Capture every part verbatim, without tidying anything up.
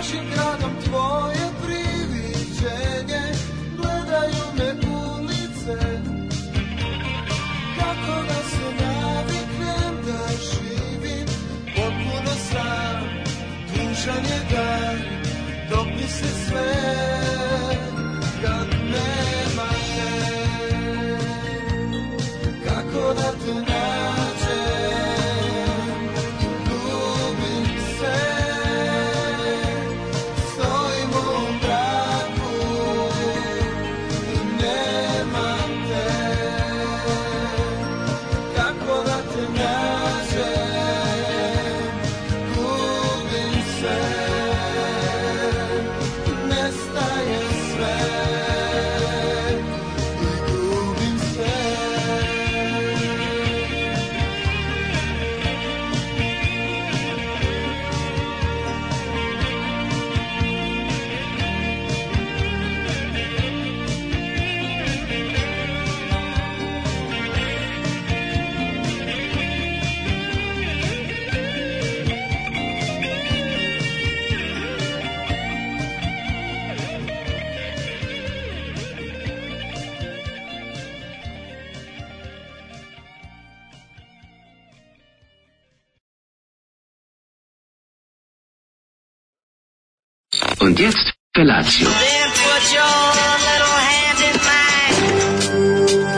našim gradom tvoje priviđenje, gledaju me ulice, kako da se naviknem da živim potpuno sam, tužan je dan, dok mi se sve kad nema te, kako da te nađem, ljubim se, stojim u mraku i nemam te, kako da te nađem, gubim se, nestaje sve i gubim se. Und jetzt Felatio. Then put your little hand in mine.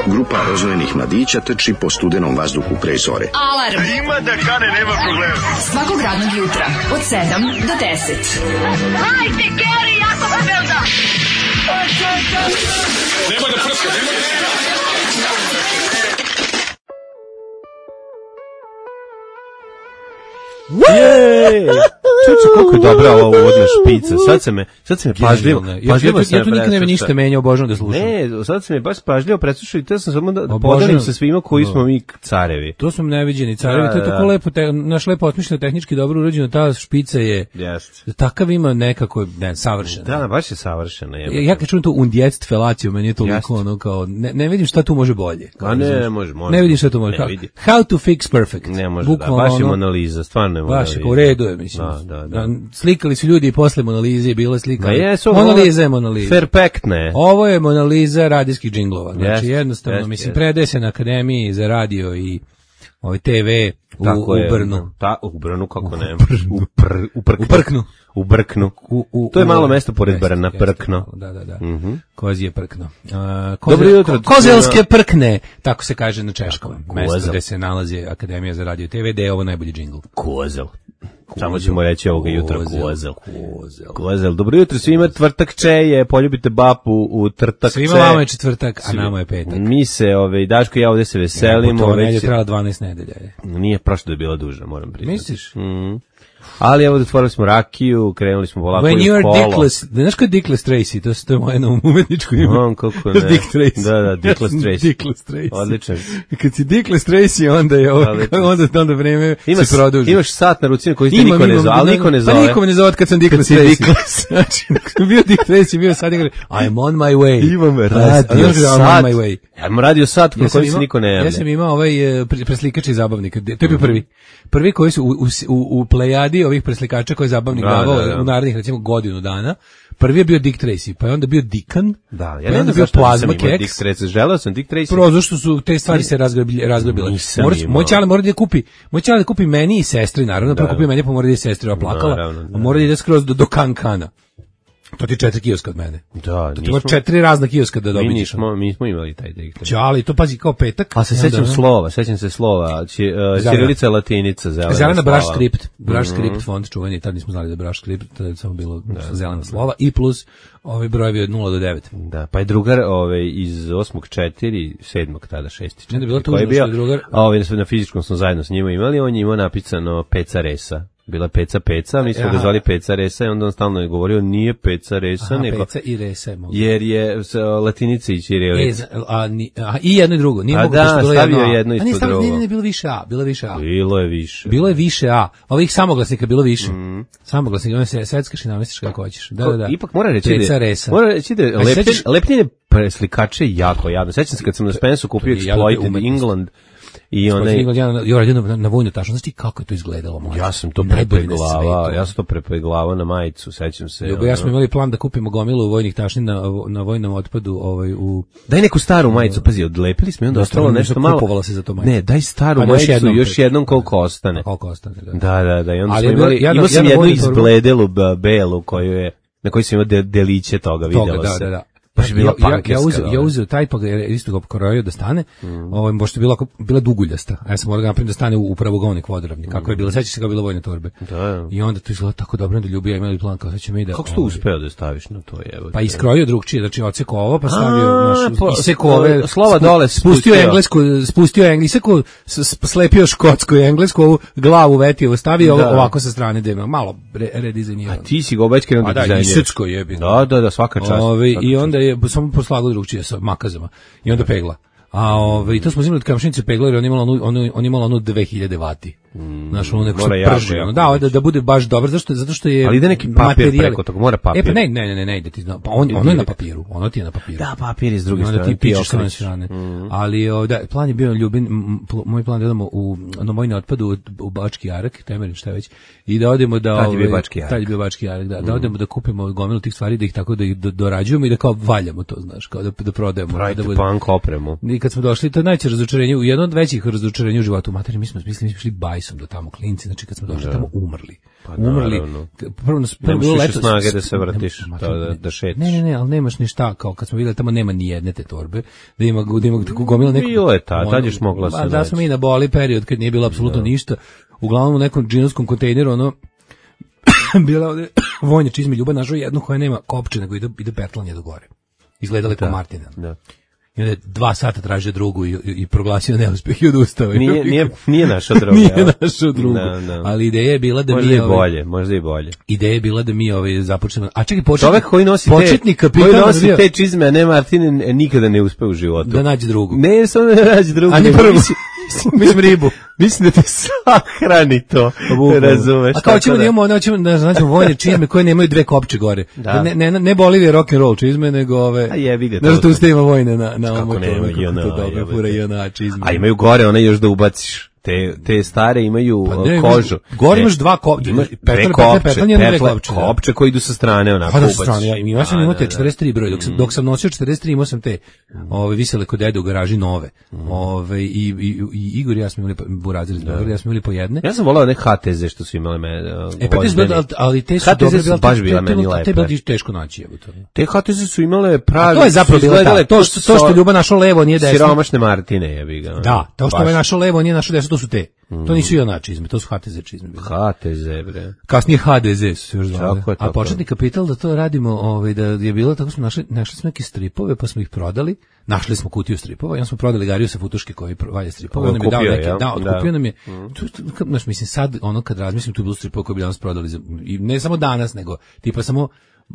Grupa rozvojenih mladića trči po studenom vazduhu pre zore. Alarm. Ima da kane, nema problema. Svakog radnog jutra od sedam do deset. Hajde, Geri, jako se velda. Nemoj da prska, nemoj da prska. Jej! Čuče koliko je dobra ova uvodna špica. Sad se me, sad se me pažljivo, pažljivo ja, se ja tu nikad ne bi ništa menjao, obožavam da slušam. Ne, sad se me baš pažljivo preslušao i te sam samo da Obožavam. podelim sa svima koji smo mi carevi. To su neviđeni carevi, Da, to je da, tako da. lepo, te, naš lepo osmišljeno, tehnički dobro urađeno, ta špica je, Jeste. takav ima nekako, ne, savršen. Da, baš je savršena. Ja, ja kad čujem to und jetzt felaciju, meni je toliko Jeste. ono kao, ne, ne vidim šta tu može bolje. Kao, A ne, razumiješ? može, može. Ne vidim šta tu može. Ne Kao, vidi. how to fix perfect. Ne može, da, Bukvalno baš je ono, Monaliza, stvarno je Monaliza. baš je, kao u redu je, mislim. Da, da, da. Slikali su ljudi i posle Monalize, bilo je slika. Ma jesu, Monaliza je Monaliza. Perfektne. Ovo je Monaliza radijskih džinglova. Znači, Jeste, jednostavno, jeste, mislim, jeste. predaje se na Akademiji za radio i ovaj te ve u, Tako u je, Brnu. Ta, u Brnu, kako ne. U, pr, u, Prknu. U Prknu. U Brknu. U, u, To je u- malo mesto pored jeste, Brna, jeste, Prkno. Da, da, da. Mhm. Kozije Prkno. Uh, Dobro jutro. ko, kozelske Prkne, tako se kaže na češkom. Mesto Kozel. gde se nalazi Akademija za radio i te ve, gde je ovo najbolji džingl. Kozel. Samo ćemo reći ovoga jutra Kozel, kozel. kozel. Kozel. Dobro jutro svima, tvrtak čeje, poljubite bapu u trtak Svima če. vama je četvrtak, a nama je petak. Mi se, ove, Daško i ja ovdje se veselimo. To već nedelja je- trajala dvanaest nedelja. je. Nije prošlo da je bila duža, moram priznati. Misliš? Mhm. Ali evo, otvorili smo rakiju, krenuli smo polako When i you u are kolo. dickless, znaš ko je Dickless Tracy, to, to je moje novo umetničko ime. On, kako ne. Dick Tracy. Da, da, Dickless Ja sam Tracy. Dickless Tracy. Odličan. Kad si Dickless Tracy, onda je ovo, Odličan. onda, onda vreme Imaš, se produži. imaš sat na ruci koji te Imam, niko ne imam, zove, ali niko ne zove. Pa niko me ne zove kad sam Dickless si Tracy. Dickless. Znači, kad sam bio Dick Tracy, bio sad igra, I'm on my way. Imam A radio znaš da I'm sat. on my way. Ja imam radio sat na Ja sam koji se imao- niko ne javlja. Ja sam imao ovaj e, pre- preslikača i zabavnika. To je bio prvi. Prvi koji su u, u, u, u plejadi ovih preslikača koji je zabavnik Da, davao da, da. u narednih recimo godinu dana. Prvi je bio Dick Tracy, pa je onda bio Dikan. Da, ja pa ne je znam onda bio zašto Plazma nisam imao Keks. Dick Tracy. Želeo sam Dick Tracy. Prvo što su te stvari se razglabile, razglabile. Nisam Moraš, imao. moj ćale mora da kupi, moj ćale da kupi meni i sestri, naravno, prvo Da. kupi meni, pa mora da je sestri oplakala, Naravno, da. a mora da ide skroz do, do Kankana. To ti je četiri kioska od mene. Da, To ti ima četiri razna kioska da Mi dobiš. nismo, mi smo imali taj Dick Tracy. Ćali, to pazi kao petak. A se I onda sećam ono- slova, sećam se slova. Ći, uh, Ćirilica, latinica, zelena Zelena slova. Brush Script, Brush Mhm. Script font čuveni, tad nismo znali da je Brush Script, tad je samo bilo zelena slova i plus ovi brojevi od nula do devet. Da, pa je drugar ovaj, iz osmog četiri, sedmog tada šesti Ne, da je bilo koji je tužno što bio, je drugar- a ovaj, na fizičkom smo zajedno s njima imali, on je imao napisano Peca Resa. Bila je Peca Peca, mi smo Aha. ga zvali Peca Resa i onda on stalno je govorio nije Peca Resa, Aha, nego peca i resa je mogu. jer je s, latinica i E, ćirilica. za- a, ni, a, i jedno i drugo. Nije A mogu da, što je bilo stavio jedno A. jedno A nije ispod stavio, drugo. ne, ne, ne, bilo više A, bilo je više A. Bilo je više. Bilo je više A. Ovih samoglasnika bilo više. Mhm. Samoglasnika, ono se seckaš i namestiš kako hoćeš. Da, Ko- da, da. Ipak mora reći Peca da, resa. mora reći da je A se lepljenje, sećaš- lepljenje preslikače je jako javno. Sećam se kad sam na Spensu kupio je jako Exploited umetnost. England, I onaj Ja ja radio na, na vojnu tašnu, znači kako je to izgledalo, mlađe? ja sam to Najbolje na prepeglavao, svetu. ja sam to prepeglavao na majicu, sećam se. Ljubo, ja ono. smo imali plan da kupimo gomilu vojnih tašni na, na vojnom otpadu, ovaj, u... Daj neku staru majicu, pazi, odlepili smo i onda Da, ostalo stvarno, nešto malo. kupovala se za to majicu. Ne, daj staru Pa da još majicu, jednom, još pe- jednom koliko ostane. Koliko ostane, da. Da, da, da, i onda Ali smo je bilo- imali, ja na- imao sam ja na jednu vojnu torbu- izbledelu b- belu koju je, na kojoj sam imao de, deliće toga, vidjelo Toga, da, se. da, da. Baš je bila ja, ja, ja, pankerska, uzeo, ja da. uzeo taj pa ga je isto ga pokrojio da stane. Mm. Ovaj možda je bila bila duguljasta. A ja sam morao ga napraviti da stane u, u pravogovnik vodoravni. Kako je bilo, sećaš se kako je bilo vojne torbe. Da. I onda to izgleda tako dobro da ljubija imali plan kao sad ćemo i da. Kako si to ovaj, uspeo da staviš na to, evo? Pa iskrojio drugčije, znači odsekao ovo, pa stavio A, naš po- isekao ove slova dole spustio spustio. englesku, spustio englesku, slepio škotsku i englesku, ovu glavu vetio, stavio Da. ovako sa strane da malo re, redizajnirano. A ti si ga obećkao A onda da, dizajniraš. isecko jebi. Da, da, da, svaka čast. Ove, svaka I čast. onda je samo poslagao drugčije sa makazama. I onda pegla. A ove, i to smo uzimali od kamšnice pegla jer on imala onu, onu, on imala onu dve hiljade vati. Znaš, ono neko mora se jako, prži. jako Ono, da, da, da bude baš dobro, zašto, zato što je Ali ide neki papir materijal- preko toga, mora papir. E pa ne, ne, ne, ne, ne ide ti, zna- pa on, ono je na papiru, ono ti je na papiru. Da, papir je s druge I onda strane. ti pičeš s one okrećeš. strane. Ali o, da, plan je bio ljubin, m, pl- moj plan je da idemo u na vojni otpad u, u Bački Jarak, Temerin, šta već, i da odemo da... Tad je bio ovaj, Bački Jarak. Tad je bio Bački Jarak, da, da odemo da kupimo gomilu tih stvari, da ih tako da ih do- dorađujemo i da kao valjamo to, znaš, kao da, da prodajemo. Pravite da bude- punk opremu. I kad smo došli, to je najveće razočarenje, u jedno od većih razočarenja u životu. Materi, mi smo mislili, mi smo šli bajsom do tamo, klinci, znači kad smo došli tamo umrli. Pa umrli. naravno. Prvo nas prvo Nemaš bilo više leto. snage da se vratiš, Nema- to da- da šetaš. Ne, ne, ne, ali nemaš ništa, kao kad smo videli tamo nema ni jedne te torbe, da ima, da ima tako gomila neko. Bilo je tad, tad još mogla se Pa da naći. smo mi na boli period kad nije bilo apsolutno ništa. Uglavnom u nekom džinovskom kontejneru, ono, bila ovde vojna čizme, Ljuba našao jednu koja nema kopče, nego ide, ide petlanje do gore. Izgledala je kao Martina. Da. I onda je dva sata tražio drugu i, i, i proglasio neuspeh i odustao. Nije, nije, nije naša droga. Nije jel? našao drugu. Da, da. Ali ideja je bila da Možda mi... i ovaj, bolje, možda i bolje. Ideja je bila da mi ovaj, započnemo... A čekaj, početnik, Čovek koji nosi početnik te, koji kapitan nosi bio- te čizme, a ne Martine, e, nikada ne uspe u životu. da nađe drugu. Ne, samo da ne nađe drugu. A ni nego prvu. Mislim, Mislim ribu. mislim da te sahrani to. Razumeš? A kao tako ćemo da imamo, da ćemo da nađemo vojne čizme koje nemaju dve kopče gore. Da. Ne, ne, ne Bolivije rock and roll čizme, nego ove... A jebi ga, to- Znaš da tu ste ima vojne na, na Kako ovom nema, motoru, kako jona, to dobro, jebote. fura jona čizme. A imaju gore, one još da ubaciš. Te, te stare imaju Pa uh, ne, kožu. gore Ne, imaš dva kop- imaš petlje, dve petlje, kopče, petlje, dve petle, kopče, da. kopče koji idu sa strane, onako Pa da, sa ubaciš. strane, ja, ja sam Da, imao da, te da. četrdeset tri broj, dok sam, dok sam nosio četrdeset tri imao sam te ove, visele kod dede u garaži nove. Ove, i, i, i Igor i ja smo imali, po- Burazir iz Beograda, ja smo imali po jedne. Ja sam volao one H T Z što su imale me. Uh, E pa te su bile, ali, ali te su H T Z dobre, su bile, baš te- bile te- meni te- Te je lepe. bilo teško naći, evo to. Te H T Z su imale pravi. To je zapravo su bilo izgledale to, to što, to što so- Ljuba našao levo, nije desno. Siromašne Martine, jebi ga. Da, to što Baš. me našao levo, nije našao desno, to su te. To nisu i ona čizme, to su H T Z čizme. bile. H T Z, bre. Kasnije H D Z su se još zvali. Tako je, A tako početni kapital da to radimo, ovaj, da je bilo, tako smo našli, našli smo neke stripove, pa smo ih prodali, našli smo kutiju stripova i onda smo prodali Gariju sa Futuške koji pro- valja stripove. Ovo On nam je dao kupio, neke, jel? da, otkupio Da. nam je, tu, tu, kad, znaš, mislim, sad, ono kad razmislim, tu je bilo stripova koji bi danas prodali, za, i ne samo danas, nego, tipa samo,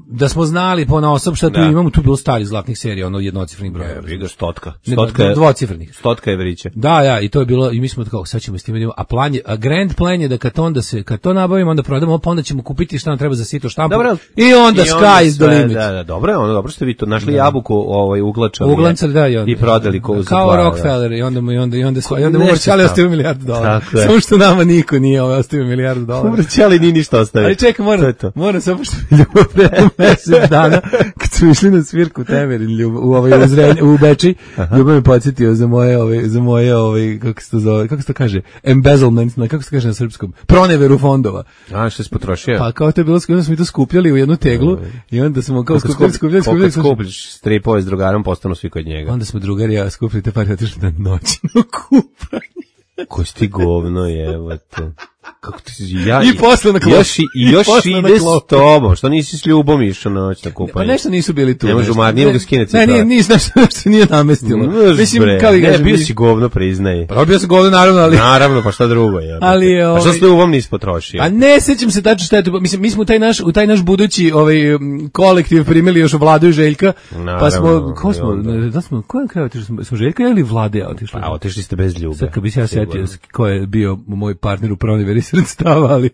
da smo znali po osob šta tu Da. imamo, tu je bilo stari zlatnih serija, ono jednocifrenih brojeva. Jebi ga, stotka. Ne, Stotka je, dvocifrenih. stotka je vriće. Da, ja, i to je bilo, i mi smo kao, sad ćemo s tim idemo, a plan je, a grand plan je da kad onda se, kad to nabavimo, onda prodamo, pa onda ćemo kupiti šta nam treba za sito štampu. Dobro, I onda sky is the sve, limit. Da, da, dobro je ono, dobro ste vi to našli jabuku, ovaj uglačali. Uglancali, da, i onda. I prodali ko za kao dva, da. Rockefeller, i onda mu, i onda, i onda, i onda mu Nešto Morčali tamo. ostavio milijardu dolara. Tako je. Samo što nama niko nije ovaj ostavio milijardu dolara. Umrećali nije ništa ostavio. Ali čekaj, To moram, je to. moram samo što je ljubav pre mesec dana, kad smo išli na svirku Temerin, ljubav, u, ovaj, u, Zrenj, u Beči, ljubav me podsjetio za moje, ovaj, za moje, ovaj, kako se to zove, kako se to kaže, embezzlement, na, kako se to kaže na srpskom, proneveru fondova. A, što si potrošio? Pa kao to je bilo, onda smo mi to skupljali u jednu teglu i onda smo kao skupljali, skupljali, skupljali, Koliko skupljiš stripove s drugarom, postanu svi kod njega. onda smo drugari ja skupili te pare, otišli na noćno kupanje. Ko si ti govno, jebote. Kako ti si, ja, I posle na klop. Još, i, i još I posle na ide klop. s tobom, što nisi s ljubom išao na noć na kupanje? Pa nešto nisu bili tu. Ne može nešto. umar, nije mogu skinuti Ne, nije, cipele. nije, nešto, nešto nije namestilo. Mrš, Mislim, bre. kao i Ne, kažem, bio mi- si govno, priznaj. Pa bio sam govno, naravno, ali... Naravno, pa šta drugo je. Ali je, A što ovaj- s ljubom nisi potrošio? A ne sećam se tačno šta je to. Mislim, mi smo u taj naš, u taj naš budući ovaj, m, kolektiv primili još Vladu i Željka, pa Naravno, smo, ko smo, i onda. ne, da smo, ko je na kraju otišli? Smo, smo Željka ili Vlade ja otišli? Pa, otišli ste bez ljube. Sad kad bi se ja Sigurno. setio ko je bio moj partner u proneveri sredstava, ali,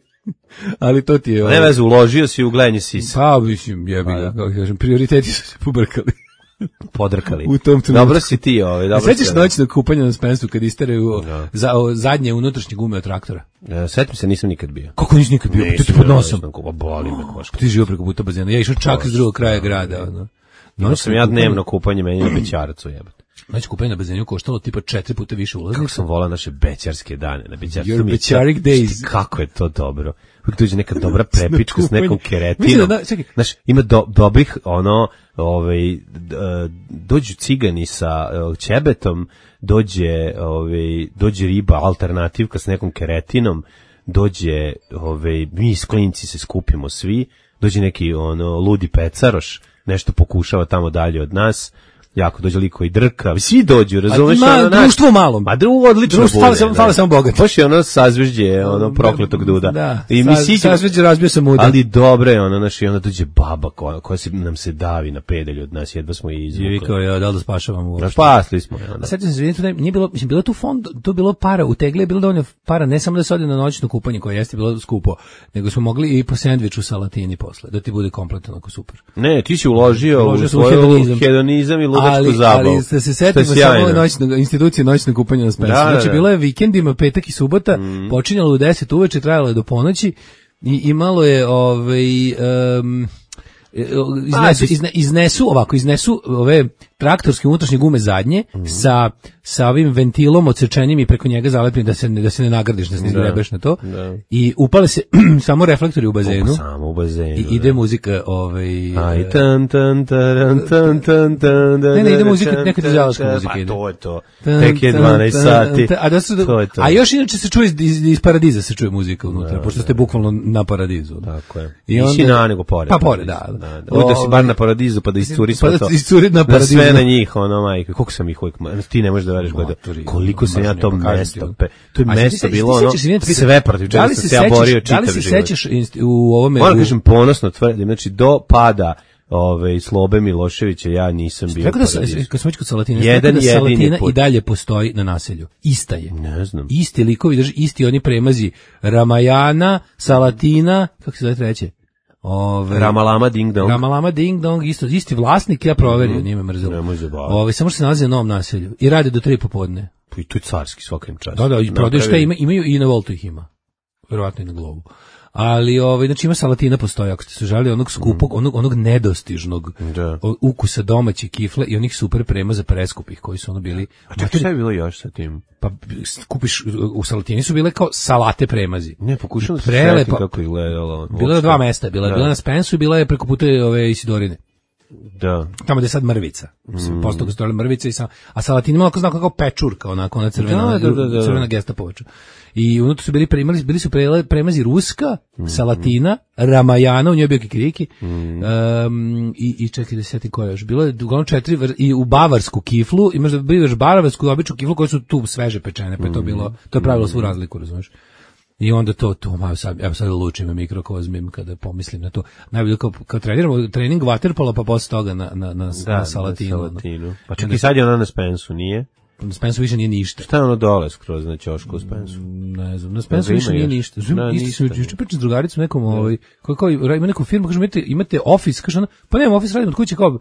ali to ti je... Ne ovaj, veze, uložio si u gledanje sisa. Pa, mislim, jebi ga, kako kažem, prioriteti su se pobrkali. podrkali. U tom trenutku. Dobro si ti, ovaj, dobro. Sećaš si, noćnog kupanja na Spensu kad isteraju Da. za, o, zadnje unutrašnje gume od traktora? E, setim se, nisam nikad bio. Kako nisi nikad bio? Ti ti pod nosom. Pa boli me koška. Ti živo preko puta bazena. Ja išao čak iz drugog kraja grada. Ono. Imao sam ja dnevno kupanje meni na Bećaracu, jebote. Znači kupanje na bazenu koštalo tipa četiri puta više ulaznica. Kako sam volao naše bećarske dane na Bećarcu. Your Bećarik days. Kako je to dobro. Uvijek dođe neka dobra prepička s nekom keretinom. Mislim da, čekaj. Znaš, ima do, dobrih, ono, ovaj, d- dođu cigani sa uh, ćebetom, dođe, ovaj, dođe riba alternativka s nekom keretinom, dođe, ovaj, mi s klinci se skupimo svi, dođe neki ono ludi pecaroš, nešto pokušava tamo dalje od nas, jako dođe liko i drka, svi dođu, razumeš? Ma, ono, naš- društvo malo. Ma drugo odlično Društvo, bude. fale samo- fale da. samo bogati. Baš je ono sazvežđe, ono prokletog duda. Da, I mi sa- siđemo- sazvežđe razbio sam udar. Ali dobro je ono, naš, i onda dođe baba koja, koja se, nam se davi na pedalju od nas, jedva smo je I izvukli. vikao, ja, da li da spašavam u Da, spasli smo je onda. A sećam se, izvinite, ne, nije bilo, mislim, bilo je tu fond, tu je bilo para, u tegli je bilo dovoljno para, ne samo da se ode na noćno kupanje koje jeste bilo skupo, nego smo mogli i po sendviču sa latini posle, da ti bude kompletno onako super. Ne, ti si uložio, Uložio u sam u svoju hedonizam. hedonizam i ludačku Ali, zabavu. ali ste se Što je setimo samo sjajno. ove noćno, institucije noćno kupanje na Spensu. Da, da, Znači, da. bilo je vikendima, petak i subota, počinjalo u deset uveče, trajalo je do ponoći i imalo je ovaj... Um, iznesu, izne, iznesu ovako, iznesu ove traktorske unutrašnje gume zadnje Mhm. sa, sa ovim ventilom odsečenim i preko njega zalepim da se, ne- da se ne nagradiš, da se ne Da. izgrebeš na to. Da. I upale se samo reflektori u bazenu Samo u bazenu. i ide muzika ovaj, Aj, tan, tan, taran, tan, tan, tan, Ne, ne, ide muzika, neka dizelaška muzika Pa ide. to je to. Tan, Tek je tan, dvanaest tan, sati. tan, A, da su, To je to. a još inače se čuje iz, iz, iz Paradiza se čuje muzika unutra, pošto ste bukvalno na Paradizu. Tako je. I I onda- na nego pored. Pa pored, da. da. da. Da si bar na Paradizu pa da iscuri sve Pa da to. iscuri na Da Paradizu. sve na njih, ono, majke. Koliko sam ih uvijek, ti ne možeš da veriš gleda. Maturi, Koliko sam ja mržnja, to pa kažem ti, mesto, ono. pe- to je A mesto ti se- bilo ti se ono, sećaš, izvinite, pitam, sve protiv da čega li sam se se ja sećaš- borio Da li čitav se život. sećaš inst- u ovome... Moram u- kažem, ponosno tvrdim, znači do pada ove, Slobe Miloševića ja nisam bio Rekao da u se, Paradizu. kad smo već kod Salatina, Jedan da jedini Salatina put. i dalje postoji na naselju. Ista je. Ne znam. Isti likovi, drži, isti oni premazi Ramajana, Salatina, kako se zove treće? Ove, Ramalama Ding Dong. Ramalama Ding Dong, isto, isti vlasnik, ja proverio, nije me mrzelo. Nemoj zabavati. Ove, samo što se nalazi na novom naselju i rade do tri popodne. I to je carski svakim časom. Da, da, i prodaju šta Napravili- ima, imaju i na Voltu ih ima. Verovatno i na Globu. Ali ovaj znači ima Salatina postoji, ako ste se žalili onog skupog, onog onog nedostižnog Da. o- ukusa domaće kifle i onih super premaza preskupih koji su ono bili. A čekaj, šta je bilo još sa tim? Pa kupiš u Salatini su bile kao salate premazi. Ne, pokušam da se Prelepa- setim kako je gledalo. Bilo je dva mesta, bila je Da. bila na Spensu i bila je preko puta ove Isidorine. Da. Tamo gde je sad mrvica. Mm. Posto ga stojala mrvica i sam, a Salatin ima onako znako kao pečurka, onako ona crvena, Da, da, da, da. crvena gestapovača. I unutra su bili primali, bili su prele, premazi Ruska, Mm. Salatina, Ramajana, u njoj je bio kikiriki. Mm. Um, i, I čekaj da se sjetim koja je još. Bilo je uglavnom četiri, vr- i u bavarsku kiflu, imaš da bi još bavarsku običnu kiflu koje su tu sveže pečene, pa je Mm. to bilo, to je pravilo svu razliku, razumiješ? I onda to, to, malo sad, evo sad lučim mikrokozmim kada pomislim na to. Najbolje kao, kao treniramo trening waterpola, pa posle toga na, na, na, Da, na Salatinu. ono. Salatinu. Pa čekaj, sad je ona na Spensu, nije? Na Spensu više nije ništa. Šta je ono dole skroz na ćošku u Spensu? Ne znam, na Spensu Da, više ima nije još. ništa. Da, Znam, isto ništa. sam juče pričao s drugaricom nekom, ovaj, koji kao ima neku firmu, kažem, imate, imate office, kaže ona, pa nemam office, radim od kuće, kao,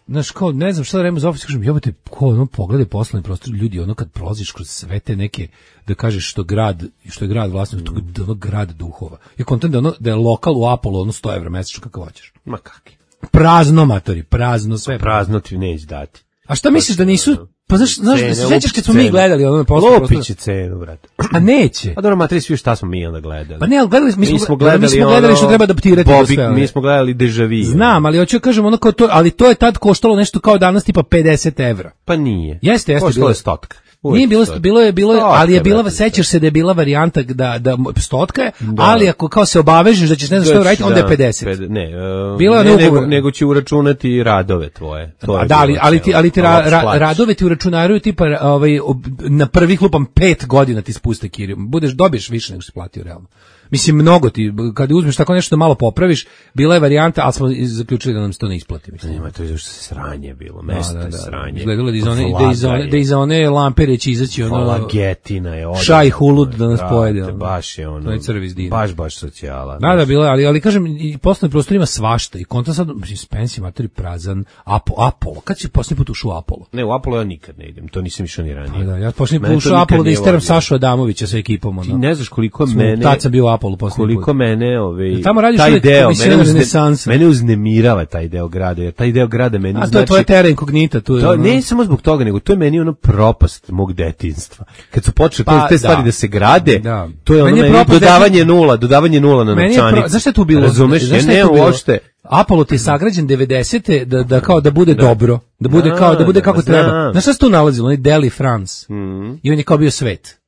znaš, kao, ne znam šta da radim za office, kažem, jebate, ko, ono, pogledaj poslovni prostor, ljudi, ono, kad prolaziš kroz sve te neke, da kažeš što grad, što je grad vlasnik, mm. to je ono grad duhova. Ja kontam da, ono, da je lokal u Apollo, ono, sto evra mesečno, kako hoćeš. Ma kakvi? Prazno, matori, prazno, sve. Prazno ti neće dati. A šta misliš da nisu, pa znaš, znaš, Cene, se sećaš kad smo cene. mi gledali ono na poslovni prostor? Lopit će cenu, brate. A neće. A dobro, matri, svi šta smo mi onda gledali? Pa ne, ali gledali, mi smo, mi smo gledali, gledali, mi smo gledali ono, što treba adaptirati za Bobby, sve. mi smo gledali Deja Vu. Znam, ali hoću da kažem ono kao to, ali to je tad koštalo nešto kao danas tipa pedeset evra. Pa nije. Jeste, jeste, Koštalo bilo je je stotka. Uvijek Nije bilo, stotka. bilo je, bilo je, Stotka, ali je bila, brate, sećaš se da je bila varijanta da, da, stotka je, Da. ali ako kao se obavežeš da ćeš ne znam što uraditi, onda je Da, pedeset. ped- Ne, uh, Bila je ne, na nego, ugovor. nego će uračunati radove tvoje. To A je da, ali, bilo ali ti, celo. ali ti ra, Ovo ra, plaćaš. radove ti uračunaraju tipa ovaj, ob- na prvih lupam pet godina ti spuste kiriju. Budeš, dobiješ više nego što si platio realno. Mislim, mnogo ti, kada uzmeš tako nešto da malo popraviš, bila je varijanta, ali smo zaključili da nam se to ne isplati. Mislim. Nema, to je zašto se sranje bilo, mesto Da, da, je da. sranje. Izgledalo da iz one, da iz Vlada one, je. da iz one lampere ili će izaći ono... Kolagetina je odlično. Šaj hulud da nas Brate, pojede. Ono. Baš je ono. To je crvi iz dina. Baš, baš socijala. Da, da, bilo je, ali, ali kažem, i poslovni prostor ima svašta. I konta sad, mislim, Spensi, materi, prazan, Apo, Apollo. Kad si posljednji put ušao u Apollo? Ne, u Apollo ja nikad ne idem, to nisam išao ni ranije. Pa da, ja posljednji Mene put to ušao u nikad Apollo da nije isteram vadio. Sašu Adamovića sa ekipom. Ono. Ti ne znaš koliko Smo- mene... tad sam bio u Apollo posljednji Koliko put. mene, ovaj, Tamo radiš taj uvijek deo, komisija mene, uzne, renesansa. mene uznemirava taj deo grada, jer taj deo grada meni A to znači... je tvoje tera inkognita. Tu je, To, ono. ne samo zbog toga, nego to je meni ono propast mog detinjstva. Kad su počeli Pa, te stvari da. da se grade, Da. to je ono Meni je meni propast dodavanje nula, dodavanje nula na Meni je novčanicu. pro... Znaš šta je tu bilo? Razumeš? Znaš Ja šta je ne tu bilo? uopšte... Apollo ti je sagrađen devedesete da da kao da bude dobro, da bude Da, kao da bude kako da, treba. znam. Znaš šta se tu nalazilo? Onaj Deli France. Mhm. I on je kao bio svet.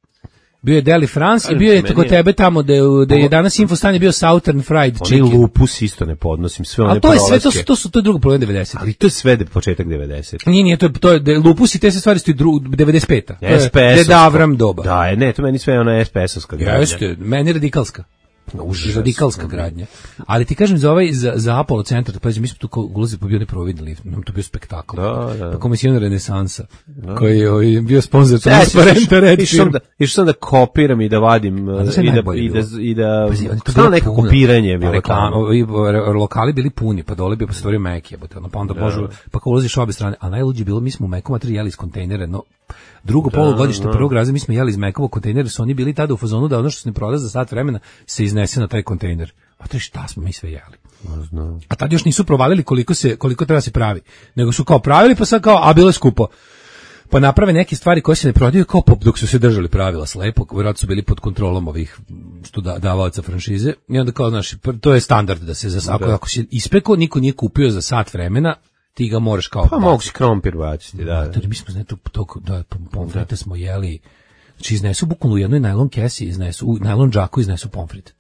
Bio je Deli France i Kažem bio je ti, tako meni je- tebe tamo da je, da je danas Infostan je bio Southern Fried Oni Chicken. lupus isto ne podnosim, sve one A to je sve, to prolaske. su, to su, to je drugo problem devedesetih. Ali to je sve de početak devedesetih. Nije, nije, to je, to je, de- lupus i te se stvari su i dru, devedeset peta. To je S P S-ovsko. Deda Avram doba. Da, je, ne, to meni sve ona S P S-ovska gradnja. Jeste, meni je radikalska. Užas. Radikalska gradnja. Ali ti kažem za ovaj za, za Apollo centar, pa mi smo tu kao ulazili po bio neprovidni lift, nam to bio spektakl. Da, da. Pa komisijona renesansa, koji je ovaj, bio sponzor Ja se transparenta red išao sam da išao sam da kopiram i da vadim A znaš šta je i da najbolje i da bilo? i da Pazi, oni to stalno bilo neko puno. kopiranje je bilo Reklama, tamo. ovi, re- lokali bili puni, pa dole bi stvorio Mek, jebote, ono, pa onda možu, pa kao ulaziš obe strane, a najluđe je bilo, mi smo u Meku materi jeli iz kontejnera, no, drugo polugodište prvog razreda mi smo jeli iz Mekovog kontejnera, su oni bili tada u fazonu da ono što se ne proda za sat vremena se iznese na taj kontejner. A to je šta smo mi sve jeli. A tad još nisu provalili koliko se koliko treba se pravi, nego su kao pravili pa sad kao a bilo je skupo. Pa naprave neke stvari koje se ne prodaju kao pop dok su se držali pravila slepo, vjerojatno su bili pod kontrolom ovih što da, davaoca franšize i onda kao znaš, pr- to je standard da se za ako, ako si ispekao, niko nije kupio za sat vremena, ti ga moraš kao Pa mogu si krompir baciti, da. da. to mi smo znači tog da pomfrite smo jeli. Znači iznesu bukvalno u jednoj najlon kesi, iznesu u najlon džaku iznesu pomfrit.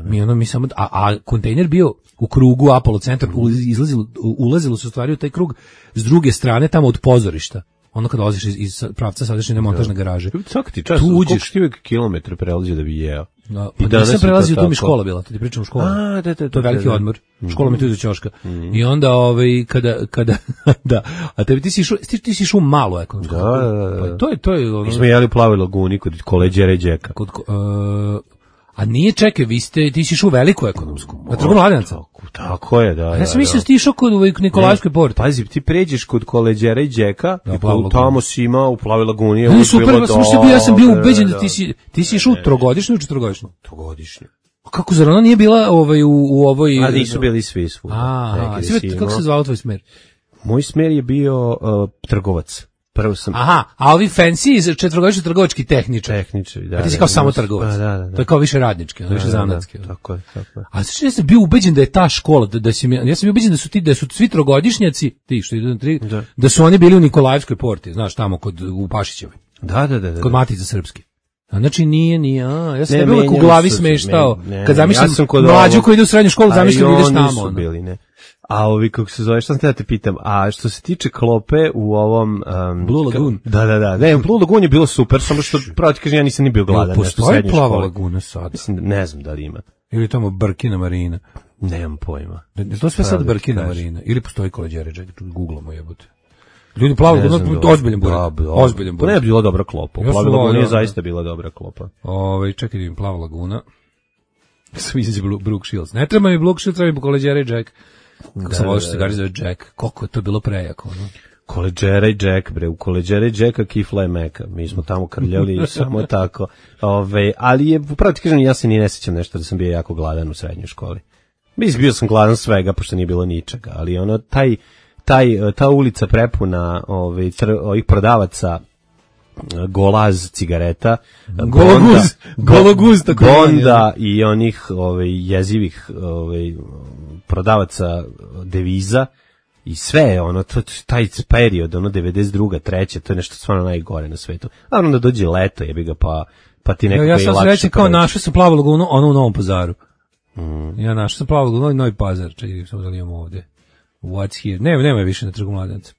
Mi ono mi samo a, a kontejner bio u krugu Apollo centar, izlazilo ulazilo se u stvari u taj krug s druge strane tamo od pozorišta. Ono kad dolaziš iz, iz pravca sadašnje montažne garaže. Svaki ti čas, Tu koliko uđeš. ti uvijek kilometre prelazio da bi jeo. Da, I pa danas nisam je to prelazio, tu mi tako. škola bila, to ti pričam u školu. A, da, da, To je da, veliki da, da. odmor. Škola mi tu iza ćoška. I onda, ovaj, kada, kada, da, a tebi ti si išao, ti, ti si išao u malu ekonomsku. Da, da, da, da. Pa to je, to je, ono, Mi smo jeli u Plavoj laguni kod koleđera i Đeka. kod, uh, a nije, čekaj, vi ste, ti si išao u veliku ekonomsku, na Trgu Mladenaca. Tako, tako je, da. A ja da, sam mislio da. da si ti išao kod ovaj Nikolajskoj porti. Pazi, ti pređeš kod koleđera i Đeka Da, i Plavu tu tamo si imao u Plavoj laguni. je Ne, uvijek super, bilo ja sam, mislio bio- ja sam bio dobro, ubeđen da da. ti si, ti si išao u trogodišnju ili četvrogodišnju. Trogodišnje. A kako, zar ona nije bila ovaj, u, u ovoj... A nisu bili svi svuda. A, Neki a, si sve, kako imao. se zvao tvoj smer? Moj smer je bio uh, trgovac. Prvo sam Aha, a ovi fancy iz četvrogodišnji trgovački tehničar. tehničar. Da, A ti si da, kao da, samo da, trgovac. Da, da, da. To je kao više radnički, ono, više Da, da, da, zanatski. Tako je, tako je. A znači ja sam bio ubeđen da je ta škola, da, da si, mi- ja sam bio ubeđen da su ti, da su svi trogodišnjaci, ti što idu na tri, da. Da. su oni bili u Nikolajevskoj porti, znaš, tamo kod, u Pašićevoj, Da, da, da, da. kod Matice Srpske. A znači nije, nije, a, ja sam Ne, ne, uvek u menjali glavi su se, smeštao, ne, ne, kad zamišljam ja sam kod mlađu ovog- koji ide u srednju školu, A zamišljam i da ideš oni tamo. su ono. bili, ne. A ovi, kako se zove, šta sam te da te pitam, a što se tiče klope u ovom... Um, Blue Lagoon. Da, da, da. Ne, Blue Lagoon je bilo super, samo što, pravo ti kažem, ja nisam ni bio gladan. Jel nešto u postoji srednjoj plava školi. laguna sada? Mislim, da- ne znam da li ima. Ili tamo Brkina Marina? Nemam pojma. Je to sve sad Pravo da ti Brkina kažem. Marina? Ili postoji koleđere, čekaj, googlamo jebote. Ljudi, plava Ne laguna, znam da- ozbiljan buret. Da, da. Ozbiljan Pa ne je buret. bila dobra klopa. Ja U Plavoj sam laguni je volio, zaista bila dobra klopa. Ovaj čekaj, da vidim plava laguna. Svi izađe Brooke Shields. Ne treba mi Brooke Shields, treba mi koleđere i Jack. Kako Da, sam volio da, što se da. gari zove Jack. Koliko je to bilo prejako, ono. Koleđera i Jack, bre, u Koleđera i Jacka kifla je meka. Mi smo tamo krljali samo tako. Ove, ali je, upravo ti kažem, ja se ni ne sjećam nešto da sam bio jako gladan u srednjoj školi. Mislim, bio sam gladan svega, pošto nije bilo ničega, ali ono, taj, taj, ta ulica prepuna ove, tr, ovih prodavaca golaz cigareta, Gologuz, gologuz, tako Bonda i onih ove, jezivih ove, prodavaca deviza i sve je ono, to, taj period, ono devedeset druga, treća, to je nešto stvarno najgore na svetu. A onda dođe leto, jebi ga, pa, pa ti nekako Ja, ja je sam lakše srećan kao proći. našao sam plavu lagunu, ono u Novom Pazaru. Mm. Ja našao sam plavu lagunu i Novi Pazar, čekaj, samo da li imamo ovde. What's here? Ne, nema je više na Trgu Mladenaca.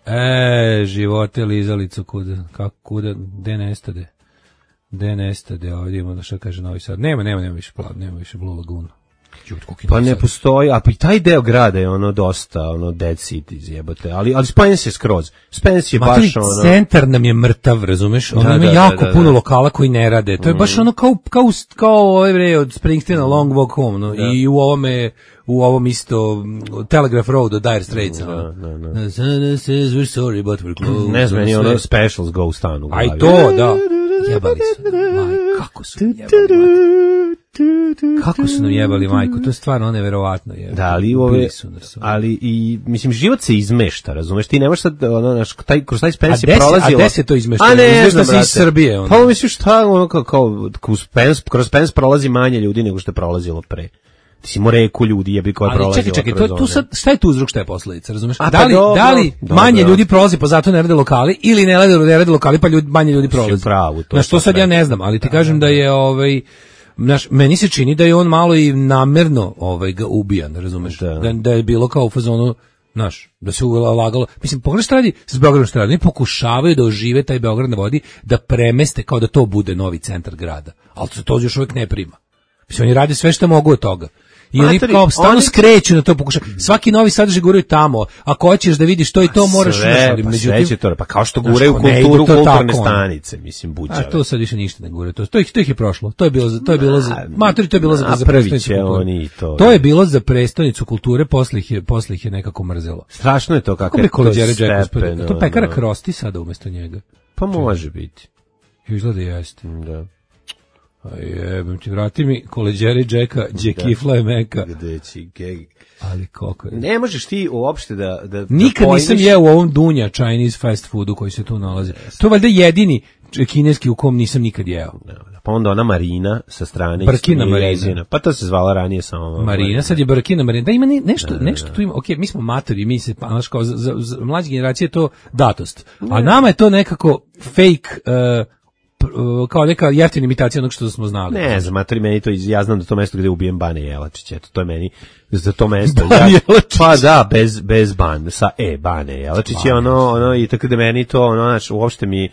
E, živote lizalicu kuda, kako kuda, gde nestade? Gde nestade, ovdje imamo da šta kaže Novi Sad. Nema, nema, nema više plav, nema više Blue Lagoon. Pa ne postoji, a pa i taj deo grada je ono dosta, ono dead cities jebote, ali, ali Spence je skroz, Spence je Maturi, baš ono... centar nam je mrtav, razumeš? Ono Da, ima da, jako da, da, puno da. lokala koji ne rade. To je baš ono kao, kao, kao ovaj bre od Springsteena Long Walk Home, no? I u ovome, u ovom isto Telegraph Road od Dire Straits. Da, ono. da, da. The sun says we're sorry but we're close. Ne znam, meni Sve. ono Specials Go stan u A i glavi. to, da. Jebali su. Maj, kako su jebali, majko. Kako su nam jebali, majko. To je stvarno neverovatno. Jebali. Da, ali ove, Ubili su nas, ono. ali i, mislim, život se izmešta, razumeš, ti ne možeš sad, ono, naš, taj, kroz taj A Spence gde je se- prolazilo... a gde se to izmešta? A ne, Izmešta znam, se iz brate. Srbije, ono. Pa misliš šta, ono, kao, kao kroz Spence, kroz Spence prolazi manje ljudi nego što je prolazilo pre. Ti si mo reku ljudi jebi koja je Ali prolazila čekaj, čekaj, to, kroz tu one. sad, šta je tu uzrok, šta je posledica, razumeš? A, da pa li, dobro, da li dobro. manje ljudi prolazi pa zato ne rade lokali ili ne rade, ne rade lokali pa ljudi, manje ljudi prolazi? u pravu, to Na je što sad sad ja rekao. ne znam, ali ti kažem da je ovaj naš, meni se čini da je on malo i namerno ovaj ga ubijan, razumeš? Da. Da, da je bilo kao u fazonu, znaš, da se ulagalo. Mislim, pogledaj šta radi s Beogradom, šta radi. Oni pokušavaju da ožive taj Beograd na vodi, da premeste kao da to bude novi centar grada. Ali se to još uvijek ne prima. Mislim, oni rade sve što mogu od toga. I oni Matori, kao stalno oni- skreću na to pokušaju. Svaki novi sadržaj guraju tamo. Ako hoćeš da vidiš to i to, moraš... sve, znaš, ali pa međutim- sve će to, pa kao što Znaš, guraju ko ne kulturu, ide to kulturne tako, ono. stanice, mislim, buđave. A to sad više ništa ne gure. To, to, ih, to ih je prošlo. To je bilo za, to je bilo za, matori, to je bilo za, a za prvi prestonicu će kulture. oni i to. To je bilo za prestonicu kulture, posle ih je, posle ih je nekako mrzelo. Strašno je to kako Kako je bi to Koleđere Jack stepen, uspio? To pekara ono. Krosti sada umesto njega. Pa može biti. Izgleda jeste. Da. A jebem ti, vrati mi Koleđere Jacka, Džekifla je meka. Gde će geg. Ali koliko je... Ne možeš ti uopšte da... da Nikad da nisam pojmiš- jeo u ovom Dunja Chinese fast foodu koji se tu nalazi. To je valjda jedini kineski u kom nisam nikad jeo. Pa onda ona Marina sa strane. Brkina isto nije Marina. jezina. Pa to se zvala ranije samo... Marina, sad je Brkina Marina. Da ima ne- nešto, nešto tu ima. Ok, mi smo matori, mi se, pa, znaš, kao, za, za, za mlađe generacije je to datost. A nama je to nekako fake, uh, pr- uh, kao neka jeftina imitacija onog što smo znali. Ne znam, matori, meni to, iz- ja znam da to mesto gde ubijem Bane Jelačić, eto, to je meni, za to mesto. Bane ja, Jelačić. Pa da, bez, bez ban, sa E, Bane Jelačić je ono, ono, i tako da meni to, ono, znaš, uopšte mi,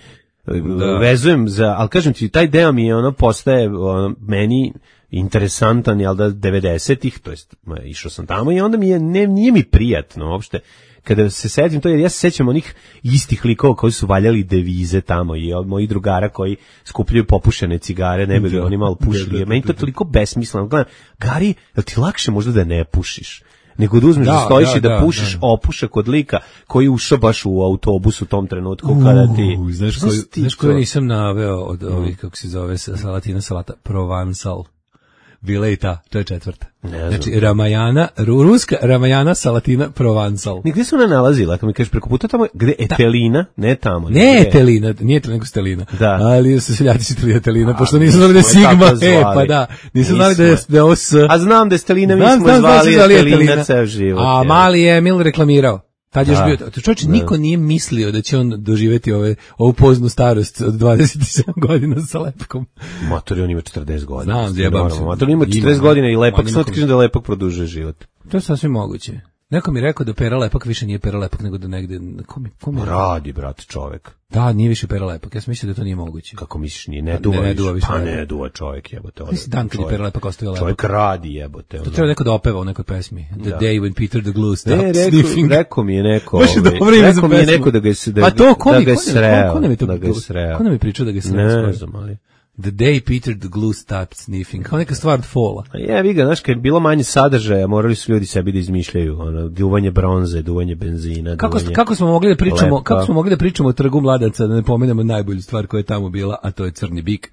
Da. vezujem za, ali kažem ti, taj deo mi je, ono, postaje, ono, meni interesantan, jel da, devedesetih, to jest, ma, išao sam tamo i onda mi je, ne, nije mi prijatno uopšte, kada se setim to, jer ja se sećam onih istih likova koji su valjali devize tamo i od mojih drugara koji skupljaju popušene cigare, ne bi li oni malo pušili. Meni to je toliko besmisleno. Gledam, Gari, jel ti lakše možda da ne pušiš? Nego da uzmeš da, Da, stojiš da, i da, da, pušiš da. opušak kod lika koji je ušao baš u autobus u tom trenutku kada ti... U, znaš Znaš koju, ti znaš to? koju nisam naveo od ovih, kako se zove, sa- salatina salata, Provençal. Bila je i ta, to je četvrta. znam. Znači, Ramajana, ru- ruska Ramajana salatina Provençal. Ni gde se ona nalazila? Kad mi kažeš preko puta tamo, gde Etelina? Ne tamo. Ne nego gde? Etelina, nije to nego Stelina. Da. Ali su seljaci čitali Etelina, A, pošto mi nisu znali da je smo je Sigma. tako E, zvali. pa da. Nisu znali da je, Nismo. da je ovo S. A znam da je Stelina, mi Znam, smo znam, znam, zvali su zvali Etelina Etelina. ceo život. A je. mali je Emil reklamirao. Tad je još Da. bio, to čovječe, niko nije mislio da će on doživjeti ove, ovu poznu starost od dvadeset sedam godina sa lepkom. Motor on ima četrdeset godina. Znam, zjebam se. Motor ima Ima, četrdeset godina i lepak, ima samo ti nekom- kažem da lepak produžuje život. To je sasvim moguće. Neko mi je rekao da Pera Lepak više nije Pera Lepak, nego da negde... Ko mi, ko mi je rekao? Radi, brate, čovek. Da, nije više Pera Lepak. Ja sam mislio da to nije moguće. Kako misliš, nije, ne Ne, duva ne više. duva više, Pa ne. ne duva čovek, jebote. Mislim, dan kad je Pera Lepak ostavio lepak. Čovek radi, jebote. To ono. treba neko da opeva u nekoj pesmi. The Da. day when Peter the Glue stopped Ne, rekao, sniffing. rekao mi je neko, Baš je ovaj, dobro ime za rekao mi je pesmu. neko da ga je, da, Pa to, ko da mi, ga je ko, sreo, ko, ko nam je to, da ga je sreo. ko nam je pričao da ga je sreo? Ne skoro? znam, ali... The day Peter the Glue stopped sniffing. Kao neka stvar od Fola. A je, vi ga, znaš, kad je bilo manje sadržaja, morali su ljudi sebi da izmišljaju, ono, duvanje bronze, duvanje benzina, Kako, duvanje... kako smo mogli da pričamo, lepka. kako smo mogli da pričamo o trgu mladaca, da ne pomenemo najbolju stvar koja je tamo bila, a to je crni bik.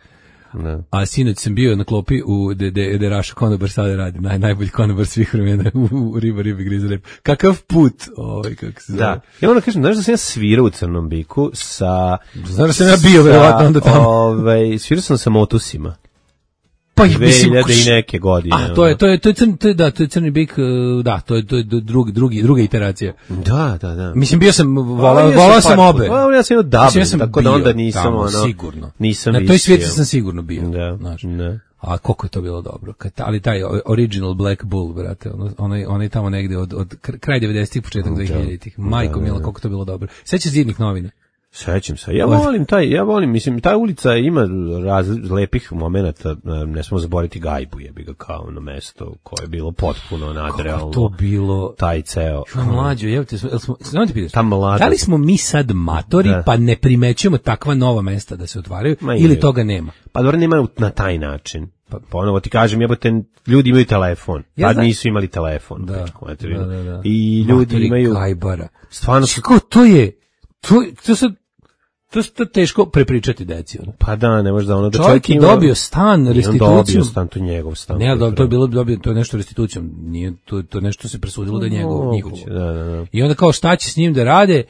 Ne. A sinoć sam bio na klopi u de de de Raša konobar sada radi, naj najbolji konobar svih vremena u, u riba ribi griza rep. Kakav put, ovaj kako se zove. Da. Ja ono kažem, znaš da sam ja svirao u Crnom biku sa... Znaš da sam ja bio, verovatno, onda tamo. Ovaj, svirao sam sa Motusima. Pa ih mislim, dve hiljade i neke godine. A to je to je to je crni, to je da, to je crni bik, uh, da, to je to je drugi drugi druga iteracija. Da, da, da. Mislim bio sam Pa, volao ja volao sam par obe. puta. Pa, ja sam imao Dublin, Mislim, ja sam tako da bio onda nisam tamo, ono... sigurno. Nisam Na toj visio. svijetu sam sigurno bio. Da, znaš. da. A koliko je to bilo dobro. Kad, ali taj original Black Bull, brate, ono, onaj, onaj tamo negde od, od kraj devedesetih, početak dvehiljaditih. Majko da, mila, da. koliko je to bilo dobro. Sećaš Zidnih novina? Sećam se. Ja volim taj, ja volim, mislim, ta ulica ima raz, lepih momenata, ne smemo zaboraviti Gajbu, jebi ga kao ono mesto koje je bilo potpuno nadrealno. Kako to bilo? Taj ceo. Što mlađo, evo te, smo, samo ti pitaš, ta mlada. Da li smo mi sad matori, da. Pa ne primećujemo takva nova mesta da se otvaraju, Ma ili je. Toga nema? Pa dobro, nema na taj način. Pa ponovo ti kažem, jebote, ljudi imaju telefon, ja pa znam. Nisu imali telefon. Da, da, da, da. I ljudi matori imaju... Gajbara. Stvarno su... Kako to je? To, to sad... To je teško prepričati deci. Ono. Pa da, ne može da ono da čovjek, čovjek ima... dobio stan, restitucijom. Dobio stan, to je njegov stan. Ne, ali to je bilo dobio, to je nešto restitucijom. Nije, to, to nešto se presudilo da je njegov, njihovo. Da, da, da. I onda kao šta će s njim da rade,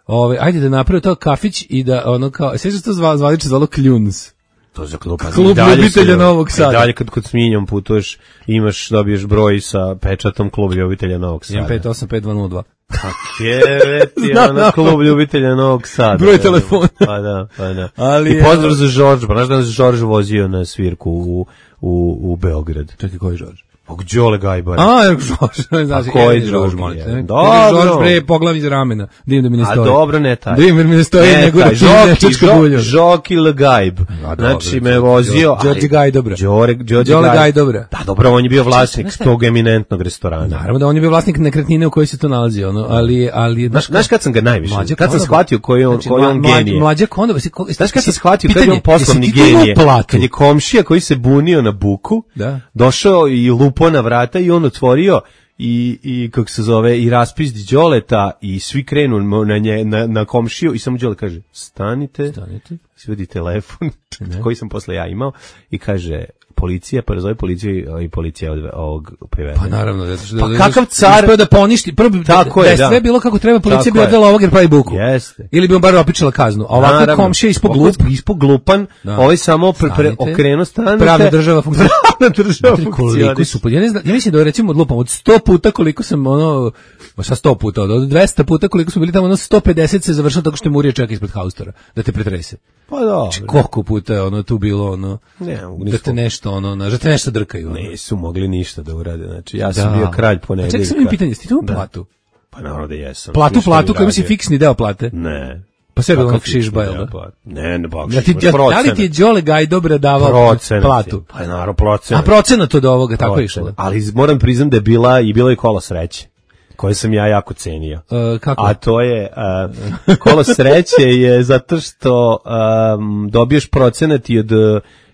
ove, ajde da naprave to kafić i da ono kao, sve što to zva, zvaliče zvalo Kljuns. To za klub, klub ljubitelja Novog Sada. Dalje kad kod Sminjom putuješ, imaš, dobiješ broj sa pečatom klub ljubitelja Novog Sada. jedan pet osam pet dva nula dva. Kakjeveti, ono klub ljubitelja Novog Sada. Broj telefona. Pa da, pa da. Ali I pozdrav za Žorža, pa znaš da se Žorž vozio na svirku u, u, u Beograd. Čekaj, koji Žorž? Og Đole Gajbara. A, Žorž, znaš, a koji Žorž, molite. Dobro. Žorž bre poglav iz ramena. Dim da mi ne stoji. A dobro, ne taj. Dim da mi ne stoji, nego da ti nečačka bulja. Žoki L Gajb. Znači me vozio. Đorđe Gaj dobra. Đore, Đorđe Gaj dobra. Da, dobro, on je bio vlasnik tog eminentnog restorana. Naravno da on je bio vlasnik nekretnine u kojoj se to nalazi, ono, ali ali znaš kad sam ga najviše, kad sam shvatio koji on koji on genije. Mlađa Konda, znaš kad sam shvatio kad je on poslovni genije. Kad je komšija koji se bunio na buku, došao i lupo na vrata i on otvorio i i kako se zove i raspizdi Đoleta i svi krenu na nje na, na komšiju i samo Đole kaže stanite, stanite, svodi telefon koji sam posle ja imao i kaže policija, pa razove policiju i policija od ovog privede. Pa naravno, zato što pa da, kakav car uspeo da poništi, prvo da je sve bilo kako treba, policija bi odvela ovog jer pravi buku. Jeste. Ili bi on bar opičila kaznu. A ovako komšija ispod glup, ispod glupan, da. Ovaj samo pre, pre, okrenu stanite. Pravna država funkcionira. Pravna država funkcionira. Ja ne znam, ja mislim da recimo odlupam od sto puta koliko sam ono, sa sto puta, od dvesta puta koliko smo bili tamo, ono sto pedeset se završilo tako što je Murija čeka ispred haustora da te pretrese. Pa dobro. Znači, koliko puta je ono tu bilo ono, ne, da te nešto ono, da te nešto drkaju. Ono. Nisu mogli ništa da urade, znači ja sam da. bio kralj ponedeljka. A čekaj, sam im pitanje, sti tu platu? Pa naravno da jesam. Platu, platu, koji si fiksni deo plate? Ne. Pa sve je bilo šižba, jel da? Ne, ne, bak, ja ti, ja, da li ti je Đole Gaj dobro davao procenat platu? Pa je naravno procenat. A procenat od ovoga, tako je išlo. Ali moram priznam da je bila i bilo je kola sreće, koje sam ja jako cenio. Uh, kako? A to je, uh, kolo sreće je zato što um, dobiješ procenat i od,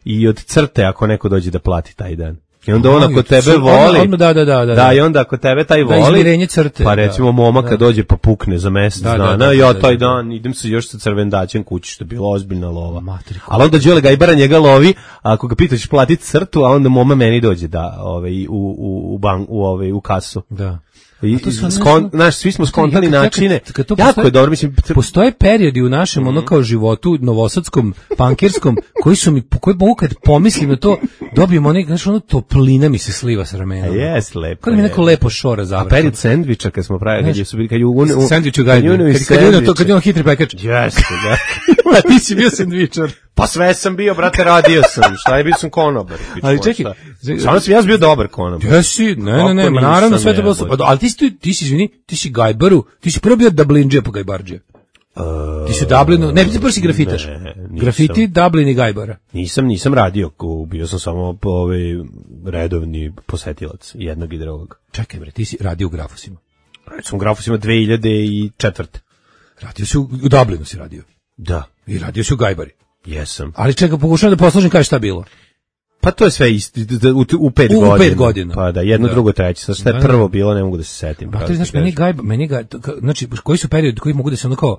i od crte ako neko dođe da plati taj dan. I onda on ako tebe voli, on, da, da, da, da, da, i onda ako tebe taj voli, da, crte, pa recimo momaka da. dođe pa pukne za mesec da, dana, da, da, ja taj dan idem se još sa crvendaćem kući, što je bila ozbiljna lova. Matriku. Ali onda Đole Gajbara njega lovi, a ako ga pitaš platiti crtu, a onda moma meni dođe da ovaj, u, u, u, bank, u, ovaj, u kasu. Da. I, skon, naš, svi smo skontali načine. Kad, kad jako postoje, je dobro, mislim. Postoje periodi u našem mm-hmm. ono kao životu novosadskom, pankirskom, koji su mi, koji mogu kad pomislim na to, dobijem onaj, znaš, ono toplina mi se sliva sa ramena. Jes, lepo. Kad mi neko lepo šora završi. A period sendviča kad smo pravili, kad je su bili, kad je u... Sendvič u gajdu. Kad je to, kad je on hitri pekač. Jeste, da. A ti si bio sendvičar. Pa sve sam bio, brate, radio sam. Šta je, bio sam konobar. Ali čekaj. Samo sam ja bio dobar konobar. Jesi, ne, ne, ne, naravno sve to bilo. Ali ti si, ti si, izvini, ti si Gajbaru, ti si prvo bio Dublinđe pa Gajbarđe. Ti si Dublinu, ne, ti prvo si grafitaš. Grafiti, Dublin i Gajbara. Nisam, nisam radio, bio sam samo ovaj redovni posetilac jednog i drugog. Čekaj bre, ti si radio u Grafosima. Radio sam u Grafosima dve hiljade četvrte. Radio si u Dublinu si radio. Da. I radio si u Gajbari. Jesam. Ali čekaj, pokušavam da posložim kaže šta bilo. Pa to je sve isto, u, u pet u, godina. U pet godina. Pa da, jedno, da. drugo, treće. Sad šta je da, prvo bilo, ne mogu da se setim. Pa to je, znaš, meni Gajba, meni ga, znači, koji su periodi koji mogu da se ono kao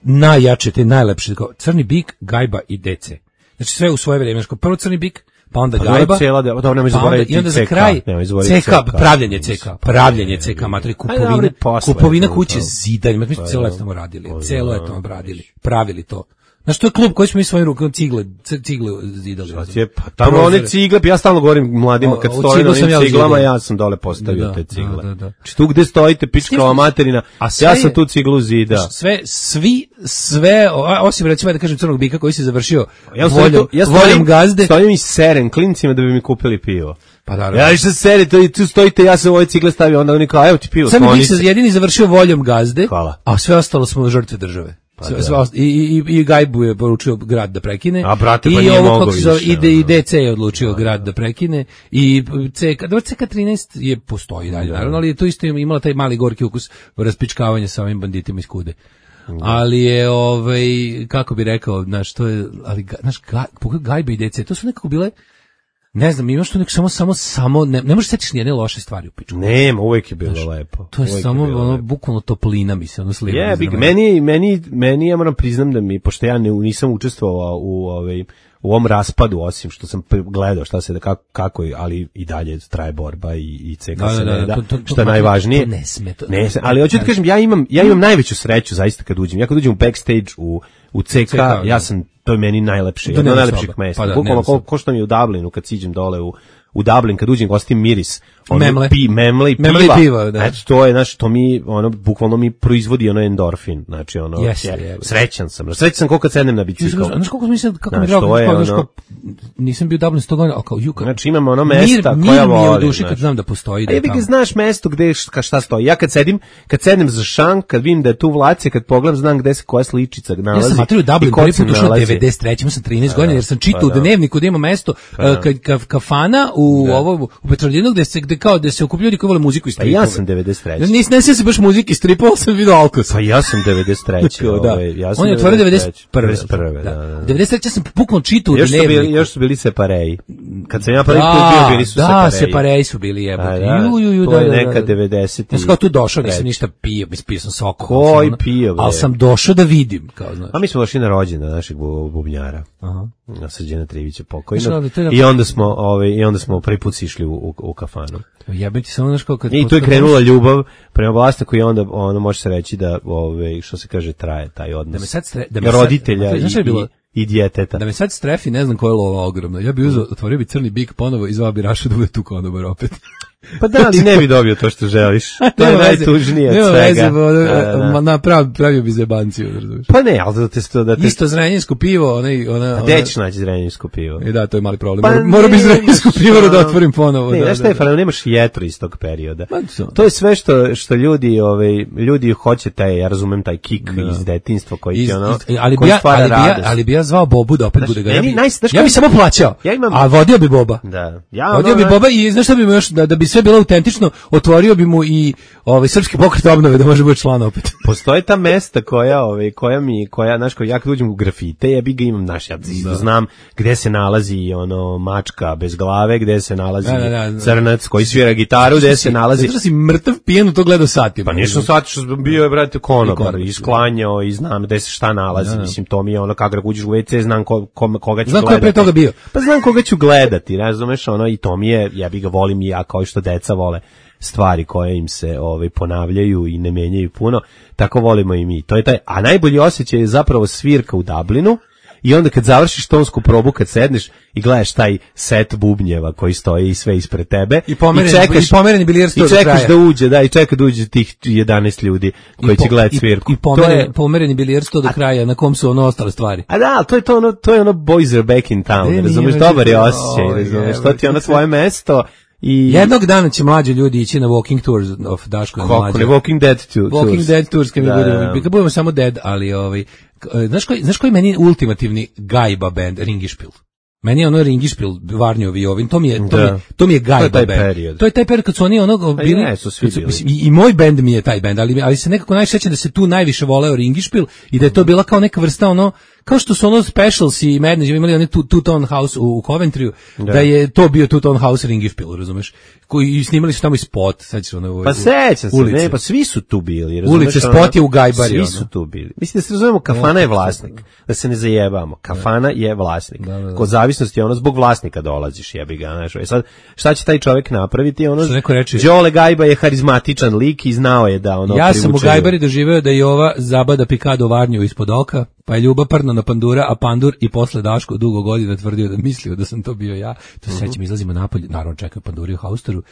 najjače, te najlepše, kao Crni bik, Gajba i D C. Znači sve u svoje vreme, prvo Crni bik, pa onda pa Gajba, cijela, da, da, pa onda, i onda za kraj C K, pravljenje C K, pravljenje C K, materi, kupovina, kupovina kuće, zidanje, mi smo cijelo leto tamo radili, cijelo leto tamo radili, pravili to. Znaš, to je klub koji smo mi svojim rukom cigle, cigle zidali. Je, pa, tamo one cigle, ja stalno govorim mladima, kad stoji na onim ciglama, ja sam dole postavio da, te cigle. Da, da, da. Či tu gde stojite, pičkava materina, ja sam tu ciglu zida. Sve, svi, sve, osim recimo da kažem Crnog bika koji se završio ja voljom, ja voljom gazde. Stojim i serem klincima da bi mi kupili pivo. Pa naravno. Ja išta serite i tu stojite, ja sam ove cigle stavio, onda oni kao, evo ti pivo. Crni bik se jedini završio voljom gazde, hvala. A sve ostalo smo žrtve države. Sve- sve ost- I, i, i Gajbu je poručio grad da prekine. A, brate, pa I nije ovo, mogao kako se zove, više, ide i ono. D C je odlučio grad da prekine. I C K, dobro, C K trinaest je postoji dalje, naravno, ali je to isto imala taj mali gorki ukus raspičkavanja sa ovim banditima iz Kude. Ali je, ovaj, kako bi rekao, znaš, to je, ali, ga- znaš, ga, pogledaj Gajbe i D C, to su nekako bile, ne znam, imaš tu neko samo, samo, samo, ne, ne možeš setiš nijedne loše stvari u pičku. Nema, uvek je bilo lepo. To je Uvek samo, bilo ono, lepo. bukvalno toplina, mislim, ono sliva. Je, big, meni, meni, meni, ja moram priznam da mi, pošto ja ne, nisam učestvovao u, ovaj, u ovom raspadu, osim što sam pre- gledao šta se da kako, kako je, ali i dalje traje borba i, i C K Da, se da, da, ne da, to- to- to- što je najvažnije. to ne sme, to- ne sme, ali hoću da kažem, ja imam, ja imam najveću sreću zaista kad uđem. Ja kad uđem u backstage u, u C K, C K, da. ja sam, to je meni najlepše, To jedno od nema najlepših soba. mesta. Pa da, Bukvalno nema ko, soba. ko što mi je u Dublinu kad siđem dole u u Dublin kad uđem gostim miris ono Memle. pi memle i piva. Memle i piva, da. Eto, to je, znači, to mi, ono, bukvalno mi proizvodi ono endorfin, znači, ono, Jeste, ja- jebe. srećan sam, srećan sam koliko kad sednem na bicikl. Znaš koliko mislim, kako mi je Znaš, drago, to je kao, znaš, ono- kao, nisam bio u Dublinu sto godina, ali kao juka. Znači, imamo ono Mir- mesta mir koja mi je u volim, duši kad znaš. znam da postoji. Da A je jebi ga, tamo. znaš mesto gde š- ka šta stoji. Ja kad sedim, kad sednem za šank, kad vidim da je tu Vlace, kad pogledam, znam gde se koja sličica nalazi. Ja sam materiju Dublin i ko prvi se put ušao nalazi. devedeset treće imao sam trinaest godina, jer sam čitao pa u da. dnevniku da ima mesto uh, kad ka, kafana u ovo u Petrolinu gde se gde kao da se okupljaju ljudi koji vole muziku i Pa stripove. ja sam devedeset treće. Nis ne se baš muzike i stripova, sam video Alkos. Pa ja sam devedeset treće. Tako, da. ovaj, ja sam On je otvorio devedeset prve. devedeset prve. devedeset prve, da, da. devedeset treće sam bukvalno čitao u Još su, bili, dnevniku. još su bili separeji. Kad sam ja prvi put Da, bio, bili su da, separeji. separeji su bili jebote. A, da, Ju, ju, ju, to da, je da, da, neka da. devedeset. Ja sam kao tu došao, nisam ništa pio, mislim, pio sam sok. Koji pio, bre? Ali sam došao da vidim, kao znaš. A mi smo došli na rođendan našeg bu- bubnjara. Aha. Na Srđana Trivića Znaš, pokojnog. ali to je na- I onda smo, ovaj, i onda smo prvi put išli u, u, u kafanu. Jebem ti samo, znaš, kao kad... I tu je krenula ljubav prema vlasniku i onda ono može se reći da ovaj što se kaže traje taj odnos. Da me sad stre- da me sad- roditelja znaš šta je i, bilo? i, i djeteta. Da me sad strefi, ne znam koja je lova ogromna. Ja bi uzeo, otvorio bi crni bik ponovo i zvao bi Raša da bude tu konobar opet. Pa da, ali ne bi dobio to što želiš. To je Nema veze, najtužnije od nema svega. veze, bo- Da, da. ma, na, prav, pravio bi zebanciju, razumiješ. Pa ne, ali da te sto da te Isto zrenjinsko pivo, onaj, ona... A ona- gde ćeš naći zrenjinsko pivo? E da, to je mali problem. Pa Mora, mora bi ne, zrenjinsku šta? pivaru da otvorim ponovo. Ne, da, znaš šta da, je, da. fara, nemaš jetru iz tog perioda. Ma, to- To je sve što što ljudi, ovaj ljudi hoće taj, ja razumem taj kik iz detinjstva koji Iz- ti ono, iz- ali bi koji ja, stvara ali bi ja, radost. ali bi ja zvao Bobu da opet Znaš, bude ga. Ja meni bi, naj- znaš ja bi kako- samo plaćao, Ja imam- a vodio bi Boba. Da. Ja Vodio ono- bi Boba i znaš šta bi mu još, da, da bi sve bilo autentično, otvorio bi mu i ovaj srpski pokret obnove da može biti član opet. Postoje ta mesta koja, ovaj, koja mi, koja, znaš, koja ja kad uđem u grafite, ja bi ga imam, znaš, ja znam gde se nalazi ono mačka bez glave, gde se nalazi Da, da, da. crnac koji svira gitaru, gde se nalazi... Zato što si mrtav pijen u to gledao satima. Pa nisam shvatio što sam bio je, brate, konobar, konobar, isklanjao i znam gde se šta nalazi, mislim, to mi je ono, kako uđeš u ve ce, znam ko, ko, koga ću Znam ko je gledati. pre toga bio. Pa znam koga ću gledati, razumeš, ono, i to mi je, ja bi ga volim i ja, kao i što deca vole stvari koje im se ovaj ponavljaju i ne menjaju puno, tako volimo i mi. To je taj, a najbolji osjećaj je zapravo svirka u Dublinu. I onda kad završiš tonsku probu, kad sedneš i gledaš taj set bubnjeva koji stoji sve ispred tebe I pomereni- i pomereni bilijar sto i do čekaš kraja. da uđe, da, i čeka da uđe tih jedanaest ljudi koji I po- će gledati i- svirku. I, To pomeren, je- pomereni bilijar sto do kraja, na kom su ono ostale stvari. A da, ali to je to ono, to je ono boys are back in town, Ne, razumeš, nije, dobar je nije, osjećaj, oj, razumeš, evo, to ti je ono sve- tvoje mesto i... Jednog dana će mlađi ljudi ići na walking tours of Daško i Kako mlađe. ne, Walking Dead tu, Walking tours. Dead tours kad mi Da, budemo, da. kad budemo samo dead, ali ovaj k- e, znaš koji znaš koji meni je ultimativni gajba band Ringišpil. Meni je ono Ringišpil Varnjovi i ovim, to mi je to Da. mi je, to mi je gajba To je taj band. period. To je taj period kad su oni ono bili jesu, svi kad su- bili. mislim, i, i moj bend mi je taj bend, ali ali se nekako najsećam da se tu najviše voleo Ringišpil i da je to bila kao neka vrsta ono kao što su ono Specials i Madness imali oni two, two Tone House u, u Coventryu, da. da je to bio Two Tone House Ringišpil, razumeš? Koji i snimali su tamo i spot, sećaš ono u- Pa sećam se, ulice. ne, pa svi su tu bili, razumeš? Ulice, ono, spot je u Gajbari, Svi ono. su tu bili. Mislim da se razumemo, kafana je vlasnik, da se ne zajebamo. Kafana je vlasnik. Da, da, da. Kod zavisnosti je ono zbog vlasnika dolaziš, jebi ga, znaš. E sad, šta će taj čovjek napraviti? Ono, Što neko reče- Đole Gajba je harizmatičan lik i znao je da ono Ja sam u privuče Gajbari ljude. doživeo da je ova zabada pikado Varnju ispod oka, pa je Ljuba prdno na pandura, a pandur i posle Daško dugo godina tvrdio da mislio da sam to bio ja. To se sećam, izlazimo napolje, naravno čekaju panduri u haustoru,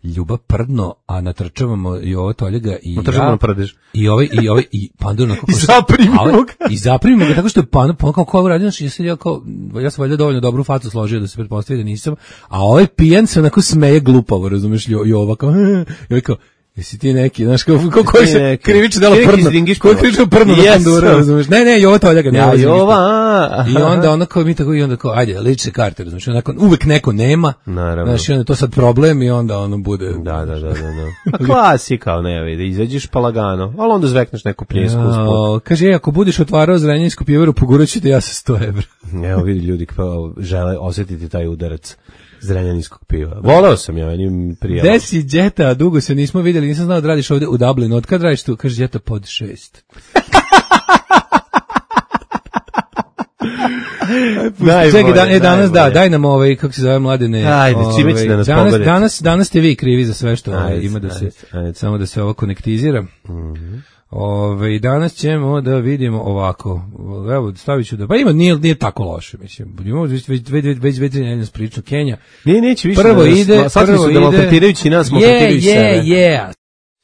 Ljuba prdno, a natrčavamo i ovo Toljega i Natrčavamo ja. na prdež. I ovaj i ovaj i pandur na kako I zaprimimo a ovaj- ga. I zaprimimo ga tako što je pan pa kao kao radio, znači ja sam ja kao ja sam valjda dovoljno dobru facu složio da se pretpostavi da nisam, a ovaj pijan se onako smeje glupavo, razumeš, Jo- Jova kao i ovaj kao Jesi ti neki, znaš, kako ko, koji se neki. krivično delo Ti neki prdno, Zdingišpila. koji krivično prdno na Yes. pandura, razumeš? Ne, ne, Jovo Toljak, ne, Ja, ovo je Zdingišpila. Jova. I onda ono kao mi tako i onda kao ajde lične karte, razumiješ, onako uvek neko nema. Naravno. Znači onda je to sad problem i onda ono bude. Da, da, da, da, da. Klasika, ne vidi, izađeš pa lagano, ali onda zvekneš neku pljesku usput. Ja, kaže, ako budeš otvarao Zrenjansku pivaru, pogurat ću te ja sa sto evra. Evo vidi ljudi kao žele osjetiti taj udarac zrenjaninskog piva. Voleo sam ja, njim prijelo. Gde si Đeta, dugo se nismo vidjeli, nisam znao da radiš ovdje u Dublinu. Od kad radiš tu? Kaže Đeta pod šest. Čekaj, da, e, danas da, daj nam ovaj, kako se zove, Mladene. Ajde, čime će da nas danas, pogodite? danas, danas ste vi krivi za sve što ovaj, Ajde, ima da se, ajde, ajde. samo da se ovo konektizira. Mhm. Ove, danas ćemo da vidimo ovako. Evo, stavit ću da... Pa ima, nije, nije tako loše, mislim. Imamo već, već, već, već, već, već priču Kenja. Nije, neće više. Prvo da nas- ide, sad prvo su ide... maltretirajući nas, maltretirajući Je, sebe. je, je.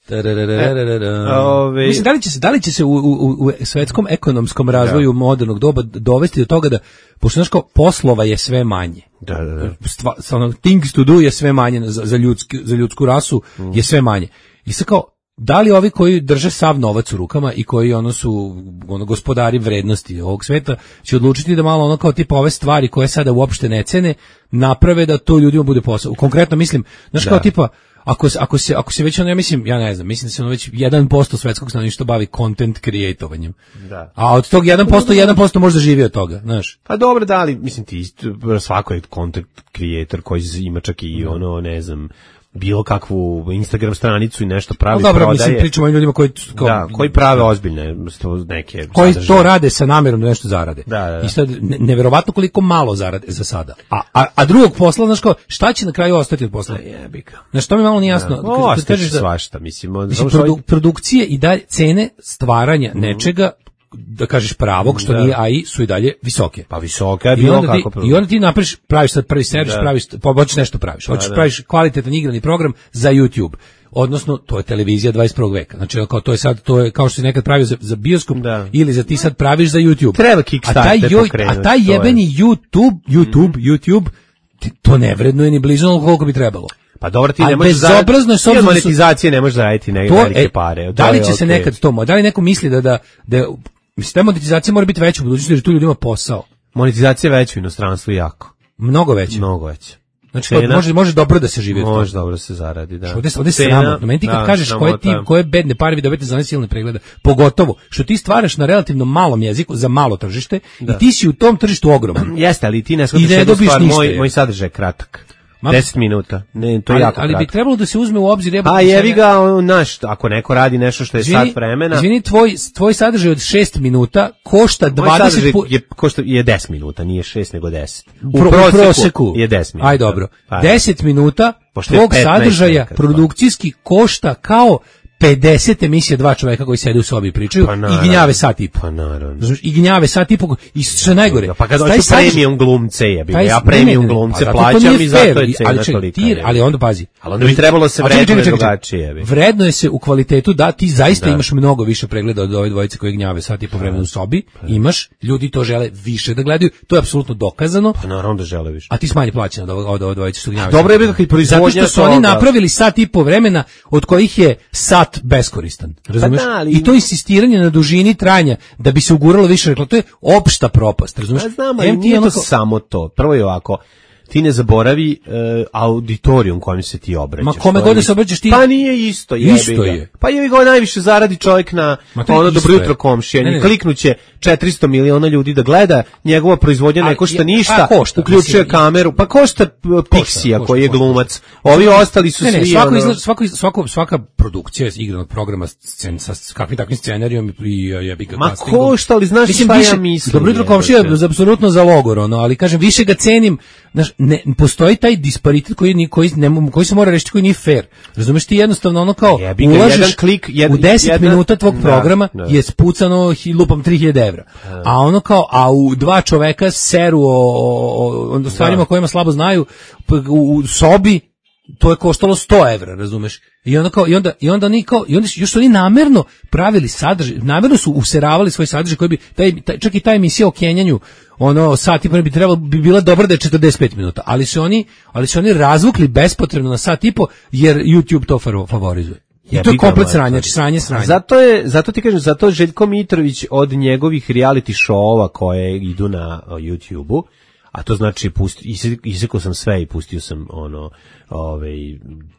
Tararararara. Ove- Mislim, da li će se, da li će se u, u, u svetskom ekonomskom razvoju modernog doba dovesti do toga da, pošto znaš kao, poslova je sve manje. Da, da, da. Stva, ono, things to do je sve manje za, za, ljudski, za ljudsku rasu je sve manje. I sad kao, da li ovi koji drže sav novac u rukama i koji ono su ono gospodari vrednosti ovog sveta će odlučiti da malo ono kao tipa ove stvari koje sada uopšte ne cene naprave da to ljudima bude posao. Konkretno mislim, znaš kao tipa ako se ako se ako se već ono ja mislim ja ne znam, mislim da se ono već jedan posto svetskog stanovništva bavi content creatovanjem. Da. A od tog jedan posto jedan posto možda živi od toga, znaš. Pa dobro, da li, mislim ti, isto, svako je content creator koji ima čak i ono, ne znam, bilo kakvu Instagram stranicu i nešto pravi, No, dobro, prodaje. mislim pričamo o ljudima koji kao, Da, koji prave ozbiljne sto- neke koji sadržaje. to rade sa namerom da nešto zarade. Da, da, da. I sad ne- neverovatno koliko malo zarade za sada. A, a, a drugog posla, znaš kao, šta će na kraju ostati od posla? Jebika. Znaš, to mi malo nije jasno. Da. Kad- O, kad ostaće kažeš da- svašta, mislim. on- Mislim, samo što- produ- produkcije i dalje, cene stvaranja nečega, da kažeš pravog, što Da. nije A I, su i dalje visoke. Pa visoka je I bilo onda, ti, kako. I onda ti napraviš, praviš sad prvi servis, Da. praviš, pa hoćeš nešto praviš, hoćeš da. praviš kvalitetan igrani program za YouTube. Odnosno, to je televizija dvadeset prvog veka. Znači, kao to je sad, to je kao što si nekad pravio za, za bioskop, Da. ili za ti sad praviš za YouTube. Treba a Kickstarter taj, joj- pokrenuti, a taj to je. jebeni YouTube, YouTube, YouTube, ti- to ne vrednuje ni blizu onoliko koliko bi trebalo. Pa dobro, ti A ne možeš bezobrazno je s ti od obzirom da su- monetizacije ne možeš zaraditi neke To, velike e, pare. To da li je će se okej. nekad to, mo- da li neko misli da, da, da mislim, ta monetizacija mora biti veća u budućnosti, jer tu ljudima posao. Monetizacija je veća u inostranstvu jako. Mnogo veća. Mnogo veća. Znači, Cena? može, može dobro da se živi od toga. Može dobro se zaradi, da. Ovde, ovde se Cena, sramotno. Meni ti kad da, kažeš koje ti, sramota. koje bedne pare vi dobijete za one silne pregleda, pogotovo što ti stvaraš na relativno malom jeziku, za malo tržište, i ti si u tom tržištu ogroman. Jeste, ali ti ne I shvataš ne jednu dobiš stvar, ništa, moj, je. moj sadržaj je kratak. Ma- deset minuta. Ne, to je ali, jako ali bi kratko. trebalo da se uzme u obzir. jebote, A jevi sad- ga, on, naš, ako neko radi nešto što je Izvini, sat vremena, Izvini, tvoj, tvoj sadržaj od šest minuta košta moj dvadeset sadržaj pu- je, košta, je deset minuta, nije šest nego deset. U Pro- proseku, proseku je deset minuta. Aj dobro. Pa, deset minuta Pošto je tvog petnaest sadržaja nekad, pa. produkcijski košta kao pedeset emisija dva čoveka koji sede u sobi i pričaju Pa i naravno. gnjave sat i po. Pa naravno. Razumeš, i gnjave sat i po i što je najgore. Pa kad taj hoću sadržaj- premium glumce jebi, taj- ja ne, premium ne, ne, glumce pa zato to plaćam nije i zato fair, je cena ali čekaj, tolika. ti- jebi. ali onda pazi. Ali onda bi trebalo se A čekaj, čekaj, vrednuje čekaj, čekaj. drugačije, jebi. Vrednuje se u kvalitetu da ti zaista Da. imaš mnogo više pregleda od ove dvojice koji gnjave sat i po vremena u sobi. Imaš, ljudi to žele više da gledaju. To je apsolutno dokazano. Pa naravno da žele više. A ti smanji plaćeno od ove, od ove dvojice što gnjave. Dobro je sat i bilo po. kad proizvodnja Zato što su oni toga- napravili sat i po vremena od kojih je sat beskoristan. Razumeš? da, ali- I to insistiranje na dužini trajanja da bi se uguralo više reklama, to je opšta propast, razumeš? Pa znam, ali Em ti nije to onako- samo to. Prvo je ovako, ti ne zaboravi e, auditorijum kojem se ti obraćaš. Ma kome To je god da se isto. obraćaš ti- Pa nije isto, jebi Isto ga. je. Pa jebi ga, najviše zaradi čovjek na Ma to je ono isto dobro je. jutro komšija. Ne, ne, ne. Kliknuće četiristo miliona ljudi da gleda, njegova proizvodnja ne Ali, košta je- ništa, a, košta, uključuje mislim, kameru, pa košta p- Pixija košta, koji je košta. glumac. Ovi ostali su Ne, ne, svi svako ono- izla, svako, iz- svako, svaka produkcija iz igranog programa scen, sa s kakvim takvim scenarijom i jebi ga Ma castingom. košta, ali znaš šta ja mislim, Dobro jutro jebote. komšija je apsolutno za logor, ono, ali kažem, više ga cenim, znaš, ne, postoji taj disparitet koji, ni- koji, ne, mo- koji se mora rešiti, koji nije fair. Razumeš, ti jednostavno ono kao, Jebi ga, ulažeš jedan klik, jed- u deset jedna- minuta tvog da, programa da. je spucano hi- lupam tri hiljade evra. A ono kao, a u dva čoveka seru o, o, o, o stvarima kojima slabo znaju, p- u, u sobi, to je koštalo sto evra, razumeš? I onda kao i onda i onda oni kao i onda su- još su oni namerno pravili sadržaj, namerno su useravali svoj sadržaj koji bi taj, taj čak i ta emisija o kenjanju, ono sat i po bi trebalo bi bila dobra da je četrdeset pet minuta, ali su oni ali su oni razvukli bespotrebno na sat i po jer YouTube to faro- favorizuje. I Jebi to je ga, komplet mater. sranje, znači sranje sranje. Zato je, zato ti kažem, zato Željko Mitrović od njegovih reality show-ova koje idu na o, YouTubeu, a to znači pusti, isekao sam sve i pustio sam ono, ovaj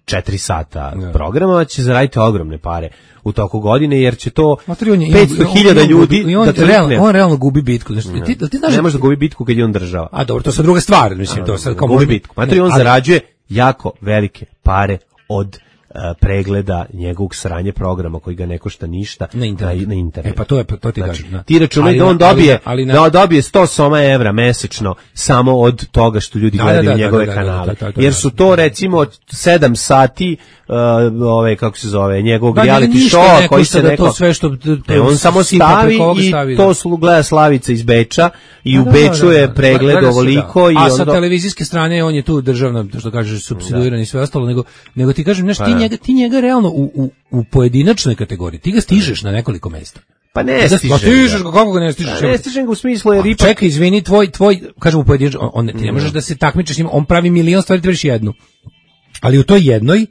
četiri sata Ja. programa, će zaraditi ogromne pare u toku godine, jer će to Mater, on je- petsto hiljada on- on- ljudi i on, da realno, trkne. on realno gubi bitku. Znači, ti, ti znaš, Ne može da gubi bitku kad je on država. a dobro, to je sad druga stvar, mislim, to je sad kao gubi može- bitku. Mater, on ali- zarađuje jako velike pare od uh, pregleda njegovog sranje programa koji ga ne košta ništa Na internetu. Na, na internetu. E, pa to je- to ti Znači, kažem, da. ti računaj Ali da na- on dobije, ali na- da on dobije sto soma evra mesečno samo od toga što ljudi Da, gledaju da, da, njegove da, da, da, kanale. da, da, da, Jer su to recimo sedam sati uh, ove, kako se zove, njegovog Da, reality ništa show ne koji košta se da neko... to sve što- E, on samo sipa stavi preko ovoga i stavi, da. to su gleda Slavica iz Beča i u Da, Beču da, je da. pregled Gleda se, ovoliko da. i a sa onda... televizijske strane on je tu državno, što kažeš, supsidiran i sve ostalo, nego nego ti kažem, znaš, Pa ti da. njega ti njega realno u, u, u pojedinačnoj kategoriji, ti ga stižeš na nekoliko mesta. Pa ne Da, stiže. pa stižeš ga, kako ga ne stižeš? Pa ne stižem ga u smislu jer Pa ipak... čekaj, izvini, tvoj, tvoj, kažem u pojedinačno, on, on, ti ne možeš da se takmičeš s njim, on pravi milion stvari, ti praviš jednu. Ali u toj jednoj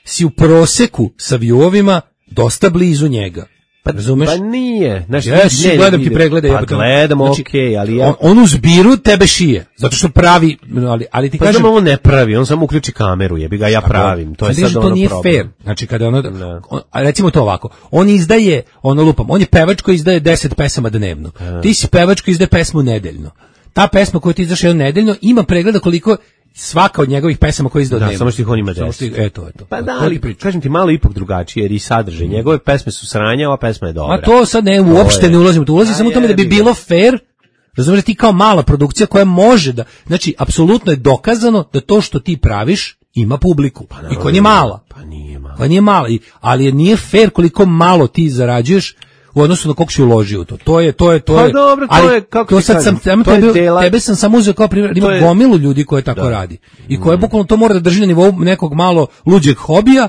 si u proseku sa viewovima dosta blizu njega. Pa, razumeš? Pa nije. Znaš, Jesi, ne, gledam ti ide- preglede. Pa jebote. gledam, Znači, okej, ali ja... On, on u zbiru tebe šije, zato što pravi, ali, ali ti Pa kažem... znam, on ne pravi, on samo uključi kameru, jebi ga, ja pravim. To je Sad vidiš, sad to ono nije problem. fair. Znači kada ono, Da. on, a recimo to ovako, on izdaje, ono lupam, on je pevač koji izdaje deset pesama dnevno. Ti si pevač koji izdaje pesmu nedeljno. Ta pesma koju ti izdaš jedno nedeljno ima pregleda koliko svaka od njegovih pesama koje izdao Da, dnevno. samo što ih on ima Samo deset. što ih- Eto, eto. Pa da, To ti ali pričam. kažem ti malo ipak drugačije, jer i sadržaj. Njegove pesme su sranja, ova pesma je dobra. Ma to sad ne, uopšte je- ne ulazim u to. Ulazi A samo u tome da bi jebi ga. bilo fair. Razumiješ, ti kao mala produkcija koja može da, znači, apsolutno je dokazano da to što ti praviš ima publiku. I koja nije mala. Pa nije malo. Pa nije mala, i- ali je nije fair koliko malo ti zarađuješ u odnosu na koliko si uložio u to. To je, to je, to Pa je. dobro, to ali je, kako to ti sad kažem, sam, tebe, to je tebe, dela- tebe sam samo uzeo kao primjer, To ima je- gomilu ljudi koje tako Da. radi. I koje bukvalno to mora da drži na nivou nekog malo luđeg hobija,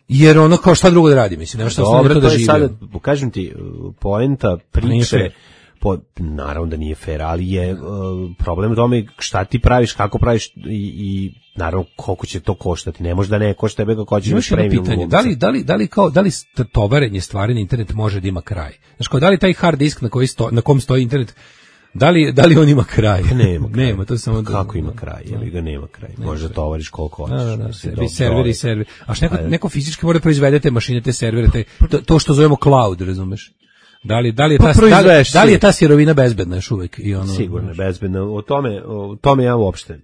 jer ono kao šta drugo da radi, mislim, nema šta ostane Dobro, to to da je živi. sada, kažem ti, poenta Nije priče, fair. po, naravno da nije fair, ali je uh, problem u tome šta ti praviš, kako praviš i, i naravno koliko će to koštati. Ne može da ne košta, tebe kako hoćeš Imaš jedno premium pitanje, glumca. da li, da li, da li kao, da li st- tovarenje stvari na internet može da ima kraj? Znaš, kao, da li taj hard disk na, koji sto, na kom stoji internet, da li, da li on ima kraj? Pa nema kraj. Nema, to je samo... Kako ima kraj? Jebi ga nema kraj. Može da tovariš koliko hoćeš. Da, da, da, mislim, servi, dobro, serveri, dobro. serveri. A što neko, Pa, neko fizički mora da proizvede te mašine, te servere, te, to, to što zovemo cloud, razumeš? Da li, da li je Pa ta, da, proizvedeš da li je ti. ta sirovina bezbedna još uvek? I ono, Sigurno je bezbedno. O tome, o tome ja uopšte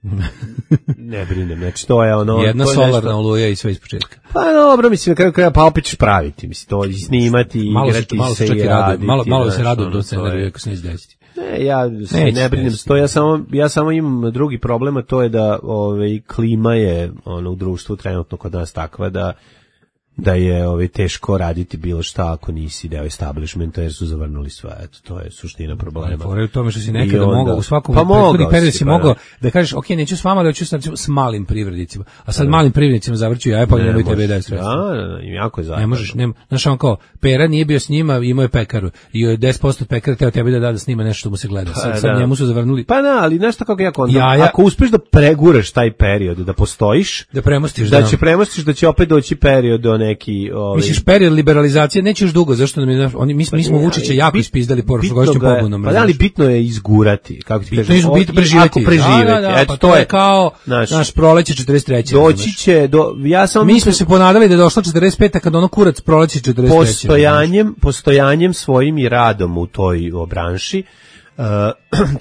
ne brinem. Znači, to je ono... jedna to je solarna nešto- oluja i sve iz početka. Pa dobro, mislim, na kraju kraja, pa opet ćeš praviti. Mislim, to i snimati, Malo se, igrati malo se se čak i i radujem, raditi. malo, malo se znaš, radujem ono, do to scenarija je- ako se ne izdesiti. Ne, ja se Neće, ne brinem neće. to, ja samo, ja samo imam drugi problem, a to je da ovaj, klima je ono, u društvu trenutno kod nas takva da da je ovaj, teško raditi bilo šta ako nisi deo establishmenta jer su zavrnuli sve. Eto, to je suština problema. Fora je u tome što si I nekada onda- mogao u svakom pa prethodnih mogao periodu si, si pa mogao da. da kažeš ok, neću s vama, ali hoću sa, s malim privrednicima. A sad malim privrednicima zavrću ja, pa Ne nemoj tebe možeš. daje sredstva. Da, da, da, jako je zajedno. Ne možeš, nema. Znaš, on kao, Pera nije bio s njima, imao je pekaru. I je deset posto od pekara teo tebi da da da snima nešto što mu se gleda. Sad, Pa, sad da. njemu su zavrnuli Pa da, ali znaš to kako ja kontam, Ja, ja- ako uspeš da preguraš taj period, da postojiš, da premostiš. da će premostiš da će opet doći period do neki... Ovaj, Misliš, period liberalizacije neće još dugo, zašto nam je, naš- oni, mi, mi smo ne, Vučića ali jako bit- ispizdali bitno prošlogodišnjom ga je- pobunom. Pa da, ali razumeš? bitno je izgurati, kako ti Bitno kažeš, je o- bitno i preživeti. ako preživeti, Da, da, da, eto, pa to je kao znaš, naš proleće četrdeset treće. doći razumeš? će, do, ja sam Mi smo se ponadali da je došlo četrdeset peta kad ono kurac proleće četrdeset treće. postojanjem, postojanjem svojim i radom u toj o, branši, uh,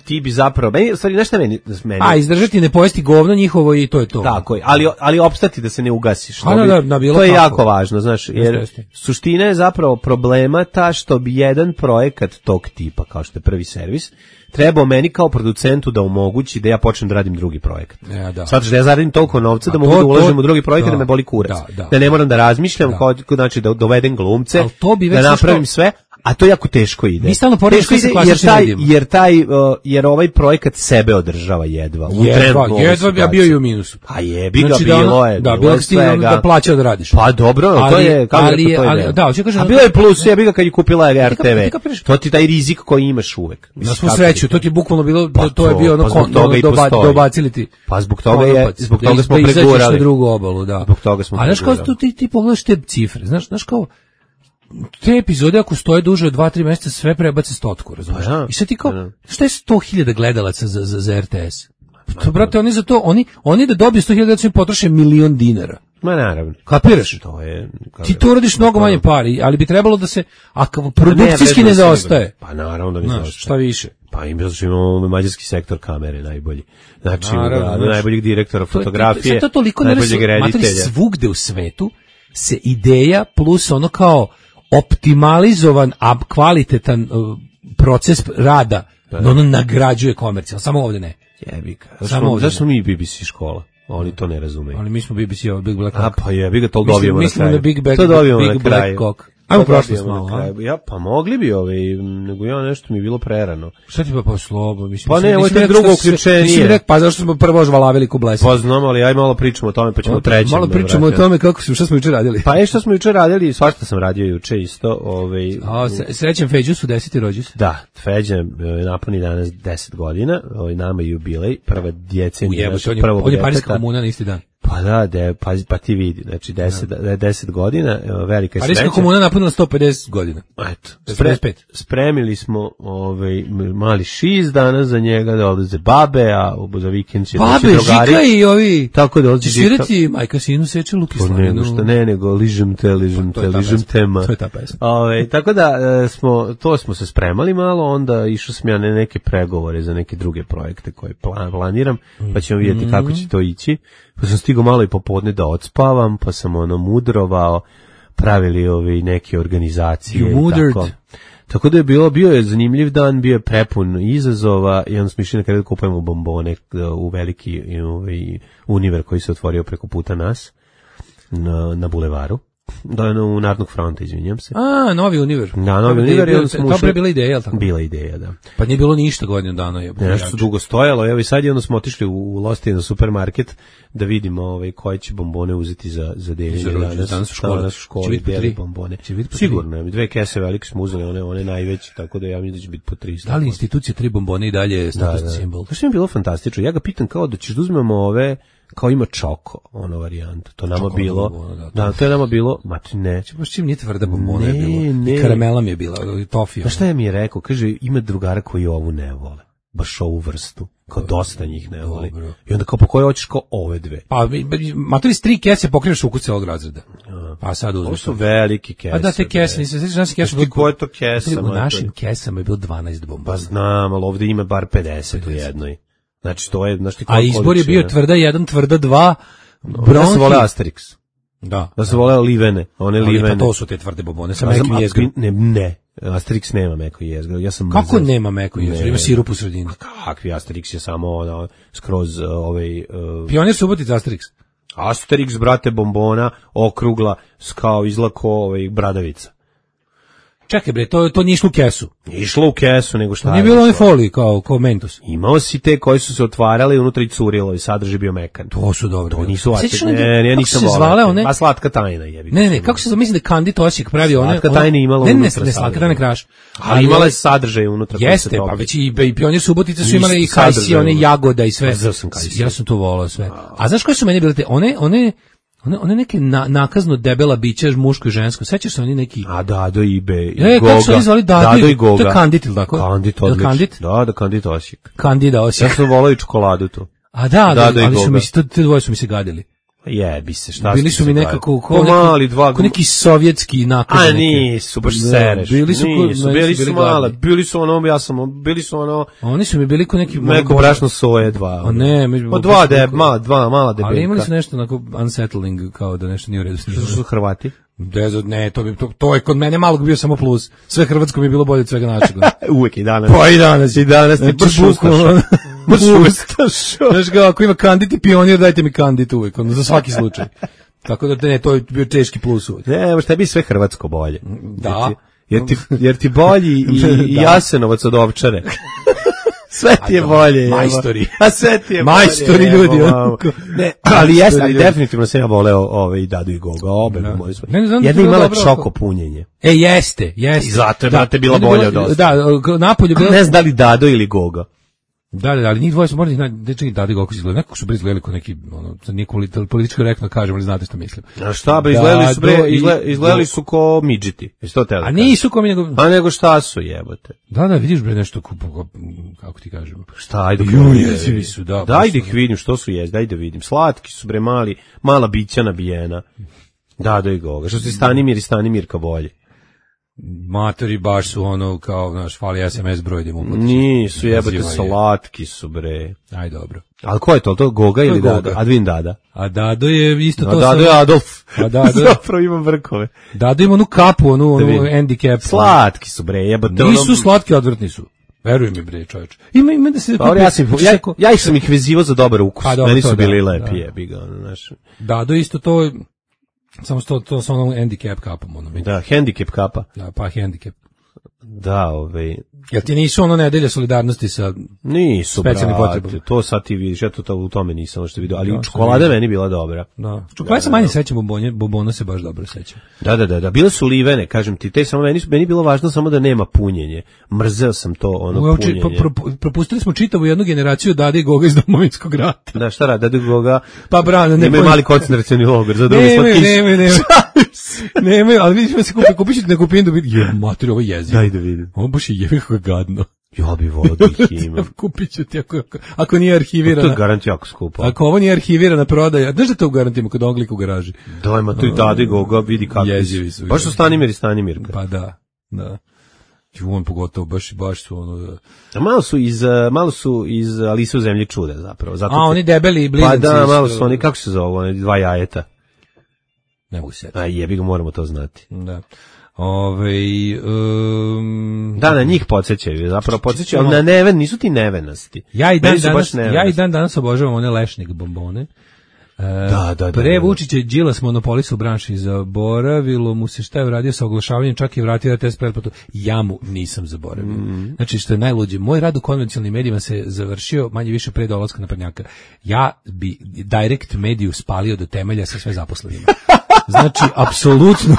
ti bi zapravo, meni, u stvari, znaš šta meni, meni A, izdržati, ne pojesti govno njihovo i to je to. tako je, ali, ali opstati da se ne ugasiš. A, To da, bi- da, da, bilo to je kako. jako važno, znaš, jer jeste. suština je zapravo problema ta što bi jedan projekat tog tipa, kao što je prvi servis, trebao meni kao producentu da omogući da ja počnem da radim drugi projekat. E, da. Shvataš da ja zaradim toliko novca A da to- mogu da to- ulažem u drugi projekat da, da me boli kurac. da, da. Da ne moram da razmišljam, Da. kao, znači da dovedem glumce, Al to bi već da znaš napravim kao- sve, a to jako teško ide. Mi stalno poredimo Teško sve sa ide, jer klasičnim taj, medijima. jer taj, uh, jer ovaj projekat sebe održava jedva. U Jedva, trenutnu ovu jedva bi ja bio situaciju. i u minusu. A jebi ga, Znači da bilo ono- je. da, bilo bilo je je stiglo svega. da plaćao da radiš. Pa dobro, to Ali- je, kako ali je je- to ali- ide. da, hoću kažem A da- bilo je plus, jebi ga kad je kupila R T V. Ti kapiraš? To ti taj rizik koji imaš uvek. Na Mislim, svu kako sreću, ti- to ti je bukvalno bilo, Pa to je to, bio ono pa zbog kon, toga i doba, postoji. dobacili ti. Pa zbog toga je, konopac, zbog da toga iz- smo da izađeš na pregurali. drugu obalu, da. Zbog toga smo A znaš kao pregurali. tu ti, ti pogledaš te cifre, znaš, znaš kao, te epizode ako stoje duže od dva tri mjeseca sve prebace stotku, razumiješ? Pa da, I sad ti kao, pa da. šta je sto hiljada gledalaca za, za, za R T S? To, brate, oni za to, oni, oni da dobiju sto hiljada su im potroše milion dinara. Ma naravno. Kapiraš? To je... Ti to uradiš mnogo manje pari, ali bi trebalo da se, a kao produkcijski ne zaostaje. Pa naravno da ne Znaš, zaostaje. šta više? Pa im zato što imamo mađarski sektor kamere najbolji. Znači, Naravno, da, znaš. najboljeg direktora To je- fotografije, sad to toliko najboljeg nerasno- matori, reditelja. svugde u svetu se ideja plus ono kao optimalizovan, a kvalitetan uh, proces rada, ono nagrađuje komercijal, samo ovde ne. Jebi ga. Samo Zašto, ovdje zašto smo mi B B C škola? Oni to ne razumeju. Ali mi smo B B C, ovo Big Black A Cock. pa jebi ga, to Mislim- dobijemo na mislimo kraju. na Big Bang- to dobijemo Big na Black kraju. Cock. To Ajmo prošlost dobijemo malo, na a? kraju. Ja, pa mogli bi ovaj, nego ja nešto mi je bilo prerano. Šta ti pa pa slobo? Mislim, Pa mislim, ne, ovo je nisi tek rekao drugo šta se- uključenje. nisi mi rekao, pa zašto smo prvo žvalavili ko blesi? Pa znam, ali aj malo pričamo o tome, pa ćemo u trećem. Malo da pričamo o vratimo. tome kako su, šta smo juče radili. Pa je što smo juče radili, svašta sam radio juče isto. Ovaj, A, se- srećem Feđu su deseti rođus. Da, Feđa e, napuni danas deset godina, ovaj, nama je jubilej, prva djecenja Ujebote, našeg on je, prvog on je Parijska djeteta. komuna na isti dan. Pa da, de, pa, pa ti vidi, znači deset, da. deset godina, e, velika je Parijska sreća. komuna napunila sto pedeset godina. Eto, sto spre, pedeset pet. spremili smo ovaj, m- mali šiz danas za njega, da odlaze babe, a u- za vikend će doći Babe, drugari. Žika i ovi. Tako da odlazi Će svirati majka sinu seče Luki Pa nego Slavinu. što ne, nego ližem te, ližem To te, je ta ližem pesma. tema. To je ta pesma. Ove, tako da e, smo, to smo se spremali malo, onda išao sam ja na neke pregovore za neke druge projekte koje plan, planiram, pa ćemo vidjeti Mhm. kako će to ići. Pa sam stigao malo i popodne da odspavam, pa sam ono mudrovao, pravili ovi neke organizacije. You i mudered. Tako. Tako da je bilo, bio je zanimljiv dan, bio je prepun izazova i onda smo išli na kraju da kupujemo bombone e, u veliki i, ovaj, univer koji se otvorio preko puta nas na, na bulevaru. Da, u Narodnog fronta, izvinjam se. A, novi univer. Da, novi To je univer i bio- onda smo To ušli- je bila ideja, jel tako? Bila ideja, da. Pa nije bilo ništa godinu dana. Je, Ne, nešto su dugo stojalo, evo i sad je onda smo otišli u, u Losti na supermarket da vidimo ovaj, koje će bombone uzeti za, za deljenje Za rođendan, danas. danas u školi. Danas u Će školi biti po deli tri? bombone. Će biti po tri? Sigurno, mi dve kese velike smo uzeli, one, one najveće, tako da ja mislim da će biti po tri. Da li institucija tri bombone i dalje statusni simbol? To što mi je bilo fantastično. Ja ga pitam kao da ćeš da uzmemo ove, kao ima čoko, ono varijanta. To nama Čoko bilo, bombona, da, to- da, to je nama bilo, ma ti ne. Baš čim nije tvrda bombona je Ne, bilo. ne. I karamela mi je bila, i tofija. Pa šta je mi je rekao? Kaže, ima drugara koji ovu ne vole. Baš ovu vrstu. Kao dosta njih ne voli. Dobro. I onda kao, po koje hoćeš kao ove dve? Pa, mi- mi- matori s tri kese pokreneš ukus celog razreda. Pa sad Ovo uzmeš su to. velike kese. A da, te kese, bre. nisam, sećaš naših kesa. Znaš ti koje je to kesa, U mater? našim kesama je bilo dvanaest bombona. Pa znam, ali ovdje ima bar pedeset u jednoj. Znači, to je, znaš ti A koja izbor je bio količina? tvrda jedan, tvrda dva, Da bronhi. se vole Asterix. Da. Da se vole livene. One Ali livene. pa to su te tvrde bombone, sa A znam, mekim a jezgrom. Ne, ne. Asterix nema meko jezgro. Ja sam Kako mrzeo. nema meko jezgro? Ne. Ima sirup u sredini. Kakvi Asterix je samo ono, skroz uh, ovaj... Uh, Pionir Subotica Asterix. Asterix, brate, bombona, okrugla, s kao izlako ovaj, bradavica. Čekaj bre, to, to nije išlo u kesu. Nije išlo u kesu, nego šta Nije je bilo one išlo? folije kao, kao Mentos. Imao si te koji su se otvarali i unutra i curilo i sadržaj bio mekan. To su dobro. To nisu Sećaš Asterix. one- Ne, ne, ja kako nisam se volao zvale te. one? A slatka tajna jebi. Ne, ne, ne, kako se zamisli da Kandit Osijek pravi one... Slatka one- tajna imala ne, ne, unutra ne, slatka sadržaj. tajna kraš. Ali imala je sadržaj unutra. koji Jeste, se pa topi. već i, i Pionir Subotica su Isto imali i kajsi, sadržaj one unutra. jagoda i sve. Pa znao sam kajsi. Ja sam to volao sve. A znaš koje su meni bile te? One, one, one, one neke na, nakazno debela bića, muško i žensko. Sećaš se oni neki... A Dado, Ibe, i E, Goga. kako su oni zvali Dado i- Dado i Goga. to je Kandit, ili tako? Kandit, Jel odlično. Kandit? Da, da, Kandit Osijek. Kandida Ja Osijek. sam volao i čokoladu tu. A da, da, Dado i ali su Goga. mi se, to, te dvoje su mi se gadili. Jebi se, šta Bili ste su mi se nekako gledali? kao Pa mali neki, dva kao neki sovjetski nakaz. A neki. nisu, baš Da, sereš. Bili su, ko- nisu, meni bili su su bili male, gadni. bili su ono, ja sam, bili su ono, Oni su mi bili ko neki... neko brašno soje, dva. A ne, mi- Pa dva, deb, mala, dva, mala debeljka. Ali imali su nešto onako unsettling, kao da nešto nije u redu s njima. Što su Hrvati? Dezo, ne, to, bi, to, to je kod mene malog bio samo plus. Sve hrvatsko mi je bilo bolje od svega našeg. Uvijek i danas. Pa i danas. I danas ti Znači, baš bukvalno- ustaša. Baš ustaša. Znaš kao, ako ima Kandit i Pionir, dajte mi Kandit uvijek, ono, za svaki slučaj. Tako da ne, to je bio teški plus uvijek. Ne, baš tebi je sve hrvatsko bolje. Da. Jer ti, jer ti bolji i, i Da. Jasenovac od Ovčare. Sve ti je bolje. Evo. Majstori. A sve ti je Majstori bolje, ljudi, evo, ono. Ne, ali jeste, ali Majstori ljudi. definitivno sam ja voleo ove i Dadu i Goga, obe Da. moji su. Ne, ne znam da Jedna je bilo imala dobro čoko ako- punjenje. E, jeste, jeste. I zato je, Da, brate, bila onda je bolja bilo- od dosta. Da, napolju bilo... Ne znam da li Dado ili Goga. Da, da, ali njih dvoje su morali da da čekaj Dado i Goga su izgledali, nekako su bre izgledali kao neki ono, sad nije politi- politički korektno kažem, ali znate što mislim. A šta bre, izgledali su bre, Dado i- izgle- izgledali su ko midžiti. Jesi to teo da A kažeš? nisu kao mi nego... A nego šta su jebote? Da, da, vidiš bre nešto kupu, kako ti kažem. Šta, ajde. Ju, kako jezivi vidim. su, da, Daj baš da ih vidim, što su jest, daj da vidim. Slatki su bre, mali, mala bića nabijena. Dado i Goga. Što se Stanimir i Stanimirka bolje. Matori baš su ono kao, znaš, fali es em es broj da mu uplatiš. Nisu jebote, Naziva je. slatki su bre. Aj, dobro. Ali ko je to? To Goga ili Goga. Dado? Advin Dada. A Dado je isto A to... Dado sa- je Adolf. A Dado- Zapravo ima vrkove. Dado ima onu kapu, onu, onu vidim. handicap. Slatki su bre, jebote. Nisu ono- slatki, odvrtni su. Veruj mi bre, čoveče. Ima ima da se Dobro, ja, sam, kupi- ja, ja ih sam ih vezivao za dobar ukus. Pa dobro, Meni to su da, bili da. lepi, jebi ga, ono, znaš. Dado isto to samo što to sa onom handicap kapom, ono mi. Da, handicap kapa. Da, pa handicap. Da, ovaj, Jel ti nisu ono nedelja solidarnosti sa... nisu, Specijalnim brate, potrebama. to sad ti vidiš, ja to, to u tome nisam što vidio, ali Da, čokolada sam meni bila dobra. Da. Čokolade se manje sećam bombonje, bombona se baš dobro sećam. Da, da, da, da, bile su livene, kažem ti, te samo meni, su- meni je bilo važno samo da nema punjenje. Mrzeo sam to, ono, Uopće, punjenje. pro- pro- propustili smo čitavu jednu generaciju Dade i Goga iz Domovinskog rata. Da, šta radi, Dado i Goga, Pa brano, ne imaju pojma- mali koncentracioni logor, za drugi Nemaju, slatkiš. nemaju, nemaju. Nemaju, ali vidiš, se kupi, kupit ću ti neku pindu, vidi, je, mater, ovo je jezivo. Daj da vidim. Ovo baš je jevi kako je gadno. Ja bi volio da ih imam. Kupit ću ti ako, ako, ako nije To je arhivirana. garant jako skupo. Ako ovo nije arhivirana prodaja, znaš da to u garantimo kod oglika u garaži? Daj, ma tu i Dado i Goga, vidi kako Jezivi su, baš su jezivi. Stanimir i Stanimirka. Pa da, da. Ju, on pogotovo, baš, baš su ono... Da. A malo su iz, uh, malo su iz Alise u zemlji čuda, zapravo. Zato A, te- oni debeli blizanci. Pa da, iz- malo su oni, kako se zove, oni dva jajeta. Ne mogu se setiti. A jebi ga, moramo to znati. Da. Ove, um, Da, na njih podsjećaju, zapravo podsjećaju, ali na neven, nisu ti nevenasti. ja i dan Meni su baš danas, ja i nevenasti. dan danas obožavam one lešnik bombone. E, Da, da, da, Pre da. Vučića i Đilas monopolisa u branši, zaboravilo mu se šta je uradio sa oglašavanjem, čak i vratio R T S pretplatu. Ja mu nisam zaboravio. Mm. Znači, što je najluđe, moj rad u konvencionalnim medijima se završio manje više pre dolaska naprednjaka. Ja bi direct mediju spalio do temelja sa sve zaposlenima. Znači, apsolutno.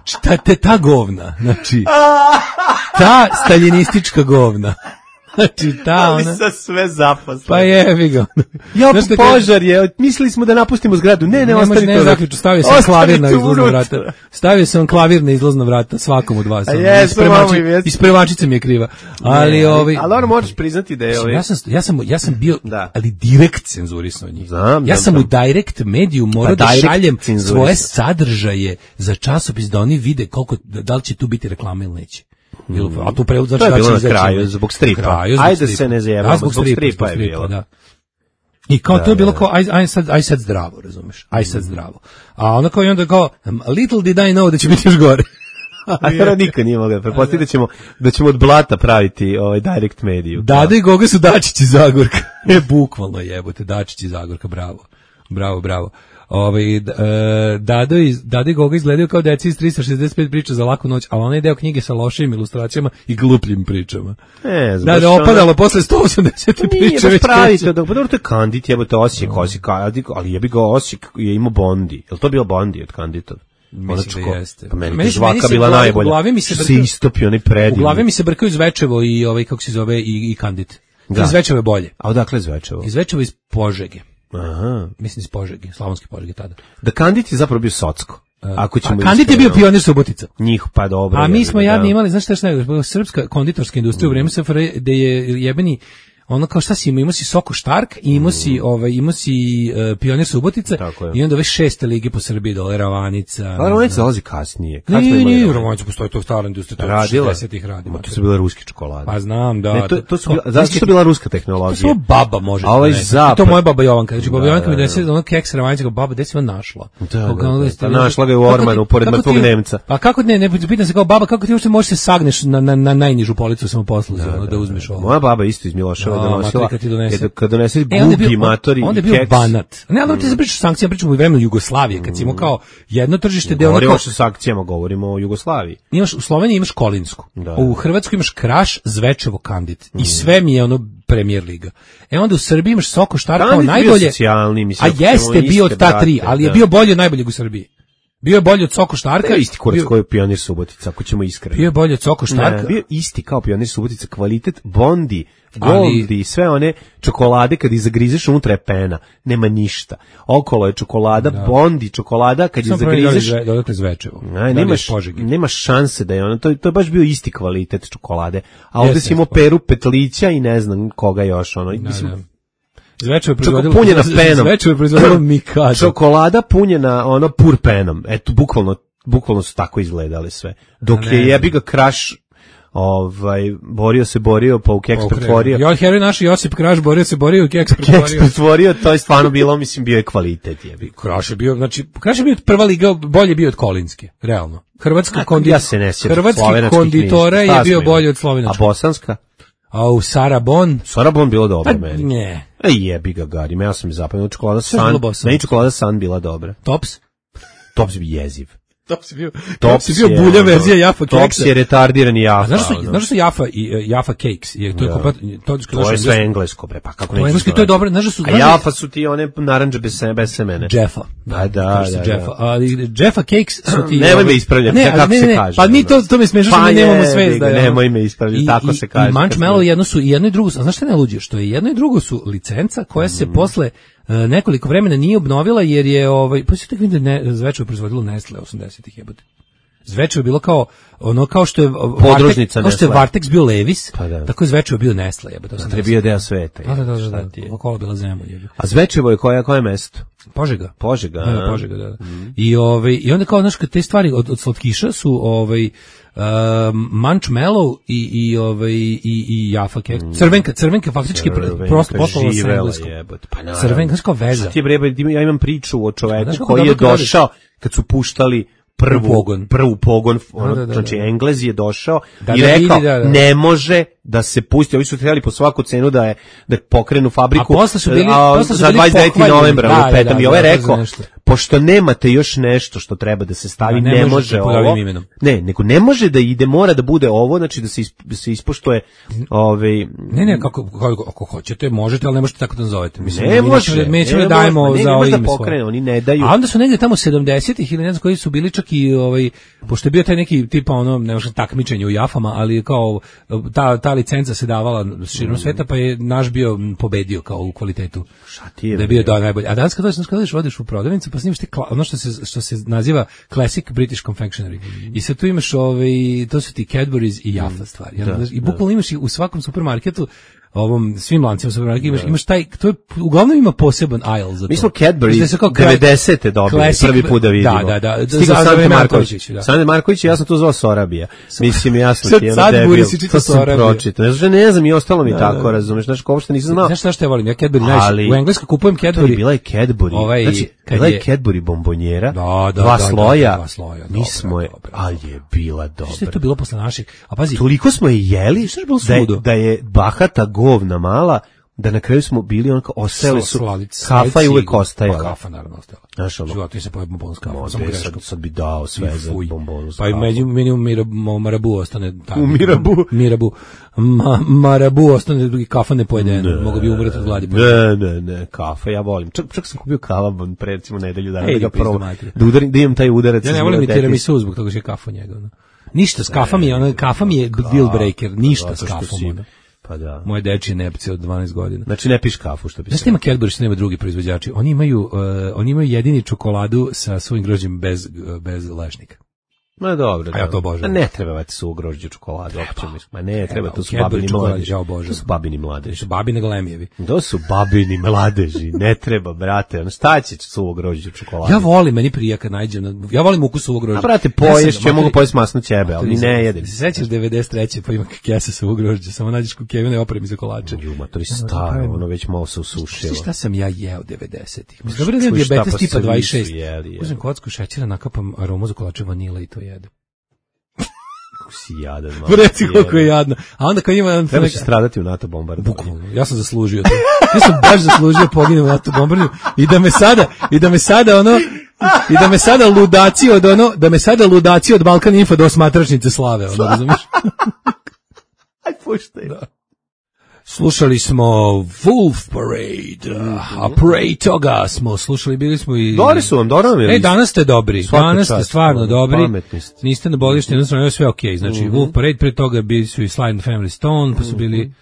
Šta te ta govna? Znači, ta staljinistička govna. Znači, ta ona... sa sve zaposle. Pa jevi ga. Ja, Znaš šta kaže- požar je, mislili smo da napustimo zgradu. Ne, ne, Ne, može, ostani ne, tu. zaključu, stavio sam Ostani klavir na tu izlazna unutra. vrata. Stavio sam klavir na izlazna vrata svakom od vas. A ono, jesmo, ispremači- mamo, i jesmo. Ispremačica mi je kriva. Ali, Ne, ovaj, ali ono moraš priznati da je Mislim, ovaj... ja sam ja sam ja sam bio Da. ali direkt cenzurisao njih. Znam, ja znam, sam u znam. direct mediju morao Pa da direct šaljem cenzurisao. svoje sadržaje za časopis da oni vide koliko da li će tu biti reklama ili neće. Ili, a tu prevod znači To je da će bilo na izaći kraju, ili- zbog stripa. Na kraju, zbog Ajde stripa. se ne zajebamo, Da, zbog zbog stripa, stripa zbog je stripa, bilo. da. I kao Da, to je bilo da. kao aj, aj sad aj sad zdravo, razumeš? Aj sad zdravo. A onda kao i onda kao little did I know da će biti još gore. A to nikad nije mogao. Pretpostaviti da ćemo, da ćemo od blata praviti ovaj direct mediju. Dada i Goga su Dačić iz Zagorka. E, bukvalno jebote, Dačić iz Zagorka, bravo. Bravo, bravo. Ovaj e, Dado i Dado i Goga izgledaju kao deca iz trista šezdeset pet priča za laku noć, ali onaj deo knjige sa lošim ilustracijama i glupljim pričama. Ne, znam, Da, baš da ono- opadalo posle sto osamdeset Nije priče baš već pravi kreće. to, da, pa dobro, to je Kandit, jebote, Osijek, Osijek, ali, ali jebi ga Osijek je imao Bondi. Je li to bio Bondi od Kandita? Mislim da jeste. Pa meni, Meni meni se- meni žvaka se bila u glavi- najbolja. u glavi mi se Što brkaju- istopio, onaj U predivni. glavi mi se brkaju Zvečevo i ovaj kako se zove i, i Kandit. Da. Iz Zvečevo je bolje. A odakle Zvečevo? Iz Zvečevo iz Požege. Aha. Mislim iz Požege, Slavonske Požege tada. Da Kandit je zapravo bio Socko. Ako ćemo A Kandit je bio iskreno. pionir Subotica. Njih, pa dobro. A mi jebi smo ga, jadni da. imali, znaš šta je šta je, srpska konditorska industrija u vreme S F R J, gde je jebeni ono kao šta si imao, imao si Soko Štark i imao si, ovaj, imao si uh, Pionir Subotica Tako je. i onda ove šeste lige po Srbiji, dole Ravanica. A Ravanica dolazi kasnije. Kad smo Nije, imali nije, Ravanicu? Ravanica postoji, to je stara industrija, to je Radila? šezdesetih radi. Ma, to su bile ruske čokolade. Pa znam, da. Ne, to, to su kao- bila, zašto su bila ruska tehnologija? To samo baba može. A ovaj da donese. zapad- I to moja baba Jovanka. Znači, baba Da, Jovanka mi da, da. donese ono keks Ravanica, kao baba, gde si on našla? Da, Kao, da, kao, da. jeste- Pa našla ga je u kako ti- ormanu, pored kako mrtvog ti- Nemca. Pa kako ne, ne, pitam se kao baba, kako ti uopšte možeš se sagneš na, na, na najnižu policu samoposluzi, ono, da uzmeš ovo. Moja baba isto iz Miloševa donosila, kad ti donese. kad, kad donese E, onda je gubi bio, matori onda je i bio keks. Banat. Ne, ali ti se pričaš sankcija, pričamo u vremenu Jugoslavije, kad si imao kao jedno tržište gde ono Govorimo kao, o sankcijama, govorimo o Jugoslaviji. imaš, u Sloveniji imaš Kolinsku, Da, u da. Hrvatskoj imaš Kraš, Zvečevo, Kandit. I sve mi je ono Premier liga. E onda u Srbiji imaš Soko Štar kao Kandit bio najbolje, socijalni, mislim, a jeste imamo bio od iste ta tri, brate, ali je da. bio bolji od najboljeg u Srbiji. Bio je bolji od Soko Štarka. Bio je isti kurac bio- koji je Pionir Subotica, ako ćemo iskreno. Bio je bolji od Soko Štarka. Ne, bio je isti kao Pionir Subotica, kvalitet, Bondi, Ali- Goldi, sve one čokolade kad ih zagrizeš unutra je pena, nema ništa. Okolo je čokolada, Bondi, čokolada kad ih Samo prvi zagrizeš, dodali dodatno Zvečevo. ne, Dalje nemaš, iz Požege. nemaš šanse da je ono, to, to je baš bio isti kvalitet čokolade. A ovde Jeste, si imao jeste. Peru Petlića i ne znam koga još, ono, mislim, Da, da. Zvečevo je Čoko proizvodilo punjena penom. Zvečevo je proizvodilo Mikado. čokolada punjena ono pur penom. Eto, bukvalno, bukvalno su tako izgledale sve. Dok A ne je znam. jebi ga Kraš ovaj, borio se, borio, pa u keks pretvorio. Jo, heroj naš Josip Kraš borio se, borio u keks Keks pretvorio. pretvorio, to je stvarno bilo, mislim, bio je kvalitet, jebi. Kraš je bio, znači, Kraš je bio prva liga, bolje bio od Kolinske, realno. Hrvatska A, kondi... ja se ne sjećam Hrvatski slovenačkih konditora knjiga. je Šta bio smo bolji imali? od slovenačkog. A bosanska? A u Sarabon, Sarabon bilo dobro pa meni. ne. Ej, jebi ga, Garim, ja sam mi zapadno čokolada Sve je San, bilo bosansko. meni čokolada San bila dobra. Tops? Tops bi jeziv. Tops je bio, Tops, Tops je bio je, bulja ono, verzija Jaffa Tops keksa. je retardirani A Jaffa. znaš što, ono. znaš što su Jaffa i uh, Jaffa Cakes? Je, to je Da. komplet, to, To je sve englesko, bre, pa kako To je nećeš engleski, to je znati? dobro, znaš da su... A znaš da- Jaffa su ti one naranđe bez, se- bez semene. Jeffa. Da, da, Kaže se da, da. Jeffa. Ali Jeffa Cakes su ti... Nemoj me ovaj- ispravljati, ne, kako ali ne, se ne, kaže, Pa mi ono. to, to mi smiješno što Pa mi nemamo jebi svest. ga, da je ono- nemoj me ispravljati, I- tako i- se kaže. I Munchmallow jedno su, i jedno i drugo su, a znaš šta je najluđe? Što je jedno i drugo su licenca koja se Mhm. posle e, nekoliko vremena nije obnovila jer je, ovaj, pa se tako vidim da je ne, Zvečevo proizvodilo Nestle osamdesetih jebote. Zvečevo je bilo kao ono kao što je Vartek, Podružnica kao što je Nestle. Vartex bio Levis, Pa da. tako je Zvečevo bio Nestle jebote. To je bio deo sveta. Da, da, da, da, šta da, ti je? okolo bila zemlja jebote. A Zvečevo je koje, koje mesto? Požega. Požega. Da, da, a? Požega, da. I ovaj i onda kao znaš kad te stvari od, od slatkiša su ovaj um, Munchmallow i i ovaj i i Jaffa keks. Crvenka, crvenka faktički pr- Crvenka prosto poslovala sa živela engleskom. jebote, pa naravno. Crvenka kao veza. Šta ti je bre, ja imam priču o čoveku Znaš kako koji je dobro kad radiš? došao kad su puštali prvu U pogon. prvu pogon, ono, Da, da, da, znači da. Englez je došao Da, i da rekao vidi, da, da. ne može da se pusti, ovi su trebali po svaku cenu da je da pokrenu fabriku. A posle su bili- a, posle su za bili dvadeset deveti pohvaljeni. novembra, Da, ono, da, petam da, i ovaj da, je to za rekao nešto. pošto nemate još nešto što treba da se stavi, Da, ne ne, možete može pod ovim ovo. imenom. Ne, nego ne može da ide, mora da bude ovo, znači da se isp- da se ispoštuje ovaj Ne, ne, kako, kako, ako hoćete, možete, ali ne možete tako da nazovete. Mislim, Ne mi može, nećemo- mi nećemo ne da dajemo može, ne, za ne ovo može da ime svoje. pokrene, oni ne daju. A onda su negde tamo sedamdesetih ili ne znam koji su bili čak i ovaj pošto je bio taj neki tipa ono ne znam takmičenje u Jafama, ali kao ta ta licenca se davala širom sveta, pa je naš bio pobedio kao u kvalitetu. Šta ti je, Da je bio bre? da najbolji. A danas kad dođeš, kad dođeš odeš u prodavnicu, pa snimaš te kla- ono što se što se naziva Classic British Confectionery. I sad tu imaš ovaj to su ti Cadbury's i Jaffa stvari. Da, Da, I bukvalno imaš i u svakom supermarketu ovom svim lancima supermarketa imaš imaš taj to je uglavnom ima poseban aisle za to. Mi smo Cadbury Znači, kao kla- devedesete dobili classic- prvi put da vidimo. Da, da, da. Stigao Za- za Sante vreme Marković. Markovića, da. Sante Marković, ja sam to zvao Sorabija. Mislim, jasno Sad ti je ono sad debil. Buri si čitao To sam Sorabija. pročitao. Ne znam, ne znam, i ostalo mi tako, razumeš, znaš, ko uopšte nisam znao. Znaš šta što ja volim? Ja Cadbury najviše. Ali- U Engleskoj kupujem To je Cadbury. bila je Cadbury. Ovaj, znači, kad bila je je- Cadbury bombonjera, Da, da, dva da, da, sloja, dva sloja, mi dobra, smo je, dobra, ali je bila Što je dobra. to bilo posle naših? A pazi, Toliko smo je jeli Što je bilo da je, suludo? da je bahata govna mala, da na kraju smo bili onako, ostajali su, sladice, kafa je uvek sigurno. ostajala. Pa kafa naravno ostajala. Znaš, ono, Život mi se pojede bombon s kafom, Mo, samo be, greškom. sad, sad bi dao sve za Fuj. bombonu. s Pa i kafom. među meni u Mirabu, Marabu ostane tamo. U Mirabu? Mirabu. Ma, Marabu ostane drugi kafa ne pojede. Mogu bi umreti od gladi. Ne, ne, ne, kafa, ja volim. Čak, čak sam kupio kavabon pre recimo nedelju dana, Ej, da ga pizdu probam, materiju. da, udarim, da imam taj udarac. Ja ne iz volim ni biblioteke. tiramisu zbog toga što je kafa njega. Ono. Ništa s kafa mi je, ono, kafa mi je deal breaker. Ništa s Zato što kafom. si- Ono. Pa da. Moje dečije nepce od dvanaest godina. Znači ne piš kafu, što bi Znaš se... šta ima Cadbury što nema drugi proizvođači? Oni imaju, uh, oni imaju jedini čokoladu sa svojim grožđem bez, uh, bez lešnika. Ma dobro, A ja dobro. to obožavam. Ma ne treba vati su grožđe čokoladu, opće mislim. Ma ne, treba, to su Cadbury babini čokolade, mladeži. ja obožavam. To su babini mladeži. Što babi nego lemijevi. To su babini mladeži, ne treba, brate. Ono, šta će suvo grožđe čokolade? Ja volim, meni prija kad nađem. Na, ja volim ukus suvog grožđa. A brate, Ja poješ, sam- ja mogu materi- pojesti masno ćebe, ali materi- ne jedem. Se sećaš devedeset treće pa ima kesa suvog grožđa, samo nađeš kukevine opremi za kolače. Ju, matori staro, ono već malo se usušilo. Znaš šta sam ja jeo devedesetih? Mislim, dobro da Čuj, je šta, dijabetes pa tipa svi su dvadeset šest. jeli, jeli. Uzmem kocku šećera, nakapam aromu za kolače vanile i to jedem. kako si jadan. Pa reci koliko je jadno. A onda kad ima... Treba će stradati u NATO bombardovanju. Bukvalno, ja sam zaslužio to. Ja sam baš zaslužio poginem u NATO bombardovanju i da me sada, i da me sada ono, i da me sada ludaci od ono, da me sada ludaci od Balkan Info do osmatračnice slave, ono, razumiješ? Aj, puštaj. Da. Slušali smo Wolf Parade, a pre toga smo slušali, bili smo i... Dobri su vam, dobro nam je. E, danas ste dobri, Svaka danas ste čast, stvarno dobri, pametni ste. niste na bolišti, jednostavno je sve okej, znači Mhm. Wolf Parade, pre toga bili su i Sly and the Family Stone, pa su bili,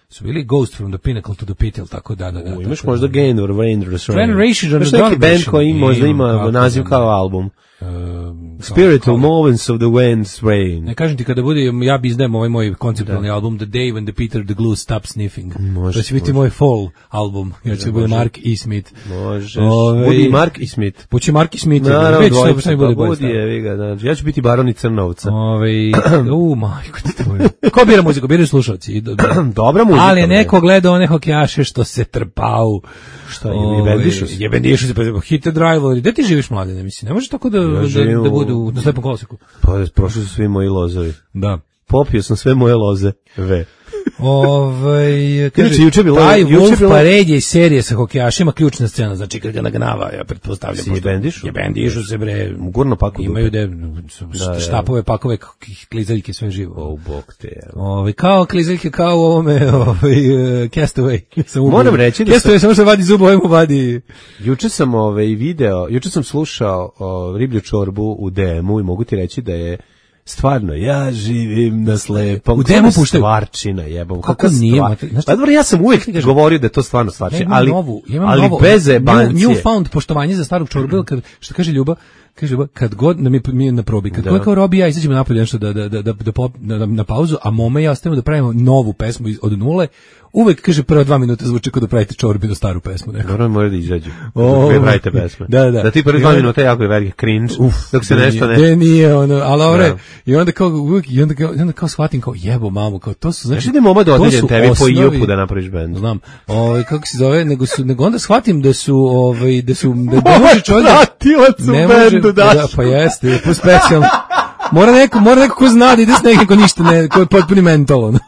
su bili Ghost from the Pinnacle to the Pit, ili tako da, da, da. U, imaš tako možda da. Gain or Vander's Rain. Generation, Znaš ono, neki band Generation. koji možda ima Imam, kako naziv da kao ne. album. Um, Spiritual kao- Moments of the Wind's Rain. Ne kažem ti kada bude, ja bi izdajem ovaj moj konceptualni album The Day When the Peter the Glue Stopped Sniffing. Može, To će biti može. moj fall album, ja će bude Mark E. Smith. Možeš. Ovaj- Budi Mark i Smith. Buće Mark E. Smith. Naravno, već šta- dvojica, šta mi bude pa bolje budi stavio. je, vi ga, znači. Ja ću biti Baron i Crnovca. Ovaj, u, majko ti tvoju. Ko bira muziku? Biraju slušalci. I do- do- Dobra muzika. Ali je bre. neko gledao one hokejaše što se trpao. Šta je, jebendišu se? Jebendišu se, pa hit and drive. Gde ti živiš, mladine? Mislim, ne možeš tako da, da, živim da u- budu na slepom kolosiku. Pa, prošli su svi moji lozovi. Da. Popio sam sve moje loze. Ve. Ovaj kaže Inače, juče je bilo- taj juče je Wolf bilo- Parade je iz serije sa hokejašima ključna scena, znači kad ga nagnava, ja pretpostavljam. Si pošto- jebendišu? Jebendišu se bre. Gurno paku Imaju dupe. de Da, da. štapove, pakove, k- klizaljke, sve živo. O, bog te. evo. Ovaj kao klizaljke kao u ovome, ovaj uh, Castaway. Sam ubio. Moram reći da Castaway sam- samo što vadi zub, ovaj mu vadi. Juče sam ovaj video, juče sam slušao o, Riblju čorbu u D M-u i mogu ti reći da je stvarno, ja živim na slepom. U D M-u Kakva puštaju? Stvarčina, jebom. Kako kakva nije, stvar- mater- znaš Pa dobro, ja sam uvijek govorio da je to stvarno Ja stvarčina, imam ali, novu, ja imam ali novo, bez new, jebancije. newfound poštovanje za starog čorbu, kad, što kaže Ljuba, kaže Ljuba, kad god nam je, mi je na probi, kad Da. god kao Robi i ja izađemo napolje nešto da, da, da, da, da pop- na, na pauzu, a Moma i ja ostavimo da pravimo novu pesmu iz- od nule, uvek, kaže, prva dva minuta zvuči kao da pravite čorbinu staru pesmu. Neko. Dobro, mora da izađu. O, Da pravite pesme. da, da. Da ti prvi I dva onda- minuta jako je veliki cringe, Uf, dok se da nešto nije, ne... da nije ono, ali ovre, Da. i onda kao, uvek, i onda kao, i onda kao shvatim kao jebo mamu, kao to su, znači, Znaš da je moma to dodeljen su tebi po osnovi- Iopu da napraviš bend? Znam. Ovaj kako se zove, nego su nego onda shvatim da su ovaj da su da ne može čovjek Pratilac u ne može, bendu, da, Daško. pa jeste, po specijalno. Mora neko, mora neko ko zna da ide s nekim ko ništa ne, ko je potpuni mentol. ono.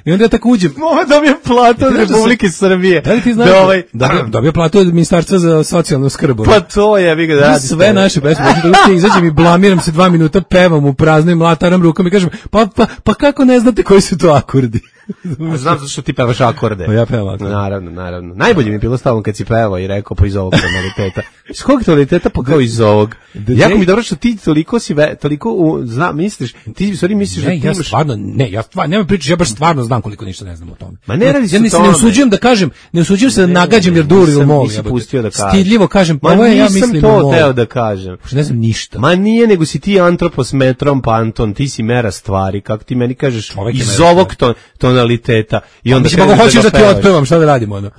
I onda ja tako uđem. Moma dobije platu od Znaš da se- Republike Srbije. Da li ti znaš? Da ovaj... da, dobio platu od Ministarstva za socijalnu skrb. ono. Pa to je, vi ga da Da radi. sve naše pesme, znači da uspije izađem i blamiram se dva minuta, pevam u prazno i mlataram rukom i kažem, pa, pa, pa kako ne znate koji su to akordi? A znam zato što ti pevaš akorde. Pa ja pevam akorde. Naravno, naravno. Najbolje mi je bilo stavno kad si pevao i rekao pa iz ovog tonaliteta. Iz kog tonaliteta pa kao iz ovog. Jako mi je dobro što ti toliko si, ve, toliko u, zna, misliš, ti u stvari misliš Ne, da ti ja imaš... stvarno, ne, ja stvarno, nema pričaš, ja baš stvarno znam koliko ništa ne znam o tome. Ma ne radi se ja o ne, se ne tome. usuđujem da kažem, ne usuđujem se da nagađam jer dur ili Nisam- mol. nisi jebote. pustio da kažeš. Stidljivo kažem, pa Ma ovo je, ja nisam mislim to mol. teo da kažem. Pošto ne znam ništa. Ma nije, nego si ti antropos metrom pa Anton, ti si mera stvari, kako ti meni kažeš, Čovek je iz mera ovog ton, tonaliteta. I onda Mislim, ako kreneš hoćeš da ga ti pevaš. otpevam, šta da radimo, ono?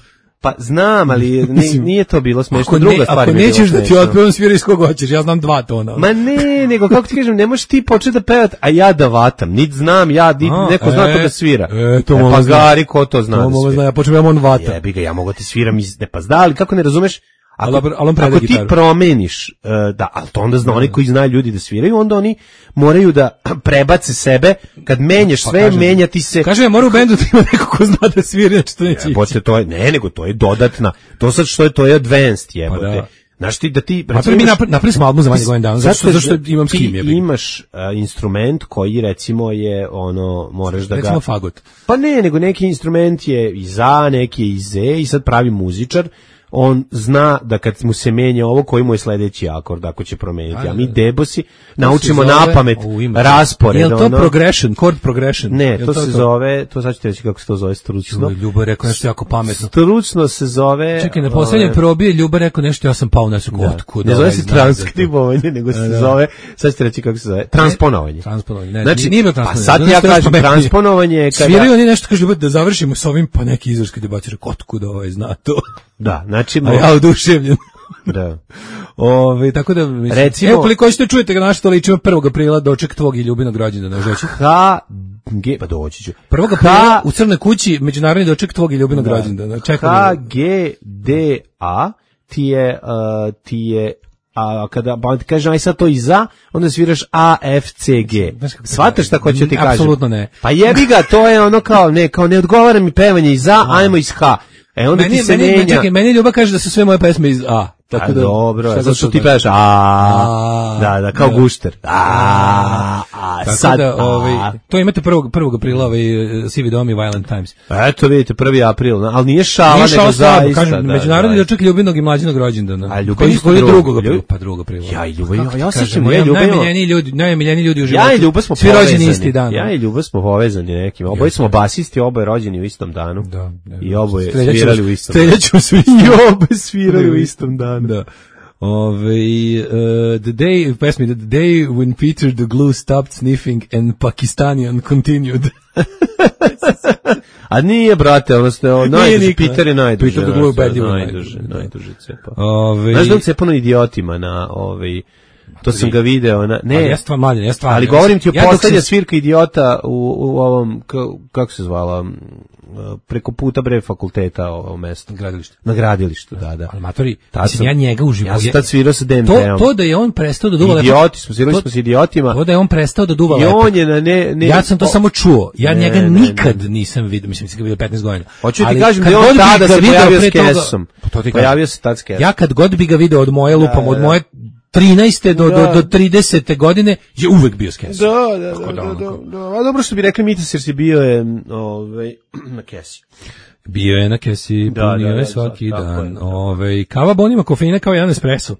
Pa znam, ali ni- Mislim, nije to bilo smešno. Ako, Druga ne, stvar ako mi je bila nećeš da ti smešna. otpevam, sviraj iz kog hoćeš, ja znam dva tona. Ma ne, nego kako ti kažem, ne možeš ti početi da pevat, a ja da vatam. Nit znam ja, nit A, neko zna e, to da svira. e, to Moma pa zna. gari, ko to zna To da Moma svira. zna, ja počnem, ja on vata. Jebi ga, ja mogu ti sviram iz... Ne, pa zna, ali kako ne razumeš? Ako, Ali- ali on preda ako ti gitaru. promeniš, uh, da, ali to onda zna oni koji znaju ljudi da sviraju, onda oni moraju da prebace sebe, kad menjaš sve, kažem- menjati se... Kaže, ja mora u bendu da ima neko ko zna da svira, znači to neće ići. Jebote, to je, ne, nego to je dodatna, to sad što je, to je advanced, jebote. Pa da. Znaš ti da ti... Pa mi napra- napravili smo album za manje godina dana, zašto, Zato zašto imam s ti kim, jebi ga. imaš uh, instrument koji recimo je ono, moraš da ga... Recimo fagot. Pa ne, nego neki instrument je iz A, neki je iz E i sad pravi muzičar, on zna da kad mu se menja ovo, koji mu je sledeći akord, ako će promeniti. A mi debosi naučimo To se zove- na pamet U, ima. raspored. Je li to ono. progression, chord progression? Ne, Je li to se zove, to sad ću ti reći kako se to zove stručno. Ljubo je rekao nešto jako pametno. Stručno se zove... Čekaj, na poslednjem ove, probi je Ljuba rekao nešto, ja sam pao na sekundu. Otkud Ne zove ovaj se znak za to? transkribovanje, nego se Da. zove, sad ću ti reći kako se zove, transponovanje. Transponovanje. Ne, Znači, nije bilo pa transponovanje. sad Zato ja što je kažem pametnije. transponovanje je kada... Sviraju oni nešto, kaže Ljuba, da završimo s ovim, pa neki izraški debatir, rekao, otkud ovaj zna to? Da, znači... A ja oduševljen. Da. Ove, tako da, mislim, Recimo- evo koliko hoćete čujete ga naš stoličima prvog aprila doček tvog i Ljubinog rođendana, žeći. H, G, pa doći ću. prvog aprila u Crnoj kući međunarodni doček tvog i Ljubinog rođendana. Čekaj. H, G, D, A ti je, uh, ti je a kada pa on ti kaže aj sad to i za, onda sviraš A, F, C, G. Shvataš šta hoću ti kažem? Apsolutno ne. Pa jebi ga, to je ono kao, ne, kao ne odgovara mi pevanje iz A, ajmo iz H. E onda meni, ti se meni, menja. Čekaj, meni Ljuba kaže da su sve moje pesme iz A. Tako a da, dobro, šta zato što to ti znači? pevaš a, da, da, kao Da. gušter. A, a, Tako sad, da, ovaj, a. to imate prvog, prvog aprila, ovaj, Sivi dom i Violent Times. Eto vidite, prvi april, ali nije šala, Nije šao nego slabo, zaista. kažem, da, međunarodni da. doček Ljubinog i mlađinog rođendana. A Ljuba Koji isto koji je drugog, drugog aprila, Ljub- pa drugog aprila. Ja i Ljuba, Kako ti ja osjećam, kažem, ja i Ljuba imamo- najmiljeniji ljudi, najmiljeniji ljudi u životu. Ja i Ljuba smo Svi povezani. rođeni isti dan. Ja i Ljuba smo povezani nekim. Oboje smo basisti, oboje rođeni u istom danu. Da, da. I oboje Streljaću svirali vas- u istom danu. streljaću svi. I oboje svirali u istom danu. Da. Ove, uh, the day, pesmi, the day when Peter the Glue stopped sniffing and Pakistanian continued. A nije, brate, ono ste, ono, najduže, niko. Peter je najduže. Peter the ono, Glue sve, ubedljivo najduže, najduže, da. najduže cepa. Ove, Znaš da on cepano idiotima na, ovaj, to sam ga video, na, ne, ali ja stvarno mladen, ja stvarno. ali govorim ti o ja dok poslednja se- svirka idiota u, u ovom, ka- kako se zvala, m, preko puta bre fakulteta ovo mesto. Gradilište. Na gradilištu, da, da. Ali matori, Tad mislim, sam- ja njega u životu. Ja sam tad svirao sa D M to, P-om. to da je on prestao da duva Idioti smo, svirali to- smo s idiotima. To da je on prestao da duva I lepak. on je na ne... ne Ja sam to o- samo čuo. Ja Ne, njega ne, ne. nikad nisam vidio, mislim, sam ga vidio petnaest godina. Hoću ti Ali kažem kad da je on god bi tada ga se video pojavio pre s toga- kesom. Pa to ti Pojavio kažem. se tad s kesom. Ja kad god bi ga video od moje lupom, od moje trinaeste do, Da. do, do tridesete godine, je uvek bio s kesom. Da, da, Tako da, da, da, ono da, da. A dobro što bi rekli Mitas jer si bio je ovaj, na kesi. Bio je na kesi, Da, punio da, je da, svaki tako je, dan. da. Ove, kava bon ima kofeina kao jedan espresso.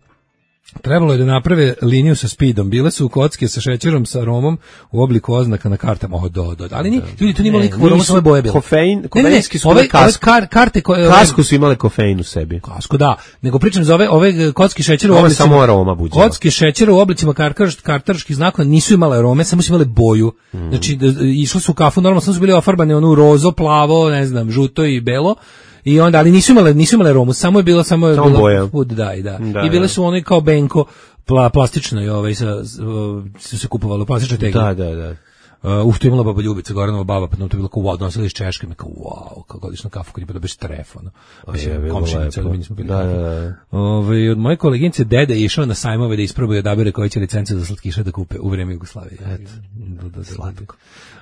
Trebalo je da naprave liniju sa speedom. Bile su kocke sa šećerom, sa aromom u obliku oznaka na kartama. O, do, do. Ali ni, ljudi, tu nije imalo Ne, nikakvu aromu, nisu samo je boje bilo. kofein- Ne, ne, ne, kofeinski su ove, imali ove kasku. kar, karte koje... Kasku su imale kofein u sebi. Kasku, da. Nego pričam za ove, ove kocki šećera u Ovo je oblicima... samo aroma buđila. Kocki šećera u oblicima karkarš, kartarških znakova nisu imale arome, samo su imale boju. Mm. Znači, da, išlo su u kafu, normalno samo su bili ofarbane ono rozo, plavo, ne znam, žuto i belo. I onda, ali nisu imale, nisu imale aromu, samo je bilo, samo je Samo bilo boja. food, da, i da. Da, I bile da. su one kao benko, pla, plastično i ovaj, sa, s- o, su se kupovali u plastičnoj tegli. Da, da, da. Uh, uf, to je imala baba Ljubica, Goranova baba, pa nam to je bilo kao wow, donosili iz Češke, me kao wow, kao godišnju kafu kad je pa dobiješ tref, ono. Mislim, je bilo komšinica, lepo. ali mi nismo bili. Da, da, da. Ove, od moje koleginice dede je išao na sajmove da isprobuje odabere koje će licence za slatkiše da kupe u vreme Jugoslavije. Da, da, slatko.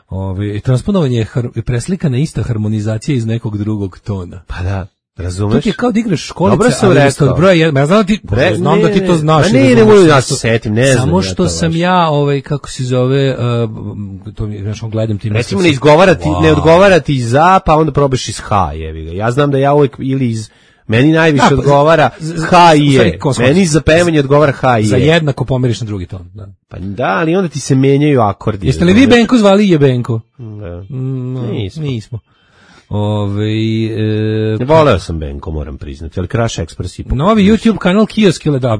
Ove, transponovanje je har, preslikana ista harmonizacija iz nekog drugog tona. Pa da, To razumeš? ti je kao da igraš školice, Dobro sam ali rekao. isto od broja jedan. Ja znam da ti, Bre, znam ne, da ti to ne, znaš. ma i ne, ne razumeš. mogu da se setim, ne znam Samo ja što to sam baš. ja, ovaj, kako se zove, uh, to mi, znaš, gledam ti. Recimo mislim, ne izgovarati, wow. ne odgovarati za, pa onda probaš iz H, jevi ga. Ja znam da ja uvijek ili iz meni najviše Da, pa, odgovara z- z- H i u stvari, je. kosmos. Meni za pevanje odgovara H i Za je. jednako pomeriš na drugi ton. Da. Pa da, ali onda ti se menjaju akordi. Jeste li vi razumeš? Benko zvali Jebenko? Da. Mm, no, Nismo. nismo. Ove, e, Voleo sam Benko, moram priznati, ali Crash Express ipak. novi YouTube kanal Kiosk, ili da,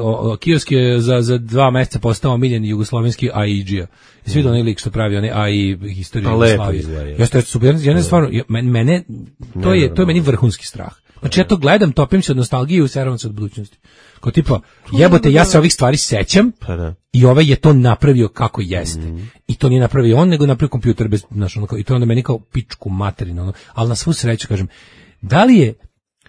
o- o- Kiosk je za, za dva meseca postao omiljen jugoslovenski A I G-a. I svi onaj lik što pravi onaj A I historiju Pa lepo Jugoslavije. izgleda, je. Jeste, jeste super. Ja ne stvarno, ja- men- mene, to je, to je meni vrhunski strah. Znači ja to gledam, topim se od nostalgije i useravam se od budućnosti. Kao tipa, jebote, ja se ovih stvari sećam, Pa da. i ovaj je to napravio kako jeste. I to nije napravio on, nego je napravio kompjuter bez, znaš, ono, kao- i to je onda meni kao pičku materinu, ono. Ali na svu sreću, kažem, da li je,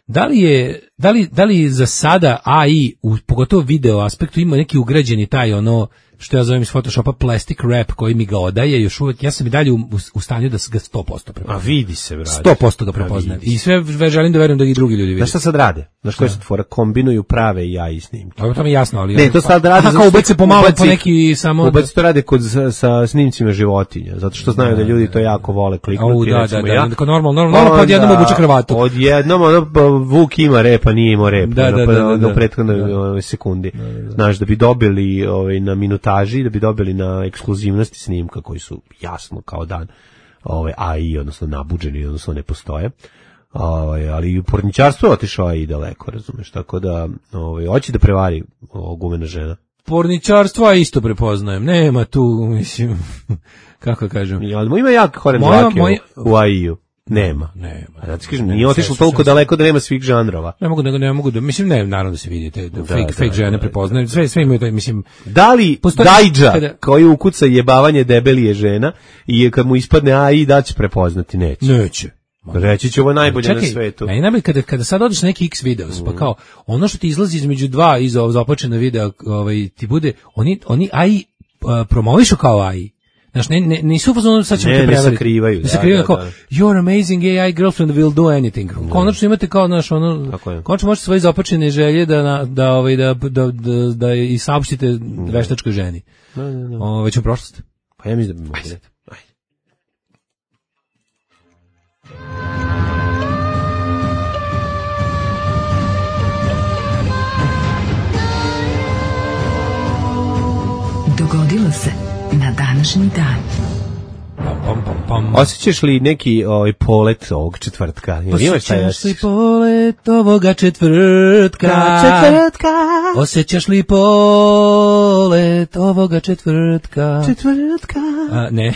da li je, da li, da li za sada A I, u, pogotovo video aspektu, ima neki ugrađeni taj, ono, što ja zovem iz Photoshopa plastic wrap koji mi ga odaje, još uvek, ja sam i dalje u, u, u stanju da s- ga sto posto A prepoznajem. vidi se, brate. sto posto ga A prepoznajem. vidi I sve ve- želim da verujem da i drugi ljudi vide. Znaš šta sad rade? Znaš koje su tvora? Kombinuju prave i ja i snimke. Dobro, to mi je jasno, ali... Ne, to sad rade. Aha, zato kao što ubace pomalo po ubaci- neki samo... Ubaci to rade kod, sa, sa snimcima životinja, zato što znaju da ljudi to jako vole kliknuti. Au, da, da, recimo da, ja. kao normalno, normalno, normalno, pa odjednom Onda, obuče kravatu. Odjednom, ono, pa Vuk ima repa, nije imao rep. Da, ono, da, pa da, da, da. u prethodnoj ovaj, sekundi. Znaš, da bi dobili ovaj, na minutaži, da bi dobili na ekskluzivnosti snimka koji su jasno kao dan ovaj, A I, odnosno nabuđeni, odnosno ne postoje. Ovaj, ali i u porničarstvu je otišao A I daleko, razumeš, tako da ovaj, hoće da prevari o, gumena žena. Porničarstvo, a isto prepoznajem. Nema tu, mislim, kako da kažem. I, ali ima jak horen Moja- dlake moja- u, u A I-u. Nema. Nema. Ja ti kažem, Ne, nije otišlo sve su- toliko sve su- daleko da nema svih žanrova. Ne mogu, nego ne mogu da, mislim, ne, naravno da se vidite, da, Da, fake, da, fake žene da, prepoznaju, sve, sve imaju taj, mislim, Da li Postoji- Dajđa, kada- koji ukuca jebavanje debeli je žena, i kad mu ispadne A I, da će prepoznati? Neće. neće. Reći će ovo najbolje Čekaj, na svetu. meni najbolje kada, kada sad odeš na neki X videos, pa kao, ono što ti izlazi između dva iz ovog započena videa, ovaj, ti bude, oni, oni A I uh, promovišu kao A I. Znaš, ne, ne, nisu u fazonu, sad ćemo Ne, te ne prevariti. sakrivaju, Ne da, sakrivaju da, kao, da. your amazing A I girlfriend will do anything. Konačno imate kao, znaš, ono, Tako je. konačno možete svoje započene želje da, na, da, ovaj, da, da, da, da i saopštite veštačkoj ženi. Da, da, da. O, već u prošlosti. Pa ja mislim da bi mogli. Ajde. Dogodilo se na današnji dan. Pam, pam, pam, pam. Osjećaš li neki ovaj polet ovog četvrtka? Jel imaš taj Osjećaš li osjećaj? polet ovoga četvrtka? Četvrtka. Osjećaš li polet ovoga četvrtka? Četvrtka. A, ne,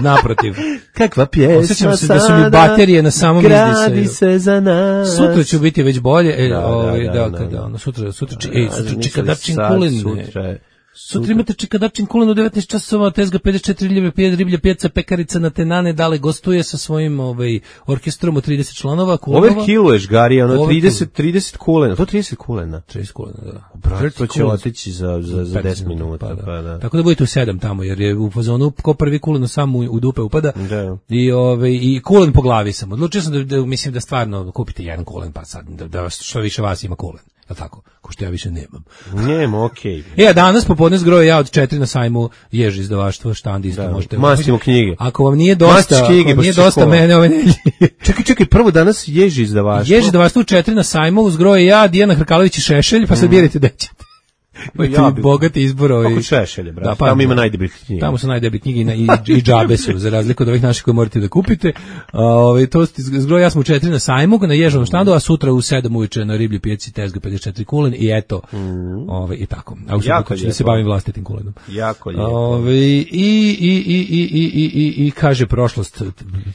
naprotiv. Kakva pjesma Osjećam se da su mi sada baterije na samom gradi izdisaju. se za nas. Sutra ću biti već bolje. E, Da, da, ovaj, da, da, da, kada, da. ono, sutra, sutra, či, Da, ej, sutra mislili čikadačin sad, kulen. Sutra je. Sutra imate čikadačin kulen u devetnaest časova, tezga pedeset četiri riblje, pije riblja, pjeca, pekarica na Tenane, dale gostuje sa svojim ovaj, orkestrom od trideset članova. Kulenova. Overkilluješ, Gari, ono Overkill. trideset, trideset kulena, to trideset kulena. trideset kulena, da. Brate, to će trideset otići za, za, za deset minuta. Pa, da. Pa, da. Tako da budete u sedam tamo, jer je u fazonu ko prvi kulen sam u, u dupe upada. Da. I ovaj i kulen po glavi sam. Odlučio sam da, da mislim da stvarno kupite jedan kulen pa sad da, da što više vas ima kulen. Je tako? Ko što ja više nemam. Njemo, okej. E, a danas popodne zgroje ja od četiri na sajmu Ježi izdavaštvo, štand isto Da. možete. Mastimo knjige. Ako vam nije dosta, Mastiš ako knjige, vam baš nije se dosta škola. mene ove nedelje. Čekaj, čekaj, prvo danas ježi izdavaštvo. Ježi izdavaštvo u četiri na sajmu, uzgroje ja, Dijana Hrkalović i Šešelj, pa sad birajte gde ćete. Imate Ja bi- bogati izbor. Ovaj. Kako Šešelje, brate. Da, pa, Tamo ima najdeblih knjiga. Tamo su najdeblje knjige i, na- i, i džabe su, za razliku od ovih naših koje morate da kupite. A, ovaj, to ste zgroje, ja smo u četiri na sajmu, na Ježovom štandu, a sutra u sedam uveče na Riblji pijaci tezga pedeset četiri kulen i eto, ovaj, i tako. A u Jako subotu ću da se lijepo. bavim vlastitim kulenom. Jako lijepo. Ovaj, i, i, i, i, i, i, i, i kaže prošlost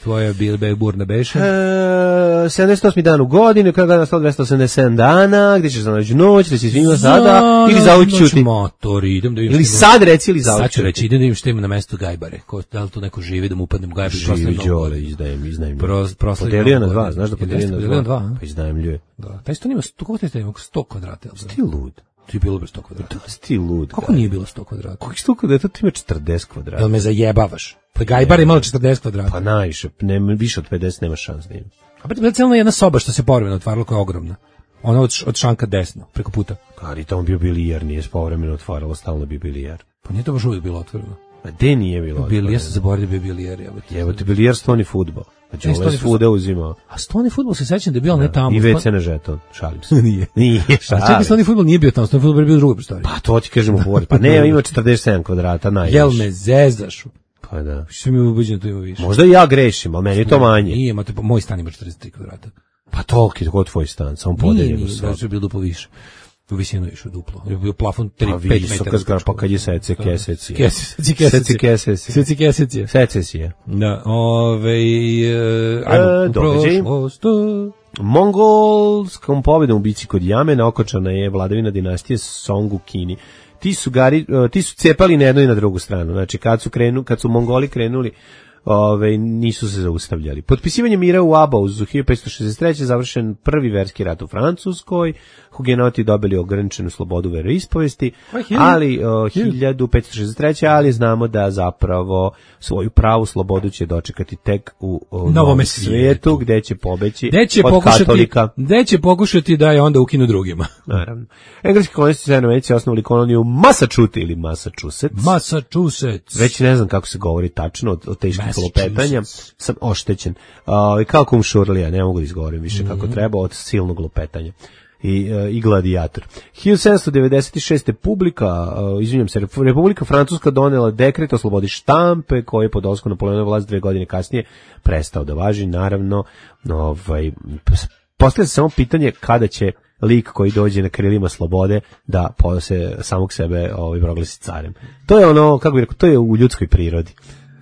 tvoja bilbe burna beše. E, sedamdeset osmi dan u godini, kada je nastalo dvesta osamdeset sedam dana, gde ćeš za noć noć, da će svima sada, ili za uvijek ćuti. Motor, idem da vidim Ili šta ima- sad reci, ili za Sad uvijek ću reći, ćuti. idem da vidim šta ima na mestu Gajbare. Ko, da li tu neko živi da mu upadnem u Gajbare? Živi Đole, izdajem, izdajem. Pro- proslavi Podelio na Novu dva, godinu. znaš da Jel podelio jeste na podelio na dva? dva, a? Pa izdajem ljuje. Da, taj stan ima sto, koliko taj stan ima? sto kvadrata, jel da? Ti lud. Ti je bilo bez sto kvadrata. Da, si ti lud. Kako nije bilo sto kvadrata? Kako je sto kvadrata? To ima četrdeset kvadrata. Jel me zajebavaš? Pa Gajbar je imala četrdeset kvadrata. Pa najviše, nema, više od pedeset nema šans da ima. A pa je cijela jedna soba što se povremeno otvarala koja je ogromna. Ona od, š- od šanka desno, preko puta. Ali tamo bio bilijer, nije se povremeno otvaralo, stalno bio bilijer. Pa nije to baš uvijek bilo otvoreno. A gde nije bilo? Bili, ja sam zaboravio da bi bio bilijer. Evo ti bilijer, stoni fudbal. Znači, E, ovo je stoni svuda uzimao. A stoni fudbal se sećam da je bio, ali ne tamo. I ve ce na žeton, šalim se. Nije. Nije, A čekaj, šalim. stoni fudbal nije bio tamo, stoni fudbal je bio u drugoj prostoriji. Pa to ti kažemo govori. Pa ne, ima četrdeset sedam kvadrata, najviše. Jel me zezaš? Pa da. Što mi ubeđeno da tu ima više. Možda i ja grešim, ali meni je to manje. Nije, imate, moj stan ima četrdeset tri kvadrata. Pa toliki je tvoj stan, samo Nije, podeljen u nije, da sobi. je bilo duplo više. U visinu je išao duplo. Je bio plafon tri, Pa pet visoka metara. zgrada, pa kad je sece keseci. Kesi, seci keseci. Seci keseci. Seci keseci. Secesije. Da, ove, e, ajmo, E, u događaj. prošlost. Mongolskom pobedom u bici kod Jamena okončana je vladavina dinastije Song u Kini. Ti su gari, e, ti su cepali na jednu i na drugu stranu. Znači kad su krenu, kad su Mongoli krenuli, ove, nisu se zaustavljali. Potpisivanje mira u Abauzu hiljadu petsto šezdeset treće završen prvi verski rat u Francuskoj. Hugenoti dobili ograničenu slobodu veroispovesti, ali o, hiljadu petsto šezdeset treće ali znamo da zapravo svoju pravu slobodu će dočekati tek u o, novom svijetu, gde će pobeći Gde će od pokušati, katolika. gde će pokušati da je onda ukinu drugima. Naravno. Engleski kolonisti su Americi osnovali koloniju Massachusetts ili Massachusetts. Massachusetts. Već ne znam kako se govori tačno od, od teških Massachusetts. lupetanja. Sam oštećen. Uh, kao kum Šurlija, ne mogu da izgovorim više kako Mhm. treba od silnog lupetanja. I, uh, i gladijator. hiljadu sedamsto devedeset šeste publika, uh, izvinjam se, Republika Francuska donela dekret o slobodi štampe koji je pod dolaskom Napoleonove vlast dve godine kasnije prestao da važi. Naravno, ovaj, postavlja se samo pitanje kada će lik koji dođe na krilima slobode da se samog sebe ovaj, proglasi carem. To je ono, kako bih rekao, to je u ljudskoj prirodi.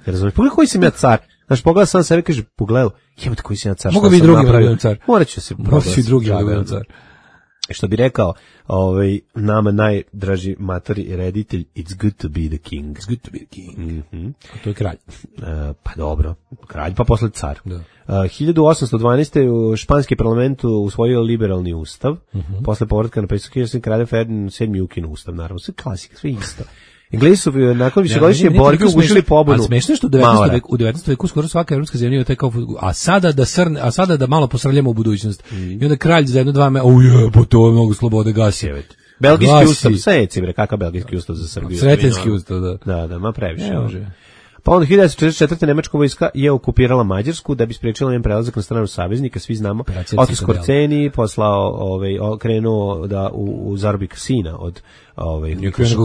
Razumiješ? Pogledaj koji sam ja car. Znaš, pogleda sam sebe, kaže, pogledaj, jebate koji sam ja car. Mogu šta bi sam drugi da napravio? budem car. Morat ću se Mogu bi drugi da Da, budem da. car. Što bi rekao, ovaj, nama najdraži matori reditelj, it's good to be the king. It's good to be the king. Mm-hmm. A to je kralj. Uh, pa dobro, kralj, pa posle car. Da. Uh, hiljadu osamsto dvanaeste. u španski parlament usvojio liberalni ustav, mm-hmm. posle povratka na predsjednik kralja Ferdinand sedmi ukinu ustav, naravno, sve klasika, sve isto. Englezi su nakon višegodišnje borbe ugušili pobunu. A smešno je što u devetnaestom veku, u devetnaestom veku skoro svaka evropska zemlja je taj kao, a sada da srne, a sada da malo posrljamo u budućnost. Mm. I onda kralj za jedno dva me, o je, pa to je mnogo slobode gasi. Belgijski gasi. Ustav, seci bre, kakav belgijski ustav za Srbiju? Sretenski ustav, da. Da, da, ma previše. Ne može. Pa onda hiljadu devetsto četrdeset četvrte. nemačka vojska je okupirala Mađarsku da bi sprečila njen prelazak na stranu saveznika, svi znamo. Otto Skorceni poslao, ovaj, krenuo da u, u zarobi sina od ovaj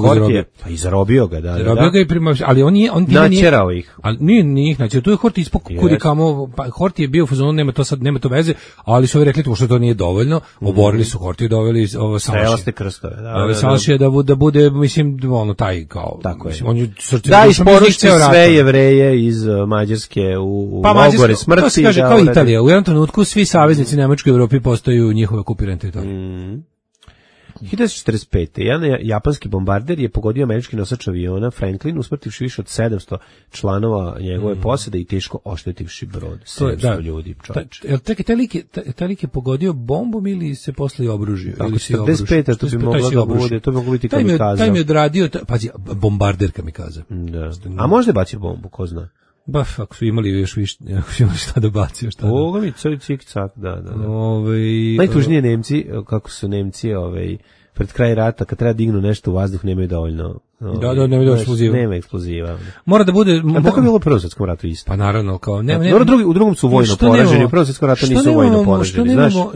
Hortije, pa i zarobio ga, da, zarobio da. ga i prima, ali on je on načerao ih. Ali nije njih, znači tu je Hortije ispod kudi kamo, pa Hortije je bio u fazonu, nema to sad, nema to veze, ali su ovi rekli to što to nije dovoljno, oborili su Hortije, doveli ovo Salašije krstove, da. Ovo Salašije da bude da bude mislim ono taj kao, tako mislim, on je srce da isporuči sve Jevreje iz Mađarske u, u pa, logore smrti. To se kaže kao Italija, u jednom trenutku svi saveznici Nemačke u Evropi postaju njihove okupirane teritorije. Mm. hiljadu devetsto četrdeset pete. jedan japanski bombarder je pogodio američki nosač aviona Franklin, usmrtivši više od sedamsto članova njegove mm. posade i teško oštetivši brod. sedamsto da, ljudi, čovječe. Jel taj, taj, lik je, taj lik je pogodio bombom ili se posle obružio? Tako, četrdeset pete. to bi moglo da bude, to bi moglo biti kamikaza. Taj mi je odradio, pazi, bombarder kamikaza. Da. A možda je bacio bombu, ko zna? Ba, ako su imali još više, ako su imali šta da bacio, šta da. Ovoga mi coj cik cak, da, da, da. Ove, najtužnije Nemci, kako su Nemci, ovaj, pred kraj rata, kad treba dignu nešto u vazduh, nemaju dovoljno. Ovaj, da, da, nemaju eksploziva. Nema eksploziva. Mora da bude... A tako je bilo u Prvom svjetskom ratu isto. Pa naravno, kao... Ne, ne, ne, drugi, u drugom su vojno poraženi, u Prvom svjetskom ratu nisu vojno poraženi, znaš? Uh,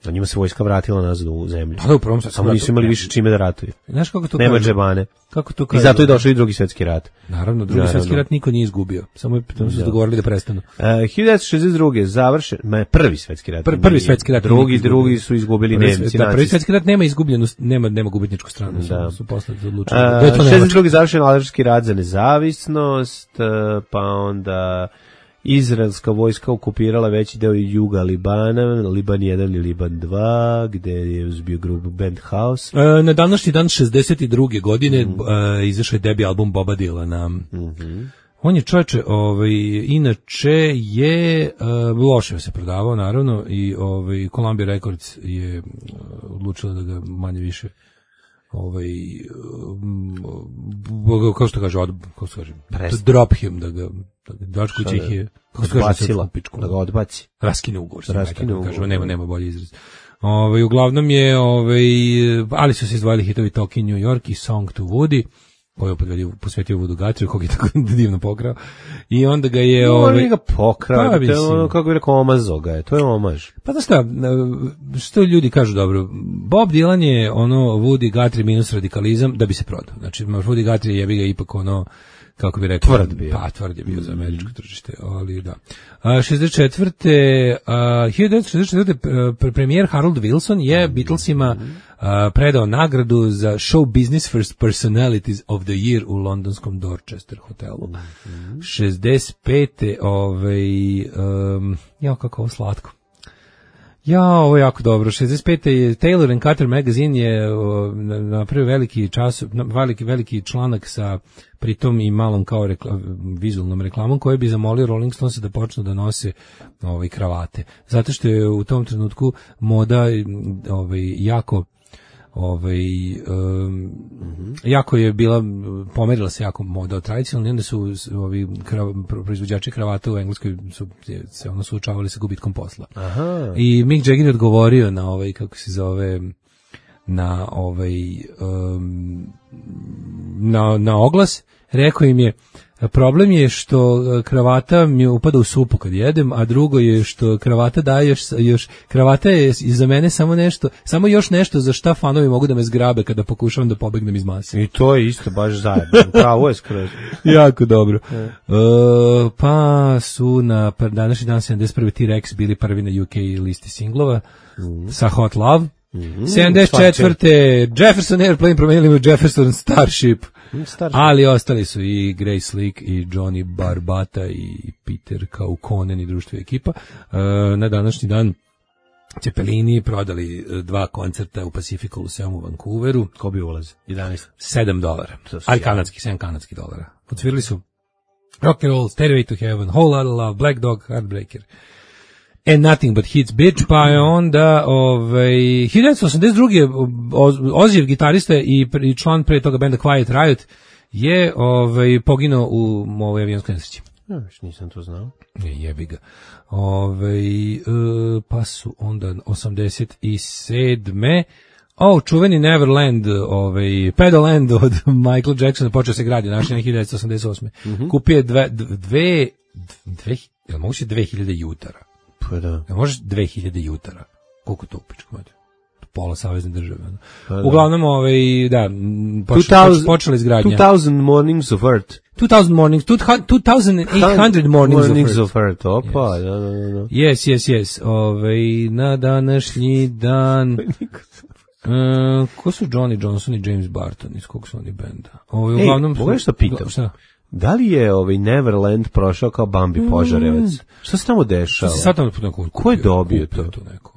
a njima se vojska vratila nazad u zemlju. Pa da, u Prvom svjetskom ratu. Samo nisu imali više čime da ratuju. Znaš kako to nema kaže? Džebane. Kako to kaže? I zato je došao i drugi svjetski rat. Naravno, drugi naravno. svjetski rat niko nije izgubio. Samo je samo su se dogovorili da prestanu. Uh, hiljadu devetsto šezdeset druge. završen, ma prvi svjetski rat. Pr, prvi svjetski rat. Drugi, drugi su izgubili Nemci. Da, prvi svjetski rat nema izgubljenu, nema nema gubitničku stranu, da. Su posle odlučili. šezdeset druge. završen Alžirski rat za nezavisnost, pa onda izraelska vojska okupirala veći deo juga Libana, Liban jedan i Liban dva, gde je uzbio grupu Band House. E, na današnji dan šezdeset druge godine mm. e, izašao je debi album Boba Dylana. Mm-hmm. On je čovječe, ovaj, inače je uh, loše se prodavao, naravno, i ovaj, Columbia Records je uh, odlučila da ga manje više ovaj um, kako što kaže od kako se kaže drop him da ga dačku ih je kako se kaže da ga odbaci, raskine ugovor, raskine ugovor, kaže nema nema bolji izraz. Ovaj uglavnom je ovaj ali su se izdvojili hitovi Talking New York i Song to Woody koji je posvetio Woodu Guthrieju, kog je tako divno pokrao. I onda ga je... No, ovaj, ga pokrao, pa, to je ono, kako bi rekao, omazo ga je, to je omaž. Pa znaš šta, što ljudi kažu dobro, Bob Dylan je ono Woody Guthrie minus radikalizam da bi se prodao. Znači, Woody Guthrie je bi ga ipak ono, kako bi rekao, tvrd bio. Pa, tvrd je bio za američko tržište, ali da. A, šezdeset četvrte. A, hiljadu devetsto šezdeset četvrte. premijer Harold Wilson je Beatlesima a, predao nagradu za Show Business First Personalities of the Year u londonskom Dorchester hotelu. Mm-hmm. šezdeset pete. Ovaj, um, ja, kako ovo slatko. Ja, ovo je jako dobro. šezdeset pete. je Taylor and Carter magazine je napravio veliki čas, veliki veliki članak sa pritom i malom kao rekla, vizualnom reklamom koji bi zamolio Rolling Stones da počnu da nose ovaj kravate. Zato što je u tom trenutku moda ovaj jako ovaj um, jako je bila pomerila se jako moda od tradicionalne, onda su ovi krav, proizvođači kravata u Engleskoj su se ono suočavali sa gubitkom posla. Aha. I Mick Jagger je odgovorio na ovaj kako se zove na ovaj um, na na oglas, rekao im je problem je što kravata mi upada u supu kad jedem, a drugo je što kravata daje još, još kravata je za mene samo nešto, samo još nešto za šta fanovi mogu da me zgrabe kada pokušavam da pobegnem iz mase. I to je isto baš zajedno. Pravo je skroz. Jako dobro. E, pa su na današnji dan sedamdeset prve. T-Rex bili prvi na U K listi singlova mm. sa Hot Love. Mm-hmm. sedamdeset četvrte. Jefferson Airplane promenili u Jefferson Starship. Starship. Ali ostali su i Grace Slick i Johnny Barbata i Peter Kaukonen i društvo ekipa. Uh, na današnji dan Cepelini prodali e, dva koncerta u Pacific Coliseum u Vancouveru. Ko bi ulaz? jedanaest. sedam dolara. To su Ali sjajno. kanadski, sedam kanadskih dolara. Odsvirali su Rock and Roll, Stairway to Heaven, Whole Lotta Love, Black Dog, Heartbreaker. And Nothing But Hits Bitch, pa je onda ovaj, hiljadu devetsto osamdeset druge. Ozzijev gitarista i, i član pre toga benda Quiet Riot je ovaj, poginuo u ovoj avionskoj nesreći. Ja, viš nisam to znao. Je, jebi ga. Ovaj, e, pa su onda osamdeset sedme O, čuveni Neverland, ovaj, Pedaland od Michael Jacksona počeo se gradi, našli na hiljadu devetsto osamdeset osme. Mm-hmm. Kupio je dve, dve, dve, jel moguće dve hiljade jutara? Pa da. Jel možeš dve hiljade jutara? Koliko to upičko mati? Pola savezne države. Pa da. Uglavnom, ovaj, da, počela, počela izgradnja. two thousand Mornings of Earth. two thousand Mornings, two thousand eight hundred Mornings, mornings of Earth. of Earth. Opa, Yes. da, da, da. Yes, yes, yes. Ovaj, na današnji dan... Uh, ko su Johnny Johnson i James Barton, iz kog su oni benda? Ovo, Ej, uglavnom su- mogu nešto pitam? Šta? Da li je ovaj Neverland prošao kao Bambi Požarevac? Šta se tamo Šta dešava? se sad tamo neko Ko je kupio? dobio Kupio to? to neko.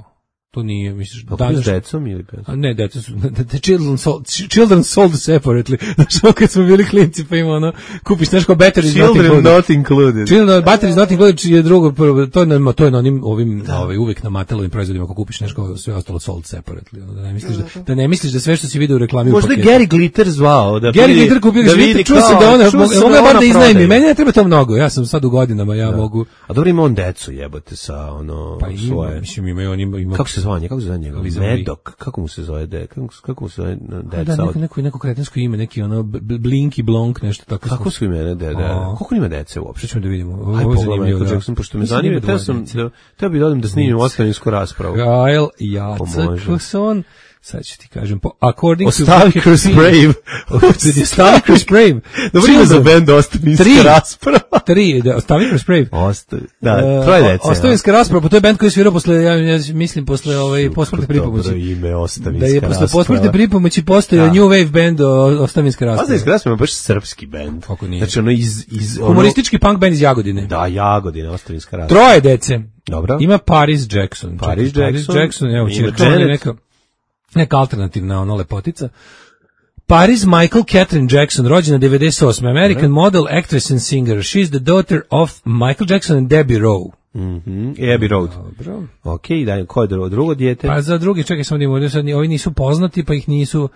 To nije, misliš, Pa kupio s danas... decom ili bez? A ne, deca su, the children sold, children sold separately. Znaš, ono kad smo bili klinci, pa ima ono, kupiš nešto kao battery is not Children included. not included. Children, battery is not included je drugo, prvo, to je na, to je na onim, ovim, ovaj, uvek na Matelovim proizvodima, ako kupiš nešto, sve ostalo sold separately. Ono, da ne misliš da, da ne misliš da sve što si vidio u reklami u Možda je paketu. Gary Glitter zvao. Da Gary vidi- Glitter kupio da ga, vidi čuo sam kao- da ona, čuo sam mogu da ja bar ona da iznajmi, prodaje. meni ne treba to mnogo, ja sam sad u godinama, ja mogu, A dobro ima on decu jebote sa ono pa ima, svoje. mislim, ima, on ima, ima Kako se zove? Kako se zove njega? Liza Marie. Medok. Kako mu se zove? De, kako, kako mu se zove a deca? da, neko, od- neko, neko kretensko ime, neki ono, B- Blinky Blonk, nešto tako. Kako su imene? De, de. A. Koliko ima dece uopšte? Što ćemo da vidimo? Ovo Aj je pogledaj zanimljivo, Michael da. Jackson, pošto me Mislim da zanima, ima teo dvoje sam dece. da, teo bi da odem da snimim ostavinsku raspravu. Gael može. Jacekson, sad ću ti kažem, po, according to... Ostavi kroz Brave. Ostavi kroz Brave. Dobro ime za bend ostavinska Tri. rasprava. Tri, da, ostavi kroz Brave. Ostavi, da, E, troje o- dece. Ostavinska rasprava, pa to je bend koji je svirao posle, ja, ja mislim, posle ovaj, posmrtne pripomoći. Dobro ime, Da ostavinska je rasprava. posle posmrtne pripomoći postojao Da. New Wave band o- Ostavinska rasprava. Ostavinska rasprava je baš srpski bend. Kako nije? Znači ono iz... iz ono, Humoristički punk band iz Jagodine. Da, Jagodine, ostavinska rasprava. Troje dece. Dobro. Ima Paris Jackson. Paris Čekaj, Jackson. Jackson, evo, Ima ćirka, on je Janet. neka, neka alternativna ono lepotica. Paris Michael Catherine Jackson, rođena devedeset osme. American model, actress and singer. She's the daughter of Michael Jackson and Debbie Rowe. Mhm, Abbey Road. Dobro. Okej, da, ko je drugo, drugo dijete? Pa za drugi, čekaj samo da im ovdje sad, ni- ovi nisu poznati, pa ih nisu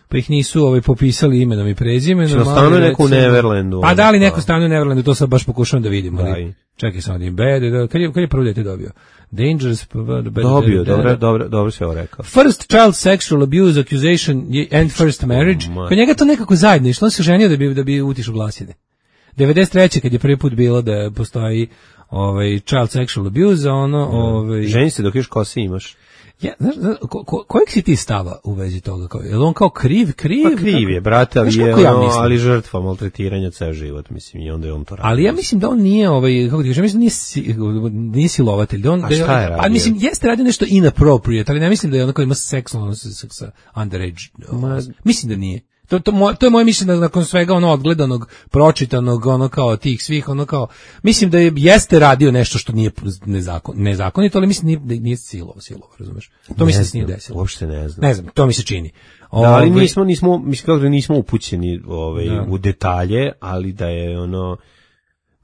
pa ih nisu ovaj popisali imenom i prezimenom. Što ali stanuje neko u recimo- Neverlandu, Pa da li neko pa. stanuje u Neverlandu, to sad baš pokušavam da vidim. Ali, Daj. čekaj samo da im bede, da, kad je, kad je prvo dete dobio? Dangerous, pa, bad, bad, Dobio, bad, bad, dobro, bad. dobro, dobro se ovo rekao. First child sexual abuse accusation je- and first marriage. Ma. Kod njega to nekako zajedno išlo, on se ženio da bi da bi utišao glasine. devedeset treće kad je prvi put bilo da postoji ovaj child sexual abuse, a ono ovaj Ženi se dok još kose imaš. ja, znaš, znaš, ko, ko, kojeg si ti stava u vezi toga? Kao, je li on kao kriv, kriv? Pa kriv je, brate, ali Znaš je kako ja ono, mislim? ali žrtva maltretiranja ceo život, mislim, i onda je on to radi. Ali ja mislim da on nije ovaj kako ti kažem, mislim da nije, si, nije silovatelj, da on A da šta je pa radio? mislim jeste radio nešto inappropriate, ali ne mislim da je onako ima seksualno sa, sa, sa underage. Ma- Mislim da nije. To, to, moj, to je moje mišljenje nakon svega ono odgledanog, pročitanog, ono kao tih svih, ono kao, mislim da je, jeste radio nešto što nije nezakon, nezakonito, ali mislim da nije, nije silovo, silovo, razumeš? To Ne mislim da se nije znam, desilo. Uopšte ne znam. Ne znam, to mi se čini. Da, ali Ovaj, nismo, nismo, mislim kako da nismo upućeni ovaj, Da. u detalje, ali da je ono,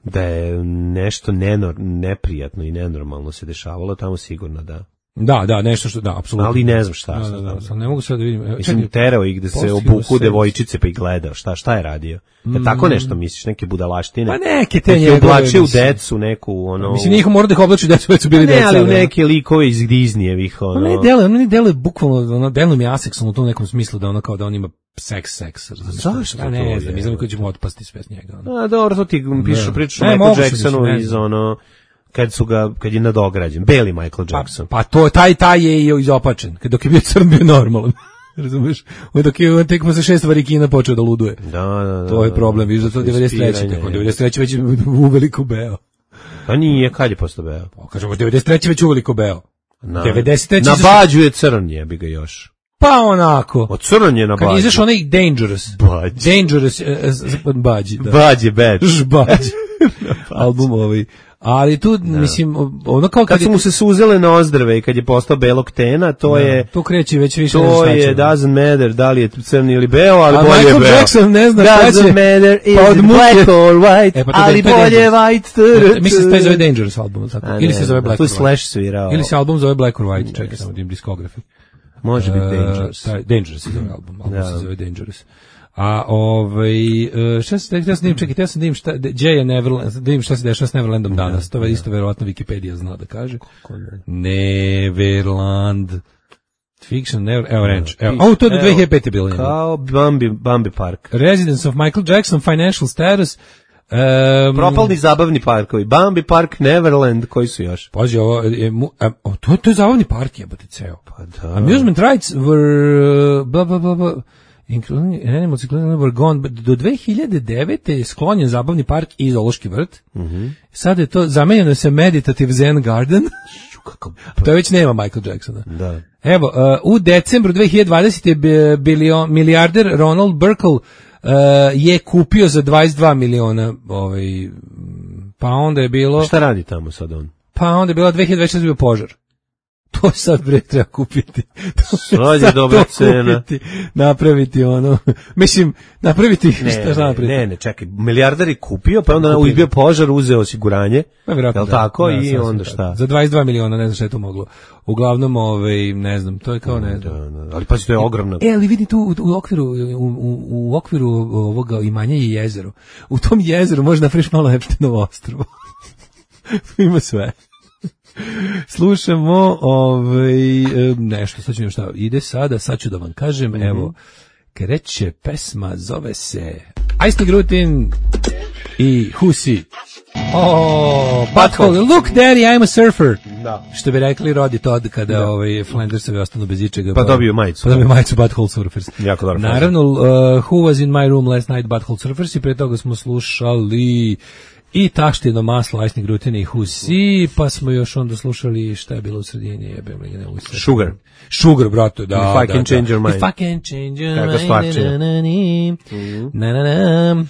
da je nešto nenor, neprijatno i nenormalno se dešavalo, tamo sigurno da. Da, da, nešto što, da, apsolutno. Ali ne znam šta. Da, šta da, da, znam. sad ne mogu sad da vidim. Evo, Mislim, čekaj, terao ih da se postigao obuku se- devojčice pa ih gledao. Šta, šta je radio? Je tako nešto misliš, neke budalaštine? Pa neke te Nek je njegove, oblačio u mislim. decu neku, ono... Mislim, njih mora da ih oblači da su već su bili ne, deca. ali u ono. neke likove iz Disneyevih, ono... Pa ne deluje, ono ne deluje bukvalno, ono deluje mi aseksualno u tom nekom smislu da ono kao da on ima seks, seks. razumeš? Zašto Pa to ne je? znam, mislim kako ćemo otpasti sve s njega. Ono. A, dobro, to ti pišu, Ne. pričaš o Ne, Michael mogu se Jacksonu mislim, ne iz znam. ono... Kad su ga, kad je nadograđen. Beli Michael Pa, Jackson. pa to, taj, taj je i izopačen. Kad dok je bio crn, bio normalan. Razumeš? On dok je on tek posle šest varikina počeo da luduje. Da, da, da. To je problem, vidiš da to Posle devedeset treće ispiranja, tako, je. devedeset treće već je uveliko beo. Pa nije, kad je postao beo? Pa kažemo, devedeset treće već uveliko beo. Na, devedeset treće Na izašao- bađu je crn, jebi ga još. Pa onako. Od crn je na Kad je bađu. izašao onaj Dangerous. Bađ. Dangerous, uh, bađi, da. Bađ je bad. Žbađ. Album ovaj. Ali tu, da. mislim, ono kao kad, kad su mu se suzele nozdrve i kad je postao belog tena, to da. je... To kreće već više. To je, doesn't matter, da li je crni ili beo, ali a bolje Michael beo. Jackson ne zna šta će. Doesn't matter, is pa it black or white, e, pa ali bolje white. Mislim se zove Dangerous album, tako? A, Ili ne, se zove Black tu or White. Slash svirao. Ili se album zove Black or White, čekaj, samo dim diskografi. Može biti Dangerous. Uh, taj, Dangerous se zove album, album da. se zove Dangerous. A ovaj uh, šta se htio sam dim, čekaj, htio sam dim šta Jay je Neverland, da im šta se dešava s Neverlandom danas. To je isto verovatno Wikipedia zna da kaže. Neverland Fiction, Never, evo Ranch. Evo, oh, to je do dve hiljade pete bilo. Kao Bambi, Bambi Park. Residence of Michael Jackson, Financial Status. Um, Propalni zabavni parkovi. Bambi Park, Neverland, koji su još? Pazi, ovo, je, mu, a, o, to, to je zabavni park, jebote ceo. Pa da. Amusement rights were, bla, bla, bla, bla, including animals were gone, do dve hiljade devete je sklonjen zabavni park i zoološki vrt. Mm-hmm. Sada je to, zamenjeno se Meditative Zen Garden. To je već nema Michael Jacksona. Da. Evo, uh, u decembru dve hiljade dvadesete bilion, milijarder Ronald Burkle Uh, je kupio za dvadeset dva miliona, ovaj, pa onda je bilo... Šta radi tamo sad on? Pa onda je bilo dve hiljade dvadeset bio požar. To sad bre treba kupiti. To sad je dobra cena. Kupiti, napraviti ono, mislim, napraviti, ne, šta, šta napraviti? Ne, ne, čekaj, milijardar je kupio, pa onda uzbio požar, uzeo osiguranje, pa vjerojatno jel da, tako, da, i onda šta? Tako. Za dvadeset dva miliona, ne znam šta je to moglo. Uglavnom, ovaj, ne znam, to je kao ne znam. Da, da, ali pazi, to je ogromno. E, ali vidi tu u, u okviru, u, u, u okviru ovoga imanja je jezero. U tom jezeru možeš napraviš malo Epsteinovo ostrvo. Ima sve. Slušamo ovaj, nešto, sad ću šta ide sada, sad ću da vam kažem, mm-hmm. evo, kreće pesma, zove se Ice Grutin i Husi. Oh, Butthole, look daddy, I'm a surfer. Da. Što bi rekli Rodi Todd kada da. ovaj, Flandersovi ostanu bez ičega. Pa, pa dobiju majicu. Pa dobiju majicu Butthole Surfers. Jako dobro. Naravno, uh, Who was in my room last night, Butthole Surfers, i pre toga smo slušali i Taštino maslo, Ice Grutin i Husi, pa smo još onda slušali šta je bilo u sredini, jebem li ne usred. Sugar. Sugar, brato, da. If I da, can da. change your mind. If I can change your Kako mind. Na, na, na, na, na, na.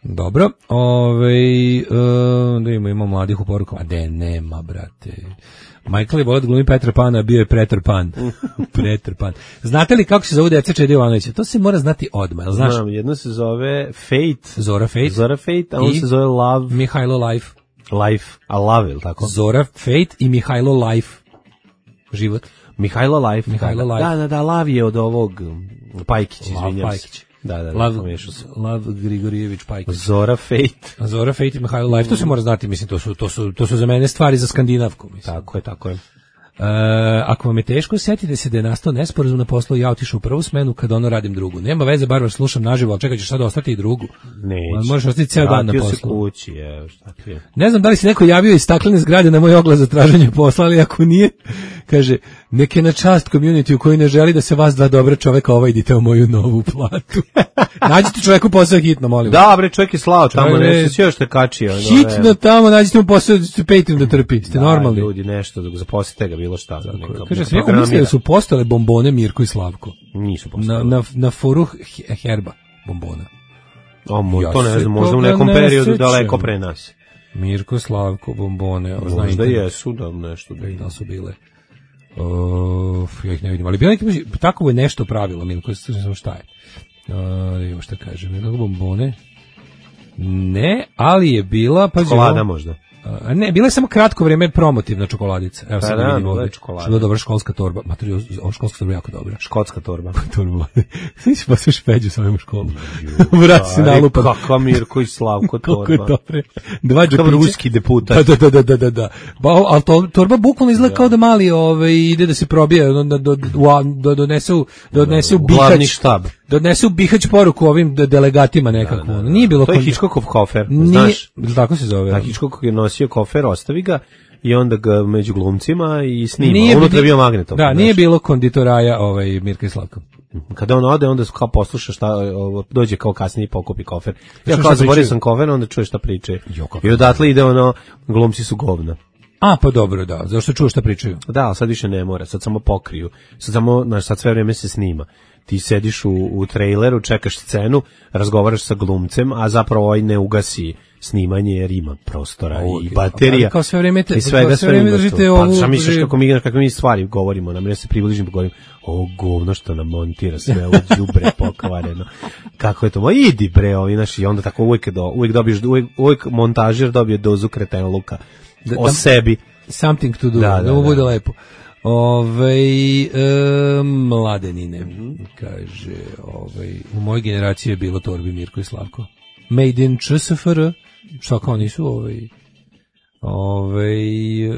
Dobro, ovaj, uh, da ima, ima mladih u porukama. A de, nema, brate. Michael je volio da glumi Petra Pana, bio je Preter Pan. Preter Pan. Znate li kako se zove deca Čede Jovanovića? To se mora znati odmah, jel znaš? Znam, jedno se zove Fate. Zora Fate. Zora Fate, a on I se zove Love. Mihajlo Life. Life, a Love, ili tako? Zora Fate i Mihajlo Life. Život. Mihajlo Life. Mihajlo da, Life. Da, da, da, Love je od ovog Pajkić, izvinjam se. Da, da, Lav, da, Lav Grigorijević Pajkić. Zora Fate. Zora Fate i Mihajlo Life, to se mora znati, mislim, to su, to su, to su za mene stvari za Skandinavku, mislim. Tako je, tako je. Uh, ako vam je teško, setite se da je nastao nesporazum na poslu i ja otišao u prvu smenu kad ono radim drugu. Nema veze, bar vas slušam naživo, ali čekaj, ćeš sad ostati i drugu. Neće. Možeš ostati ceo dan na poslu. Se kući, je, šta ti je. Ne znam da li se neko javio iz staklene zgrade na moj oglas za traženje posla, ali ako nije, kaže, neke na čast community u koji ne želi da se vas dva dobra čoveka ovajdite u moju novu platu. Nađite čoveku posao hitno, molim. Da, bre, čovjek je slao tamo, nešto si još te kačio. Hitno tamo, nađite mu posao, Patreon da trpi, ste da, normalni. Ljudi, nešto, zaposlite ga, bilo šta. Neka, kaže, sam neko mislio da su postale bombone Mirko i Slavko. Nisu postale. Na, na, na foru Herba bombona. O, mo, ja to ne znam, možda u nekom periodu sećam. Daleko pre nas. Mirko, Slavko, bombone. Možda jesu da nešto. Da, da su bile. Uf, ja ih ne vidim. Ali bilo neki, tako je nešto pravilo, Mirko, ne znam šta je. Da vidimo šta kaže. Mirko, bombone. Ne, ali je bila... Pa čokolada možda. A ne, bila je samo kratko vrijeme promotivna čokoladica. Evo sad da, vidimo ovdje. Što je dobra školska torba. Materijal, ova školska torba je jako dobra. Škotska torba. torba. Sve si posao špeđu sa ovim u školu. Vrat si nalupan. Kakva Mirko i Slavko torba. Kako je dobre. Dva džapića. Kakav ruski deputat. Da, da, da, da, da, da. Ba, ali to, torba bukvalno izgleda kao da mali ove, ide da se probije, da, da, da donese u, da odnese u Bihać. Glavni štab. Da odnese u Bihać poruku ovim delegatima nekako. Da, da, da. Nije bilo... To je Hitchcockov kofer, znaš. Tako se zove. Da, Hitchcock je nosio kofer, ostavi ga i onda ga među glumcima i snima. Nije, unutra je bio magnetom. Da, znaš. Nije bilo konditoraja ovaj, Mirka i Slavka. Kada on ode, onda kao posluša šta, dođe kao kasnije i pokupi kofer. Ja kao zaborio sam kofer, onda čuje šta priče. I odatle ide ono, glumci su govna. A, pa dobro, da, zašto čuo šta pričaju? Da, ali sad više ne mora, sad samo pokriju. Sad samo, znaš, sad sve vrijeme se snima. ti sediš u, u traileru, čekaš scenu, razgovaraš sa glumcem, a zapravo ovaj ne ugasi snimanje jer ima prostora O, i baterija. kao sve vreme te, i svega kao sve vreme ima držite tu. ovu... Pa zamisliš kako mi, kako mi stvari govorimo, nam ja se približim pa govorim, o govno što nam montira sve ovo đubre pokvareno. Kako je to? Ma idi bre, ovi naši, i onda tako uvijek, do, uvijek dobiješ, uvijek, uvijek montažer dobije dozu kretenluka o da, sebi. Something to do, Da, da, da, ovo da. bude lepo. Ovaj e, mladenine, kaže, ovaj, u mojoj generaciji je bilo Torbi, Mirko i Slavko. Made in Č S F R, šta kao nisu, ovaj, ovaj, e,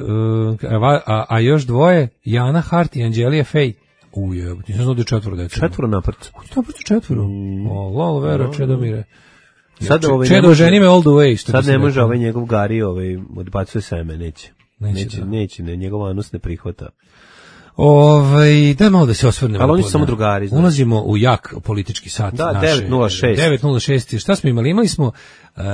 a, a, a još dvoje, Jana Hart i Anđelija Fej. Uje, nisam znao da je četvoro deca. Četvoro naprcu. Naprcu četvoro. O, lol, Vera, Čedomire. Sad ovaj ne Čedo, može- ženi me all the way. Što Sad bi se ne može reklo. ovaj njegov Gari, ovaj, odbacuje seme, neće. Neće, Neće, da. neće, ne, njegov anus ne prihvata. Ovaj, da malo da se osvrnemo. Ali oni na- su samo drugari, znaš. Ulazimo u jak politički sat. Da, naše, devet nula šest. devet nula šest. Šta smo imali? Imali smo uh,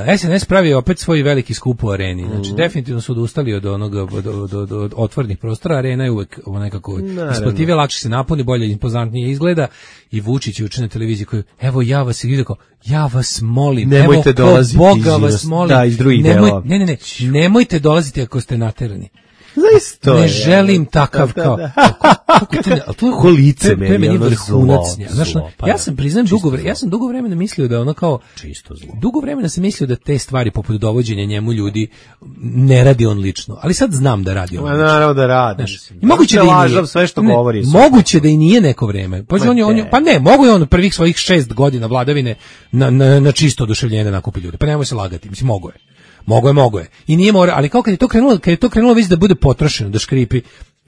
S N S pravi opet svoj veliki skup u areni. Znači, Mhm. definitivno su odustali od onoga, od, od, od, od otvornih prostora. Arena je uvek ovo nekako Naravno. isplativije, lakše se napuni, bolje, impozantnije izgleda. I Vučić juče na televiziji koji, evo ja vas, i kao, ja vas molim, Nemojte evo ko dolaziti Boga iz vas inostranstva. molim. Da, iz drugih Nemoj, delova. ne, ne, ne, nemojte dolaziti ako ste naterani. Zaista Ne je. želim takav Da, da, kao. da. Kako to ne, ali to je Ko lice to je- to je meni, meni ono vrhunac. zlo, Znaš, zlo, pa ja da. sam priznajem Čisto dugo vremena, zlo. ja sam dugo vremena mislio da ono kao Čisto zlo. dugo vremena sam mislio da te stvari poput dovođenja njemu ljudi ne radi on lično, ali sad znam da radi on Ma lično. naravno da radi. Znaš, mislim. i moguće da i lažav nije. sve što Ne, govori. Moguće da i nije neko vreme. Pa Ma on je, on je, ne. pa ne, mogu je on prvih svojih šest godina vladavine na, na, na čisto oduševljenje da nakupi ljude. Pa nemoj se lagati, mislim, mogo je. Mogo je, mogo je. I nije mora, ali kao kad je to krenulo, kad je to krenulo već da bude potrošeno, da škripi,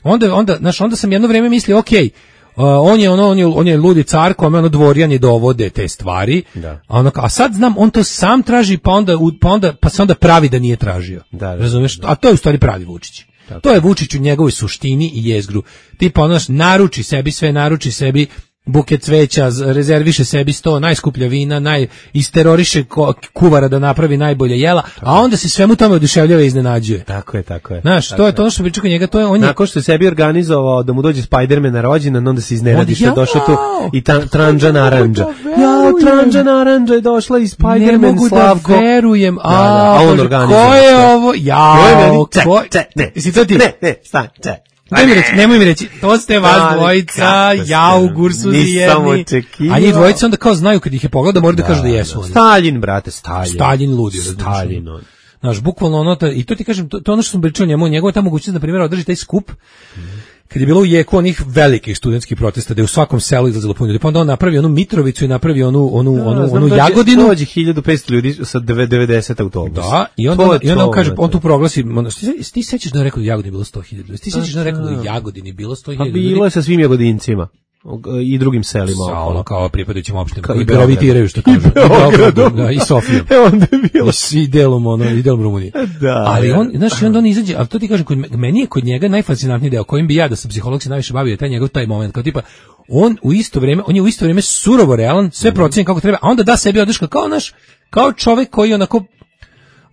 onda, onda, znaš, onda sam jedno vreme mislio, okej, uh, on je ono, on je, on je ludi car kome ono dvorjani dovode te stvari. Da. A, ono, kao, a sad znam, on to sam traži, pa onda, u- pa onda, pa se onda pravi da nije tražio. Da, da, Razumeš? A to je u stvari pravi Vučić. To je Vučić u njegovoj suštini i jezgru. Tipa, ono, znaš, naruči sebi sve, naruči sebi buket cveća, z- rezerviše sebi sto, najskuplja vina, naj, isteroriše ko- kuvara da napravi najbolje jela, a onda se svemu tome oduševljava i iznenađuje. Tako je, tako je. Znaš, Tako to je to ono što priča kod njega, to je on je Nakon što je sebi organizovao da mu dođe Spider-Man na rođendan, onda se iznenadi što je Jao! došao tu i ta, Tranđa Naranđa. da Jao, verujem. Tranđa Naranđa je došla i ne Spider-Man mogu Slavko. da verujem. A, Da, da, a on Bože, organizuje ko je sve. ovo? Joj, Jao, meni, ce, ko? ce, ne, Jesi to ti? ne, ne, stan, ce. Nemoj mi reći, nemoj mi reći, to ste vas Ali dvojica, kako ste, jao, gursuzi nisam jedni. očekivao. A njih dvojica onda kao znaju kad ih je pogledao, moraju da, kažu da jesu oni. Staljin, brate, Staljin. Staljin ludi, razumiješ. Staljin, on. Znaš, bukvalno ono, ta- i to ti kažem, to, to je ono što sam pričao njemu, njegova ta mogućnost, na primjer, održi taj skup, kad je bilo u jeku onih velikih studentskih protesta, da je u svakom selu izlazilo puno ljudi, pa onda on napravi onu Mitrovicu i napravi onu, onu, onu, Znam, onu dođe- Jagodinu. Dođe hiljadu petsto ljudi sa devedeset autobusa. Da, i onda, To je i onda on to, kaže, brate. on tu proglasi, ono, ti, se- ti sećaš da je rekao da u Jagodini bilo sto hiljada, ti sećaš da je rekao da u Jagodini bilo sto Pa hiljada bilo je sa svim jagodincima i drugim selima. sa ono okolo. kao pripadajućim opštinama, Kao koji i Beograd. gravitiraju, što kažu. I Beogradom. Da, i Sofijom. E, onda je bilo. I svi delom, ono, i delom Rumunije. Da, ali da. on, znaš, i onda on izađe, ali to ti kažem, kod me- meni je kod njega najfascinantniji deo, kojim bi ja, da sam psiholog se najviše bavio, je taj njegov taj moment, kao tipa, on u isto vrijeme, on je u isto vrijeme surovo realan, sve procjeni kako treba, a onda da sebi odrška, kao naš, kao čovek koji onako,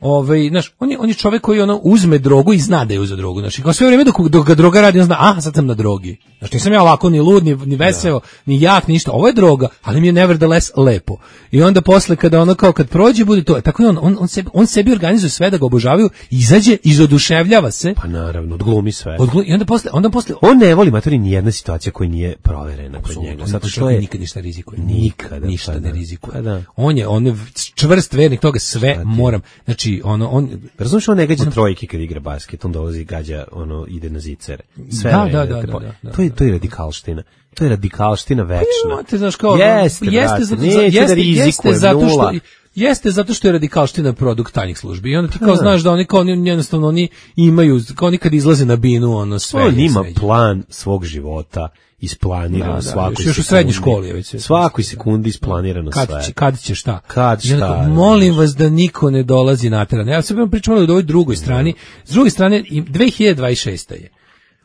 ovaj, znaš, on je, on je čovek koji ono uzme drogu i zna da je uzeo drogu, znaš, i kao sve vrijeme dok, dok ga droga radi, on zna, aha, sad sam na drogi. Znaš, nisam ja lako ni lud, ni, ni veseo, ni jak, ništa, ovo je droga, ali mi je nevertheless lepo. I onda posle kada ono kao, kad prođe, bude to, tako je on, on, on, sebi, on sebi organizuje sve da ga obožavaju, izađe, izoduševljava se, Pa naravno, odglumi sve. odglu- i onda posle, onda posle, On ne voli matori ni jedna situacija koja nije proverena kod njega. Zato što je nikad ništa rizikuje, Nikada, nikad ništa pa ne da. rizikuje. Pa da. On je, on je čvrst vernik toga, sve moram, znači, ono, on, Razumiješ, on ne gađa trojke kad igra basket, on dolazi i gađa, ono, ide na zicere. Sve Da, vreme, da, da, te da, po- da, da. To je, to je radikalština. To je radikalština večna. Imate, znaš, kao, Jeste, jeste, brate, zato, neće jeste, da rizikuje, jeste zato što, nula. jeste zato što je radikalština produkt tajnih službi. I onda ti kao Da. znaš da oni kao oni jednostavno oni imaju, kao oni kad izlaze na binu, ono sve. On je ima sređeno. plan svog života, isplanirano Da, da, svakoj još- još u sekundi. srednjoj školi je već sve. Svakoj sekundi isplanirano Kad sve. će, kad će šta? Kad I onda šta, kao, molim vas da niko ne dolazi na teren. Ja sad vam pričam o ovoj drugoj strani. S druge strane, i dve hiljade dvadeset šesta je.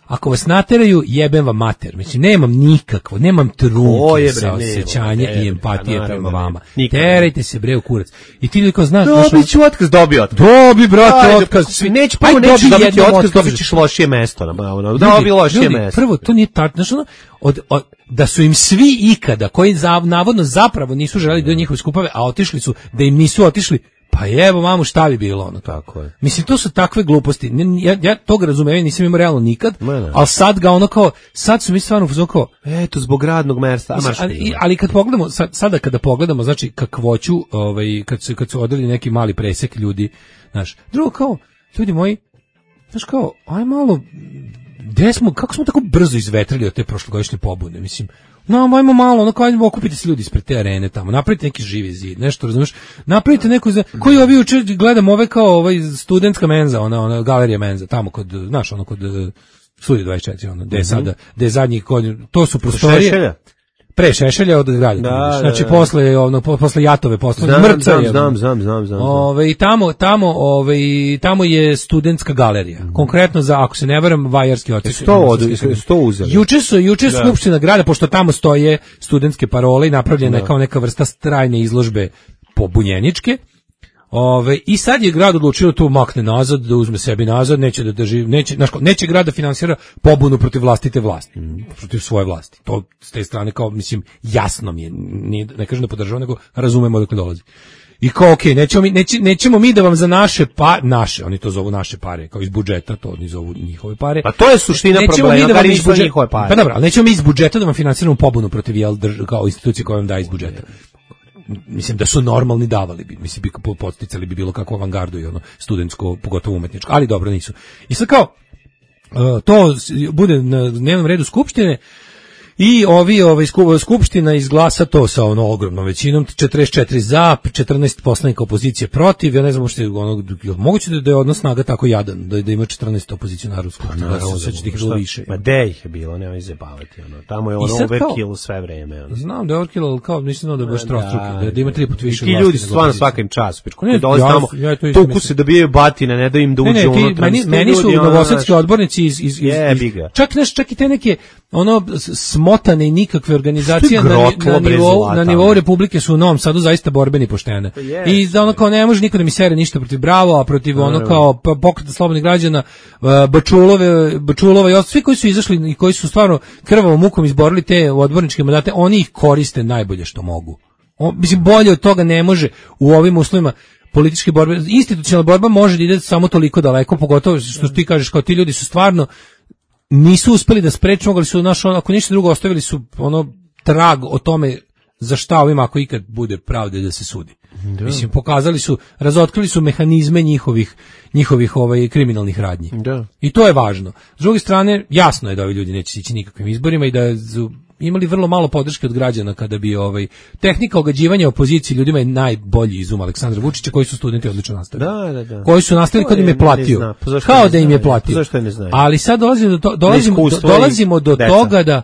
Ako vas nateraju, jebem vam mater. Mislim, nemam nikakvo, nemam Ko trunke je, bre, sa nema, osjećanja ne, i empatije pa prema naravno, vama. ne. Nikad. Terajte se bre u kurac. I ti ljudi kao znaš, znaš, Dobit ću otkaz, dobio otkaz. dobi, brate, Ajde, otkaz. pa, Neću, prvo Ajde, nećeš dobi dobiti jednom otkaz, otkaz. dobit ćeš lošije mesto. Na, ono, Ljudi, dobi lošije ljudi, mesto. Prvo, to nije tačno. Znaš, ono, od, od, da su im svi ikada, koji za, navodno zapravo nisu želeli do njihove skupove, a otišli su, da im nisu otišli, pa evo mamu šta bi bilo ono. Tako je. Mislim, to su takve gluposti. Ja, ja tog razumijem, nisam imao realno nikad, Ne. ali sad ga ono kao, sad su mi stvarno uzmano kao, Eto, zbog radnog mesta. Mislim, ali, ali kad pogledamo, sad, sada kada pogledamo, znači kakvoću, ovaj, kad, su, kad su odeli neki mali presek ljudi, znaš, drugo kao, ljudi moji, znaš kao, aj malo, gde smo, kako smo tako brzo izvetrili od te prošlogodišnje pobune, mislim, no, ajmo malo, ono kao, ajmo okupite se ljudi ispred te arene tamo, napravite neki živi zid, nešto, razumiješ, napravite neku, za, koji ovi uče, gledam ove kao ovaj studentska menza, ona, ona galerija menza, tamo kod, znaš, ono kod Studija dvadeset četiri, ono, gde je sada, gde je zadnjih godina, to su prostorije. Šešelja? Pre Šešelja od grada. Da, znači da, da. posle ono po- posle Jatove posle Znam, mrca znam, je. znam, znam, znam, znam. Ove, i tamo tamo ovaj tamo je studentska galerija. Konkretno za, ako se ne varam, Vajarski odsek. Sto od sto uzeli. Juče su juče su Da. skupština grada, pošto tamo stoje studentske parole i napravljena je Da. kao neka vrsta strajne izložbe pobunjeničke. Ove, i sad je grad odlučio to makne nazad, da uzme sebi nazad, neće da drži, neće, znaš, kao, neće grad da finansira pobunu protiv vlastite vlasti, protiv svoje vlasti. To s te strane kao, mislim, jasno mi je, nije, ne kažem da podržavam, nego razumemo dok dolazi. I kao, okej, nećemo mi, neće, nećemo mi da vam za naše pa, naše, oni to zovu naše pare, kao iz budžeta, to oni zovu njihove pare. Pa to je suština Nećemo problema, mi da bar vam iz nisu budžeta, njihove pare. pa dobro, ali nećemo mi iz budžeta da vam finansiramo pobunu protiv jel, drž, kao institucije koje vam daje iz budžeta. Mislim da su normalni davali bi, mislim bi po- podsticali bi bilo kakvu avangardu i ono studentsko, pogotovo umetničko, ali dobro nisu. I sad kao uh, to s- bude na dnevnom redu skupštine i ovi ovaj sku- skupština izglasa to sa ono ogromnom većinom, četrdeset četiri za, četrnaest poslanika opozicije protiv. Ja ne znam što je ono, jel moguće da, da je odnos snaga tako jadan, da, da ima četrnaest opozicionara u skupštini, da se sad će ih bilo više. Ma de ih je bilo, nemoj zabavati, ono. Tamo je ono sad kao- overkill sve vreme, ono. Znam da je overkill, ali kao nisam znao da je baš trostruki, da, da ima tri put više I ti vlasti ljudi su nego stvarno opozicija. svakim času, pičku, Ne, koji dolaze ja- tamo, ja to isto tuku mislim. se, dobijaju batine, ne da im da Ne, uđe ne, unutra. ti, meni, mislim, meni su ljudi, ono, novosadski znaš, odbornici iz, iz, iz, Jebi iz ga. čak, znaš, čak i te neke ono s- smotane i nikakve organizacije na, grotlo, na, bre, nivou, zlata, na nivou ono. Republike su u Novom Sadu zaista borbeni i poštene. jeste. I da ono kao ne može niko da mi sere ništa protiv Bravo, a protiv ono kao pa- pokreta slobodnih građana, uh, Bačulove, Bačulova i ostali, svi koji su izašli i koji su stvarno krvavom mukom izborili te odborničke mandate, oni ih koriste najbolje što mogu. O, mislim, bolje od toga ne može u ovim uslovima političke borbe. Institucionalna borba može da ide samo toliko daleko, pogotovo što ti kažeš, kao ti ljudi su stvarno nisu uspeli da spreče, mogli su, naš, ako ništa drugo, ostavili su ono trag o tome za šta ovima ako ikad bude pravde da se sudi. Mislim, pokazali su, razotkrili su mehanizme njihovih, njihovih ovaj, kriminalnih radnji. Da. I to je važno. S druge strane, jasno je da ovi ljudi neće ići nikakvim izborima i da su imali vrlo malo podrške od građana kada bi ovaj tehnika ogađivanja opozicije ljudima je najbolji izum Aleksandra Vučića, koji su studenti odlično nastavili. Da, da, da. Koji su nastavili To kad im je je platio. ne zna. Pa zašto Kao ne da im je znaju? platio. Pa zašto je ne znaju? Ali sad dolazimo do, to, dolazimo, do, Neiskustvo i dolazimo do deca. toga da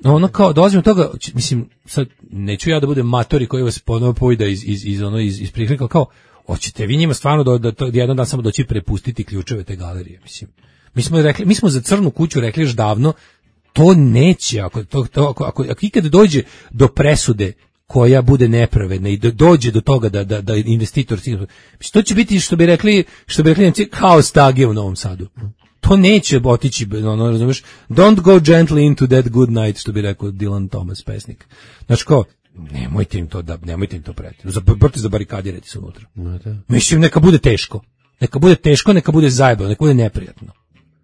ono kao dolazimo do toga, ć- mislim, sad neću ja da budem matori koji vas ponovo pojda iz iz iz ono iz iz priklika, kao hoćete vi njima stvarno da da, da jedan dan samo doći prepustiti ključeve te galerije, mislim. Mi smo rekli, mi smo za Crnu kuću rekli još davno, to neće, ako to, to ako, ako, ako ikad dođe do presude koja bude nepravedna i do, dođe do toga da da da investitor mislim, to će biti što bi rekli, što bi rekli Nemci, kao stage u Novom Sadu. To neće otići, ono, razumeš, don't go gently into that good night, što bi rekao Dylan Thomas, pesnik. Znači kao, nemojte im to da, nemojte im to preti. Zabrti zabarikadirajte se unutra. Mislim, neka bude teško. Neka bude teško, neka bude zajebano, neka bude neprijatno.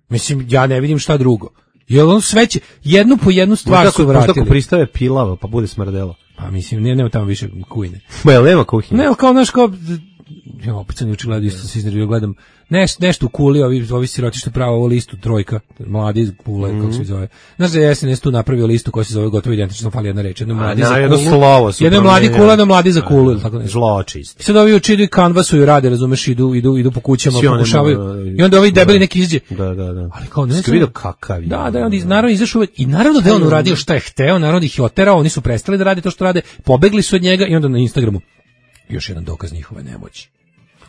Mislim, ja ne vidim šta drugo. Jer on sve će, jednu po jednu stvar su Možda ako vratili. pristave pilava, pa bude smrdelo. Pa mislim, ne, nema tamo više kujne. Ma jel nema kuhinje? Ne, kao, znaš, kao, ja opet sam juče gledao, isto se iznervio, gledam, neš, nešto u Kuli, ovi, ovi siroti što pravo ovo listu, trojka, mladi iz Kule, Mhm. kako se zove. Znaš da je S N S tu napravio listu koja se zove gotovo identično, fali jedna reč, jedno mladi da, za jedno Kulu, slovo su jedno mladi promenili. Kula, jedno mladi za Kulu, ili tako nešto. Zločist. I sad ovi uči idu i kanvasuju, rade, razumeš, idu, idu, idu po kućama, Svi oni pokušavaju, mogu- i onda ovi debeli neki izađe. Da, da, da. Ali kao, ne Jesi znam- vidio kakav je? Da, da, on iz, naravno izašao uvek- i naravno da je on uradio šta je hteo, naravno da ih je oterao, oni su prestali da rade to što rade, pobegli su od njega i onda na Instagramu još jedan dokaz njihove nemoći.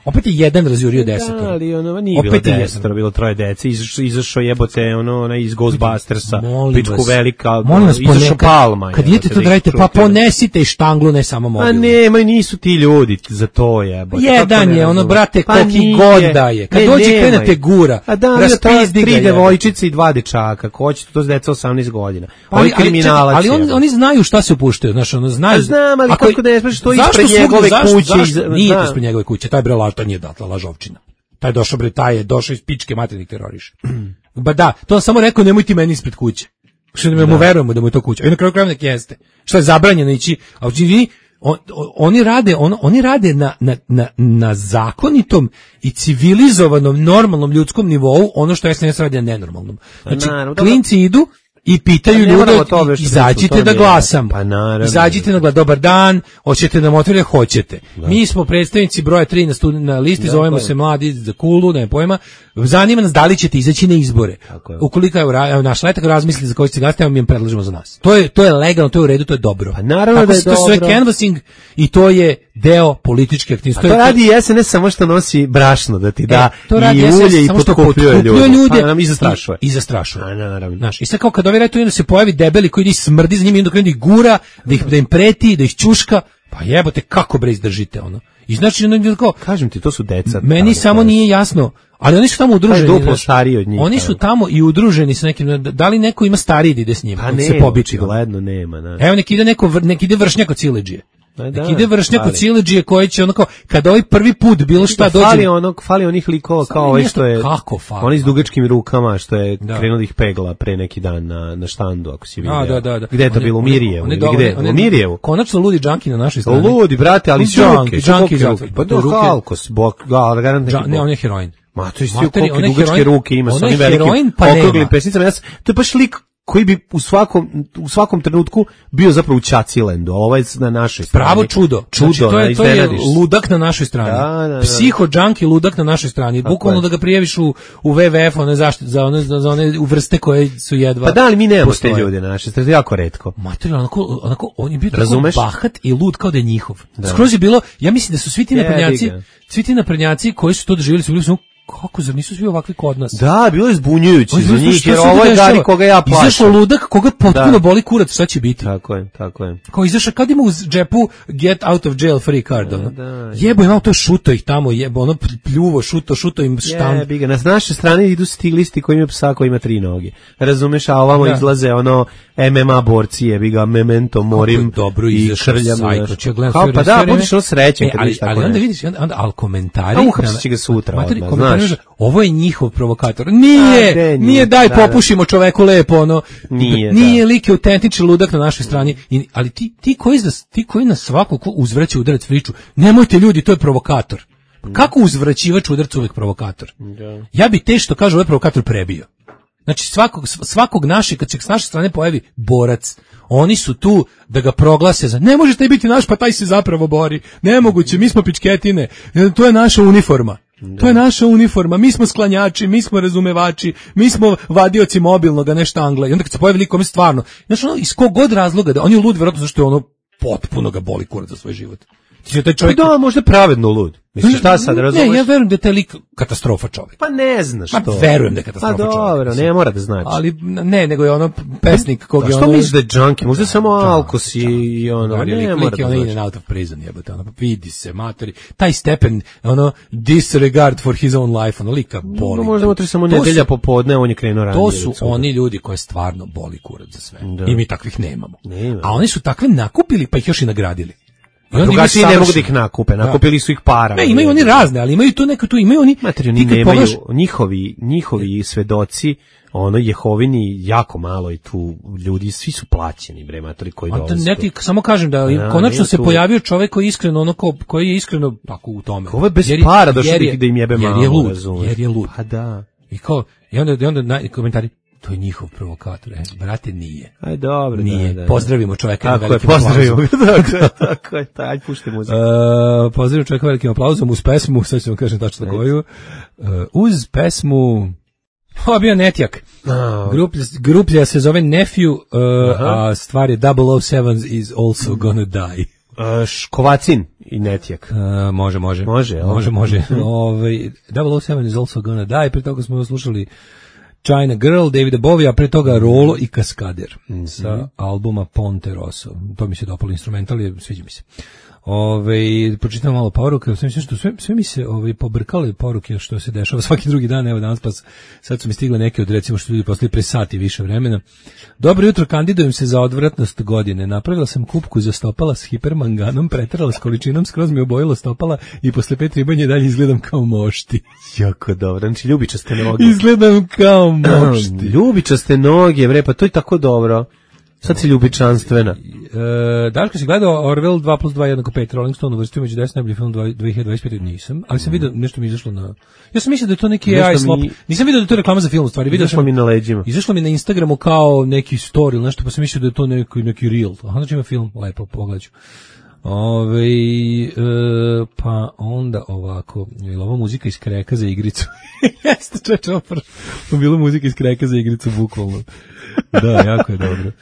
Opet je jedan razjurio desetoro. Da, ali ono, nije Opet bilo je desetoro, bilo troje dece, izašao, izašao jebote, ono, onaj iz Ghostbustersa, Molim pičku vas. velika, Molim vas, izašao ponekad- Palma. Kad jebote, idete to da da radite, ih pa čujete. ponesite i štanglu, ne samo A mobil. nema, nisu ti ljudi za to jebote. Jedan kako ne je, ono, razumem? brate, Pa koliki nije. god da je. Kad Ne, dođe nema krenete ih. gura, A da, raspizdi ga, tri jebote. devojčice i dva dečaka, ko će to s deca osamnaest godina. Ali, Ovi ali, kriminalac čekaj, ali on, jebote. oni znaju šta se upuštaju, znaš, ono, znaju. A znam, ali Ako- kako ne znaš što je Zašto ispred svugde- njegove zašto- kuće zašto- iza- Nije to da. ispred njegove kuće, taj bre laž, to nije data lažovčina. Taj je došao bre, taj je došao iz pičke materinih teroriša. Ba da, to on samo rekao, nemoj ti meni ispred kuće. Što ne mu verujemo da mu je to kuća. I na kraju krajeva nek jeste. Što je zabranjeno ići, a učini, on, on- oni rade, on, oni rade na, na, na, na zakonitom i civilizovanom, normalnom ljudskom nivou ono što S N S radi na nenormalnom. Znači, naravno, dobro. klinci idu i pitaju Pa ne ljude, moramo to već izađite pričati, da to glasamo. je- pa naravno. Izađite na glas, dobar dan, hoćete nam otvoriti, hoćete. Mi smo predstavnici broja tri na, studi, na listi, zovemo je. se mladi za kulu, ne pojma. Zanima nas da li ćete izaći na izbore. Tako je. Ukoliko evo, ra- evo naš letak razmisli za koji ćete glasati, evo mi im predlažemo za nas. To je, to je legalno, to je u redu, to je dobro. Pa naravno Tako da je se- to sve dobro. canvassing i to je deo političke aktivnosti. A to radi S N S samo što nosi brašno da ti da E, to radi i S N S ulje i samo što potkupljuje potkupljuje ljude. ljude Pa nam i zastrašuje. I, i zastrašuje. A naravno. Znaš, i sad kao kad ovi retu onda se pojavi debeli koji ide i smrdi za njima i onda krene da ih gura, da, ih, da im preti, da ih ćuška, pa jebote kako bre izdržite ono. I znači onda kao, Kažem ti, to su deca. meni tamo, samo to je- nije jasno, ali oni su tamo udruženi. duplo znaš. stariji od njih, Oni evo. su tamo i udruženi sa nekim, da- da li neko ima stariji da ide s njima, Pa on ne, se pobiči. ono. očigledno nema, da. Evo nek ide neko, vr- nek ide vršnjak od siledžije. Pa da, Nek ide vršnjak od fali. siledžije koji će onako, kada ovaj prvi put bilo šta dođe. Fali onog, fali onih likova Samo kao ovaj nešto što je kako fali, oni s da. dugačkim rukama što je Da. krenuo da ih pegla pre neki dan na na štandu ako si vidio. A, da, da, da. Gde je to On bilo u on Mirjevu? on je ili do- Gde? on je- U Mirjevu. Konačno ludi džanki na našoj strani. Ludi, brate, ali s Džanki, ruke, džanki, s ruke. džanki. Pa Do do ruke. halkos, bok, ga, garant neki Džan- ne, bok. on je heroin. Ma to je svi Materi, koliko on je dugačke heroin- ruke ima on sa je onim velikim heroin, pa okruglim nema. pesnicama. Ja sam, to je baš lik koji bi u svakom u svakom trenutku bio zapravo u Ćacilendu, a ovaj je na našoj strani. Pravo čudo. Čudo, Znači, to je, to je iznenadiš se. ludak na našoj strani. Da, da, da. Psiho džanki ludak na našoj strani. Bukvalno je. da ga prijeviš u, u W W F one zaštite, za one, za one vrste koje su jedva. Pa da, ali mi nemamo te postoje. ljude na našoj strani, jako retko. Materijalno, onako, onako, on je bio tako Razumeš? bahat i lud kao da je njihov. Skroz je bilo, ja mislim da su svi ti Jebi naprednjaci, ga. svi ti naprednjaci koji su to doživjeli su bili su, kako, zar nisu svi ovakvi kod nas? Da, bilo je zbunjujuće Oni za su, njih, šta jer se ovo je dešava? Gari koga ja Izašao plašam. ludak koga potpuno Da. boli kurac, šta će biti? Tako je, tako je. Kao izašao, kad ima u džepu get out of jail free card, ono. da. Jebo imao to šuto ih tamo, jebo, ono pljuvo, šuto, šuto im štamp. Jebi ga, na naše strane idu stiglisti koji imaju psa koji ima tri noge. Razumeš, a ovamo Da. izlaze ono M M A borci, jebi ga, memento, morim dobro i izašao krljam. sajt, znaš. ja gledam Kao, sve pa vreme, da, sve budiš ono srećen E, kad ali, vidiš tako ali onda nešto. vidiš, onda, onda, ali komentari... A uhapsit će ga sutra Materi, odmah, komentari, znaš. ovo je njihov provokator. Nije, A, de, nije, nije, daj da, da. popušimo čoveku lepo, ono. Nije, nije da. lik je autentični ludak na našoj strani. I, ali ti, ti, koji, za- ti koji na svako ko uzvraća udarac friču, nemojte ljudi, to je provokator. Pa kako uzvraćivač udarac uvek provokator? Ja bi te što kaže ovaj provokator prebio. Znači svakog, svakog našeg, kad se s naše strane pojavi borac, oni su tu da ga proglase za, ne može taj biti naš, pa taj se zapravo bori. Nemoguće, mi smo pičketine, to je naša uniforma. To je naša uniforma, mi smo sklanjači, mi smo razumevači, mi smo vadioci mobilnog, a ne štangle. I onda kad se pojavi likom stvarno, znači ono, iz kog god razloga, da on je lud vjerojatno zašto je ono potpuno ga boli kurac za svoj život. Ti će taj Pa čovjek... da, možda je pravedno lud. Misliš, šta sad, razumeš? Ne, ja verujem da je taj lik katastrofa čovjek. Pa ne znaš Ma, to. verujem da je katastrofa Pa dobro, čovjek. ne mora da znači. Ali ne, nego je ono pesnik kog A je što ono... misliš da je junkie? Možda je samo alkos i, i ono, Da, ne lik, mora lik je da ono in znači. and out of prison, jebote, ono, vidi se, materi, taj stepen, ono, disregard for his own life, ono, lika boli. No, možda mu treba samo To nedelja su- popodne, on je krenuo ranije. To su recimo. oni ljudi koje stvarno boli kurac za sve. Da. I mi takvih nemamo. Nema. A oni su takve nakupili, pa ih još i nagradili. I onda Drugačiji imaju ne mogu da savršen- ih nakupe, nakupili su ih para. Ne, imaju oni razne, ali imaju tu neko tu, imaju oni... Materi, ti oni kad nemaju, pogledaš- njihovi, njihovi svedoci, ono, Jehovini, jako malo i tu ljudi, svi su plaćeni, bre, materi, koji A to dolaze. ne ti samo kažem da Ja, konačno nema se tu- pojavio čovjek koji je iskreno ono ko, koji je iskreno tako u tome. Ovo je bez Jer je- para došao jer da je- ih- da im jebe jer malo, je lud, razumeš. jer je lud. Pa da. I kao i onda i onda na, komentari to je njihov provokator. E, brate nije. Aj, dobro, Nije. da, da. Pozdravimo čoveka na Tako je, velikim pozdravimo aplauzom. ga, tako je, tako je, taj, pušti muziku. Uh, pozdravimo čoveka velikim aplauzom uz pesmu, sad ću vam kažem tačno koju. Uh, uz pesmu ovo bio Netjak. A, Grup, gruplja se zove Nephew, uh, a stvar je double oh seven is also gonna die. Uh, Škovacin i Netjak. Uh, može, može. Može, jel? Može, može. Ovaj double oh seven is also gonna die. Pre toga smo slušali China Girl, Davida Bowie, a pre toga Rolo i Kaskader mm-hmm. sa albuma Ponte Rosso. To mi se dopalo, instrumental je, sviđa mi se. Ove, pročitam malo poruke, sve, što, sve, sve mi se ove, pobrkale poruke što se dešava svaki drugi dan, evo danas pa sad su mi stigle neke od recimo što ljudi poslali pre sati više vremena. Dobro jutro, kandidujem se za odvratnost godine. Napravila sam kupku za stopala s hipermanganom, preterala s količinom, skroz mi obojila stopala i posle pet ribanja dalje izgledam kao mošti. Jako dobro, znači ljubičaste noge. Izgledam kao mošti. Ljubičaste noge, bre, pa to je tako dobro. Sad si ljubičanstvena. E, Daško, si gledao Orwell dva plus dva jednako pet, Rolling Stone uvrstio među deset najbolji film dve hiljade dvadeset pete. Nisam, ali sam vidio, nešto mi izašlo na... Ja sam mislio da je to neki A I slop. Mi... Nisam vidio da je to reklama za film, u stvari. Izašlo mi na leđima. Izašlo mi na Instagramu kao neki story ili nešto, pa sam mislio da je to neki, neki reel. Aha, znači ima film, lepo, pogledaću. Ove, e, pa onda ovako, je li ovo muzika iz Kreka za igricu? Jeste, čeče, opar. Bilo muzika iz Kreka za igricu, bukvalno. Da, jako je dobro.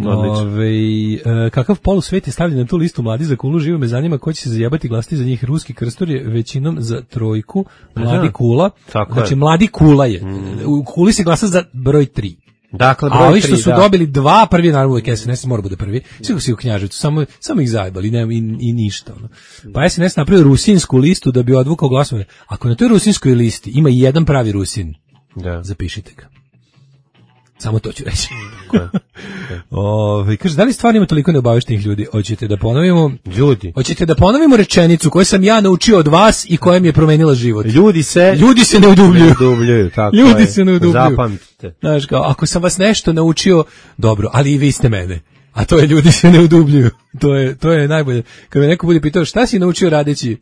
Ove, e, kakav polusvet je stavljen na tu listu mladi za kulu, živo me zanima ko će se zajebati glasiti za njih. Ruski krstor je većinom za trojku, mladi kula, tako znači je. mladi kula je, mm. u kuli se glasa za broj tri. Dakle, broj a ovi što tri, su da. dobili dva, prvi naravno uvijek S N S mora bude prvi, svi si u Knjaževcu, samo, samo ih zajebali i, i, i ništa. Ono. Pa S N S napravio rusinsku listu da bi odvukao glasove. Ako na toj rusinskoj listi ima jedan pravi Rusin, da. Zapišite ga. Samo to ću reći. Ove, kaže, da li stvarno ima toliko neobaveštenih ljudi? Hoćete da ponovimo? Ljudi. Hoćete da ponovimo rečenicu koju sam ja naučio od vas i koja mi je promenila život? Ljudi se... Ljudi se ne udubljuju. Ne udubljuju, tako ljudi je. se ne udubljuju. Zapamtite. Znaš, kao, ako sam vas nešto naučio, dobro, ali i vi ste mene. A to je ljudi se ne udubljuju. To je, to je najbolje. Kad me neko bude pitao šta si naučio radeći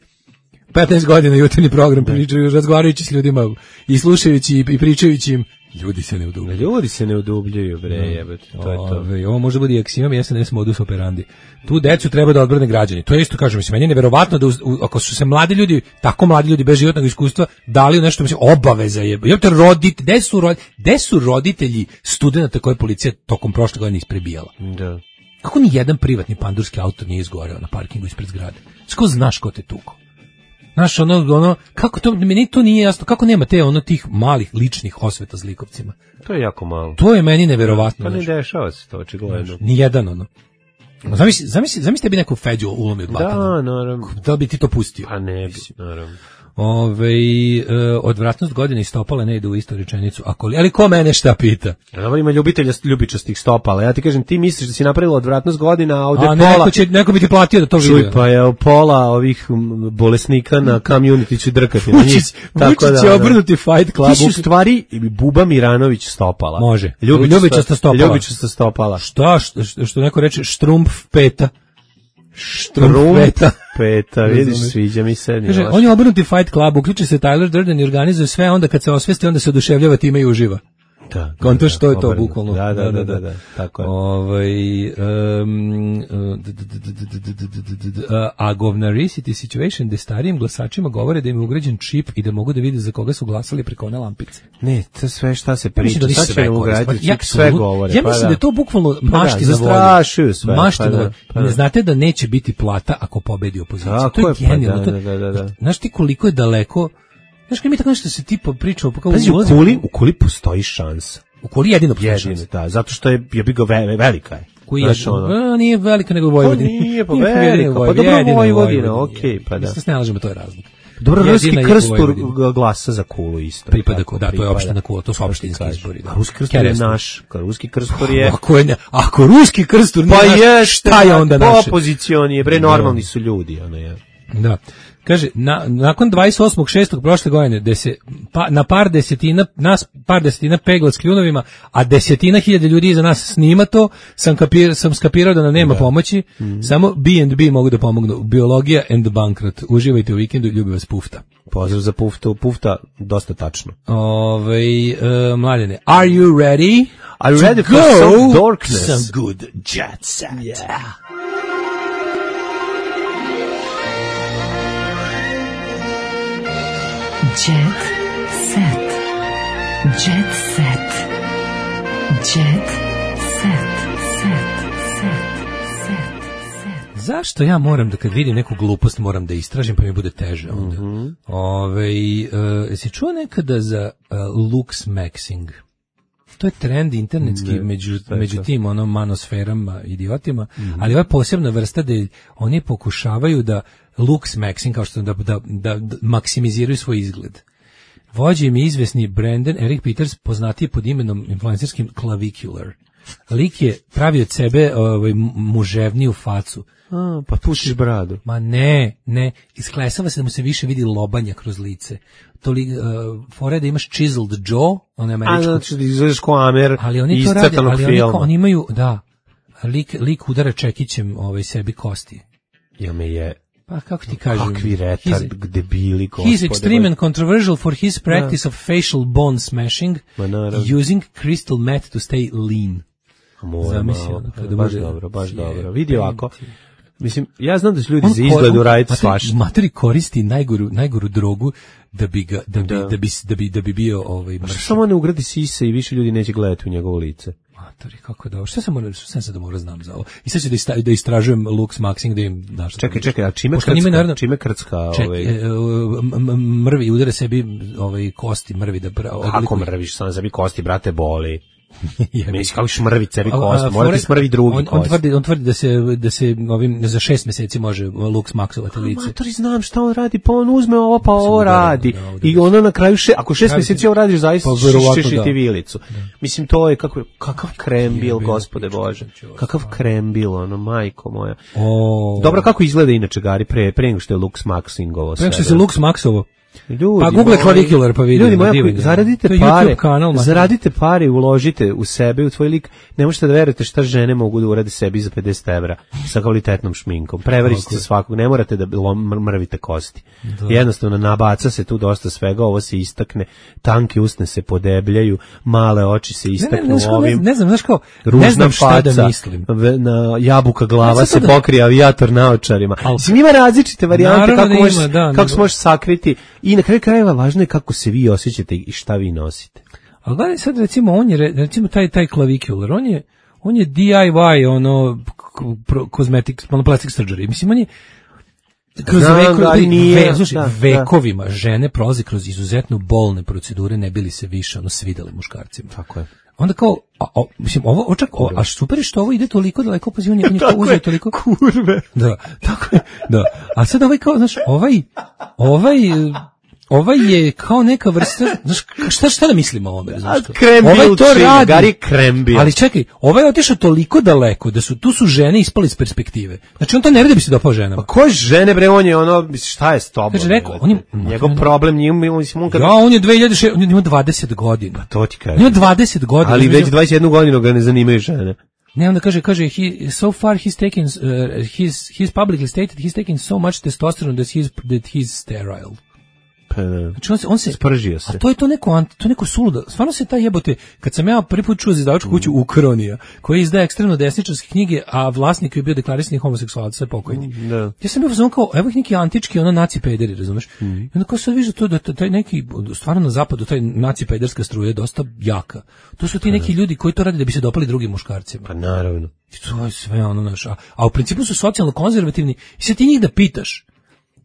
petnaest godina jutarnji program, pričajući, razgovarajući s ljudima i slušajući i pričajući im, ljudi se ne udubljuju. Ljudi se ne udubljuju, bre, jebate, to je to. Ove, ovo može biti aksiom S N S modus operandi. Tu decu treba da odbrane građani. To je isto, kažem, mislim, meni je neverovatno da u, u, ako su se mladi ljudi, tako mladi ljudi bez životnog iskustva dali u nešto, mislim, obaveza je. Jebate, rodit, gde su, rod, gde su roditelji studenata koje je policija tokom prošle godine isprebijala? Da. Kako ni jedan privatni pandurski auto nije izgoreo na parkingu ispred zgrade? Sko znaš ko te tuko? Znaš, ono, ono, kako to, meni to nije jasno, kako nema te, ono, tih malih ličnih osveta zlikovcima? To je jako malo. To je meni neverovatno. Pa ne znaš. dešava se to, očigledno. Ni jedan, ono. Zamisli, zamisli, zamisli da bi neko Feđu ulomio od batana. Da, naravno. Da bi ti to pustio? Pa ne bi, naravno. Ove, e, odvratnost godine i stopala ne ide u istu rečenicu. Ako, ali ko mene šta pita? Dobro, ima ljubitelja ljubičastih stopala. Ja ti kažem, ti misliš da si napravila odvratnost godina, a ovdje a pola... neko, će, neko bi ti platio da to vidi. Čuj, pa je pola ovih bolesnika na community će drkati. Vučić, Vučić će obrnuti Fight Club. Ti si u stvari Buba Miranović stopala. Može. Ljubičasta, ljubičasta stopala. Ljubičasta stopala. Šta, što, što neko reče, štrumpf peta. Štrumpf peta. Peta, vidiš, sviđa mi se. Kaže, on je obrnuti Fight Club, uključi se Tyler Durden i organizuje sve, onda kad se osvesti, onda se oduševljava time i uživa. Da. Konto što je to, bukvalno. Da, da, da, da, da, tako je. Ovaj, um, a govnarisity situation gde starijim glasačima govore da im je ugrađen čip i da mogu da vide za koga su glasali preko one lampice. Ne, to sve šta se priča, ja sad će ugraditi čip, sve govore. Ja mislim da je to bukvalno mašti za volju. Mašti za volju. Ne znate da neće biti plata ako pobedi opozicija. To je genijalno. Znaš ti koliko je daleko. Znaš, kad mi tako nešto se tipa pričao, pa kao Pazi, u kuli, u kuli postoji šansa. U kuli jedino postoji šansa. Da, zato što je, je bi ga ve, velika je. Koji je, ono, a, nije velika nego Vojvodina. Pa nije, pa velika, pa dobro Vojvodina, okej, pa da. Mislim, ne lažemo, to je razlog. Dobro, ruski krstur glasa za kulu isto. Pripada, da, to je opština kula, to su opštinski izbori. A ruski krstur je naš, ruski krstur je... Ako, je, ako ruski krstur nije pa naš, šta je onda naše? Opozicion je, bre, normalni su ljudi, ono je. Da. Kaže, na, nakon dvadeset osmog šestog prošle godine, gde se pa, na par desetina, nas par desetina pegla s kljunovima, a desetina hiljada ljudi iza nas snima to, sam, kapir, sam skapirao da nam nema da. pomoći, mm-hmm. samo B and B mogu da pomognu. Biologija and bankrot. Uživajte u vikendu, ljubi vas Pufta. Pozdrav za Puftu, Pufta, dosta tačno. Ove, uh, mladene, are you ready? Are you ready for some darkness? Some good jet set. Yeah. Jet set. Jet set. Jet set. Set. Set. Set. zašto ja moram da kad vidim neku glupost moram da istražim pa mi bude teže onda. Mm-hmm. Ove, uh, jesi čuo nekada za uh, lux maxing? To je trend internetski ne, među, među tim ono manosferama, idiotima, mm-hmm. ali ova posebna vrsta da oni pokušavaju da lux maxing, kao što da, da, da, da maksimiziraju svoj izgled. Vođe im je izvesni Brandon Eric Peters, poznatiji pod imenom influencerskim Clavicular. Lik je pravio od sebe ovaj, muževniju facu. A, pa pušiš bradu. Ma ne, ne, isklesava se da mu se više vidi lobanja kroz lice. To li, uh, fore da imaš chiseled jaw, on je američko. A znači da izgledaš ko Amer ali oni to rade, ali oni, oni imaju, da, lik, lik udara čekićem ovaj, sebi kosti. Ja me je... Pa kako ti kažem? Kakvi retard, debili, gospode. He's extreme and controversial for his practice of facial bone smashing, using crystal meth to stay lean. Zamislio, baš dobro, baš dobro. Vidi ovako. Mislim, ja znam da su ljudi za izgledu raditi svašta. Materi koristi najgoru, najgoru drogu da bi ga, da bi, da. Da bi, da bi, da bi bio ovaj mršav. Samo ne ugradi sise i više ljudi neće gledati u njegovo lice. Materi, kako da ovo? Šta sam moram, šta sam da moram znam za ovo? I sad ću da, ista, da istražujem lux maxing, da im daš. Čekaj, čekaj, a čime krcka? Naravno, čime krcka? Ček, ovaj... e, mrvi, udare sebi ovaj, kosti, mrvi da... Kako mrviš sam sebi kosti, brate, boli? Misli kako šmrvi sebi kost, morate smrvi drugi on, on tvrdi, on tvrdi da se, da se ovim, za šest meseci može lux maksovati lice. Matori, znam šta on radi, pa on uzme ovo, pa ovo radi. Da, da, I ono na kraju, še, ako šest meseci ovo radiš, zaista pa, ćeš ti vilicu. Da. Mislim, to je kako, kakav krembil, gospode Bože. Kakav krembil, ono, majko moja. O. Dobro, kako izgleda inače, Gari, pre, pre nego što je lux maxingovo? Pre nego što se lux maksovo. Ljudi, pa Google Clavicular pa vidi. Ljudi moji, zaradite pare, kanal, zaradite pare i uložite u sebe, u tvoj lik. Ne možete da verujete šta žene mogu da urade sebi za pedeset evra sa kvalitetnom šminkom. Prevarite se svakog, ne morate da mrvite kosti. Da. Jednostavno nabaca se tu dosta svega, ovo se istakne, tanke usne se podebljaju, male oči se istaknu ne, ne, ne, ovim. Ne, ne znam, znaš kao, ne znam šta faca, da mislim. Na jabuka glava se da... pokrije avijator naočarima. Mislim, ima različite varijante kako, možeš, ima, da, kako se možeš sakriti. I na kraju krajeva važno je kako se vi osjećate i šta vi nosite. Ali gledaj sad recimo on je recimo taj taj Clavicular, on je on je D I Y ono cosmetics, ono plastic surgery. Mislim on je kroz Znam, veko, da, nije, ve, slušaj, da, vekovima da. Žene prolaze kroz izuzetno bolne procedure ne bili se više ono svidele muškarcima. Tako je. Onda kao, a, a, mislim, ovo, očak, o, a super je što ovo ide toliko daleko, pa on je, on je to uzeo toliko... Kurve. Da, tako je, da. A sad ovaj kao, znaš, ovaj, ovaj, ovaj je kao neka vrsta, znaš, šta, šta da mislimo o ovome, znaš? Krembil, ovaj to čim, radi, Gari krembil. Ali čekaj, ovaj je otišao toliko daleko, da su, tu su žene ispali iz perspektive. Znači on to ne radi da bi se dopao ženama. Pa koje žene, bre, on je ono, šta je s tobom? Kaže, rekao, on je... Njegov on, problem, njim, mislim, on kad... Ja, on je dve hiljade šeste, on ima dvadeset godina. Pa to ti kaže. On ima dvadeset godina. Ali već dvadeset jednu godinu ga ne zanimaju žene. Ne, onda kaže, kaže, he, so far he's taken, uh, he's, he's publicly stated he's taken so much testosterone that he's, that he's sterile. Znači on se, on se spržio se. A to je to neko, to je neko suludo. Stvarno se taj jebote, kad sam ja prvi put čuo za izdavačku kuću Ukronija, koji izdaje ekstremno desničarske knjige, a vlasnik je bio deklarisani homoseksualac, sve pokojni. Da. Ja sam bio uzmano kao, evo ih neki antički, ono naci pederi, razumeš? Mm. I onda kao sad vidiš to da taj neki, stvarno na zapadu, taj naci pederska struja je dosta jaka. To su ti neki ljudi koji to rade da bi se dopali drugim muškarcima. Pa naravno. I to je sve ono naš, a, a u principu su socijalno konzervativni i sad ti njih da pitaš,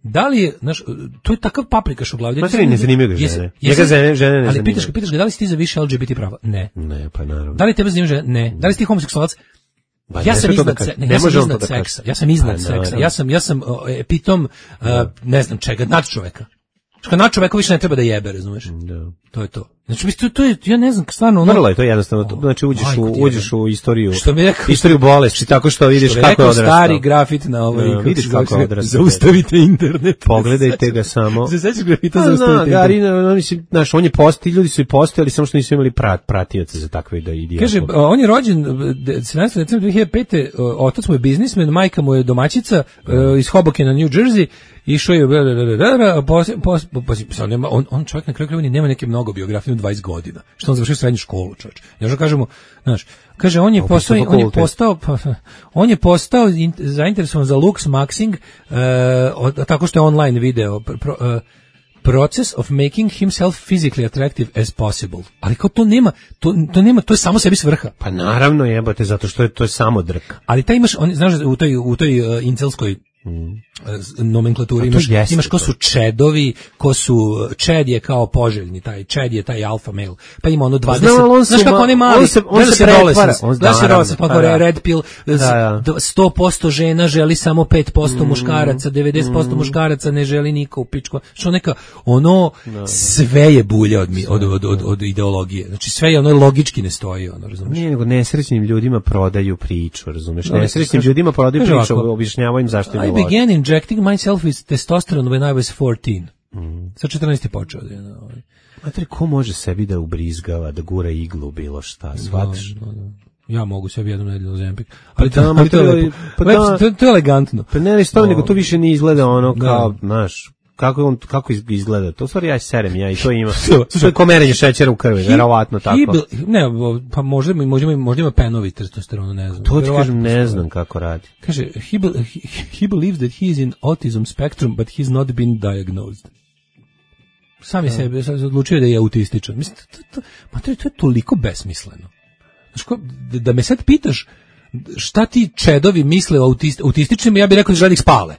da li je, znaš, to je takav paprikaš u glavi. Materi, ne zanimaju ga žene. Njega žene, žene ne ali zanimaju. pitaš ga, pitaš ga, da li si ti za više L G B T prava? Ne. Ne, pa naravno. Da li tebe zanimaju žene? Ne. Da li si ti homoseksualac? Ba, ja, sam iznad, da se, ne, ja sam iznad seksa. Ja sam iznad pa, seksa. Ja sam, ja sam epitom, uh, ne znam čega, nad čoveka. Što nad čoveka više ne treba da jebe, razumeš? Da. To je to. Znači, to, to je, ja ne znam, stvarno... Ono... Vrlo je to jednostavno, to, znači uđeš, oh, u, uđeš u istoriju, što bi rekao, istoriju bolesti, tako što vidiš što kako je odrastao. Stari grafit na ovaj... No, vidiš kako je odrastao. Zaustavite internet. Pogledajte ga samo. Se sećaš grafita, zaustavite internet. Gari, no, mislim, znaš, on je posti, ljudi su i postojali, samo što nisu imali prat, pratioce za takve da idiotke. Kaže, on je rođen sedamnaestog decembra dve hiljade pete, otac mu je biznismen, majka mu je domaćica iz Hobokena, New Jersey. Išao je, on, on čovjek na kraju krajeva nema neke mnogo biografije u dvadeset godina. Što on završio srednju školu, čovjek. Ja što kažemo, znaš, kaže on je postao, on je postao, on je postao zainteresovan za lux maxing, uh, tako što je online video. Pro, uh, process of making himself physically attractive as possible. Ali kao to nema, to, to nema, to je samo sebi svrha. Pa naravno jebote, zato što je to je samo drka. Ali taj imaš, on, znaš, u toj, u toj uh, incelskoj Mm. nomenklaturi imaš, imaš ko su čedovi, ko su čed je kao poželjni, taj čed je taj alfa male, pa ima ono dvadeset, Znam, znaš kako on je mali, on se, on se pretvara, on znaš se roles, pa da. red pill, da, da. sto posto žena želi samo pet posto mm. muškaraca, devedeset posto mm. muškaraca ne želi niko u pičku, što neka, ono, da, sve je bulja od, od, od, od, od ideologije, znači sve je ono logički ne stoji, ono, razumiješ? Nije, nego nesrećnim ljudima prodaju priču, razumiješ? Nesrećnim ljudima prodaju priču, objašnjavaju im zašto im I began injecting myself with testosterone when I was fourteen. Mm. Sa četrnaest je počeo. Da, da, ovaj. Matri, ko može sebi da ubrizgava, da gura iglu, bilo šta, shvatiš? No, no, no. Ja mogu sebi jednu nedelju Ozempik. Ali pa to, ali to, je lepo. Pa lepo, to, to je elegantno. Pa ne, ništa, nego to više ne izgleda ono kao, znaš, kako on kako izgleda. To u stvari ja serem ja i to ima. To je komerenje šećera u krvi, verovatno tako. He, ne, pa možda možda možda ima penovi testosteron, ne znam. To ti kažem, ne znam kako radi. Kaže he, he, he believes that he is in autism spectrum but he's not been diagnosed. Sam je sebe odlučio da je autističan. Mislim, to, to, to, to je toliko besmisleno. Znaš ko, da me sad pitaš šta ti čedovi misle o autist, autističnim, ja bih rekao da žele da ih spale.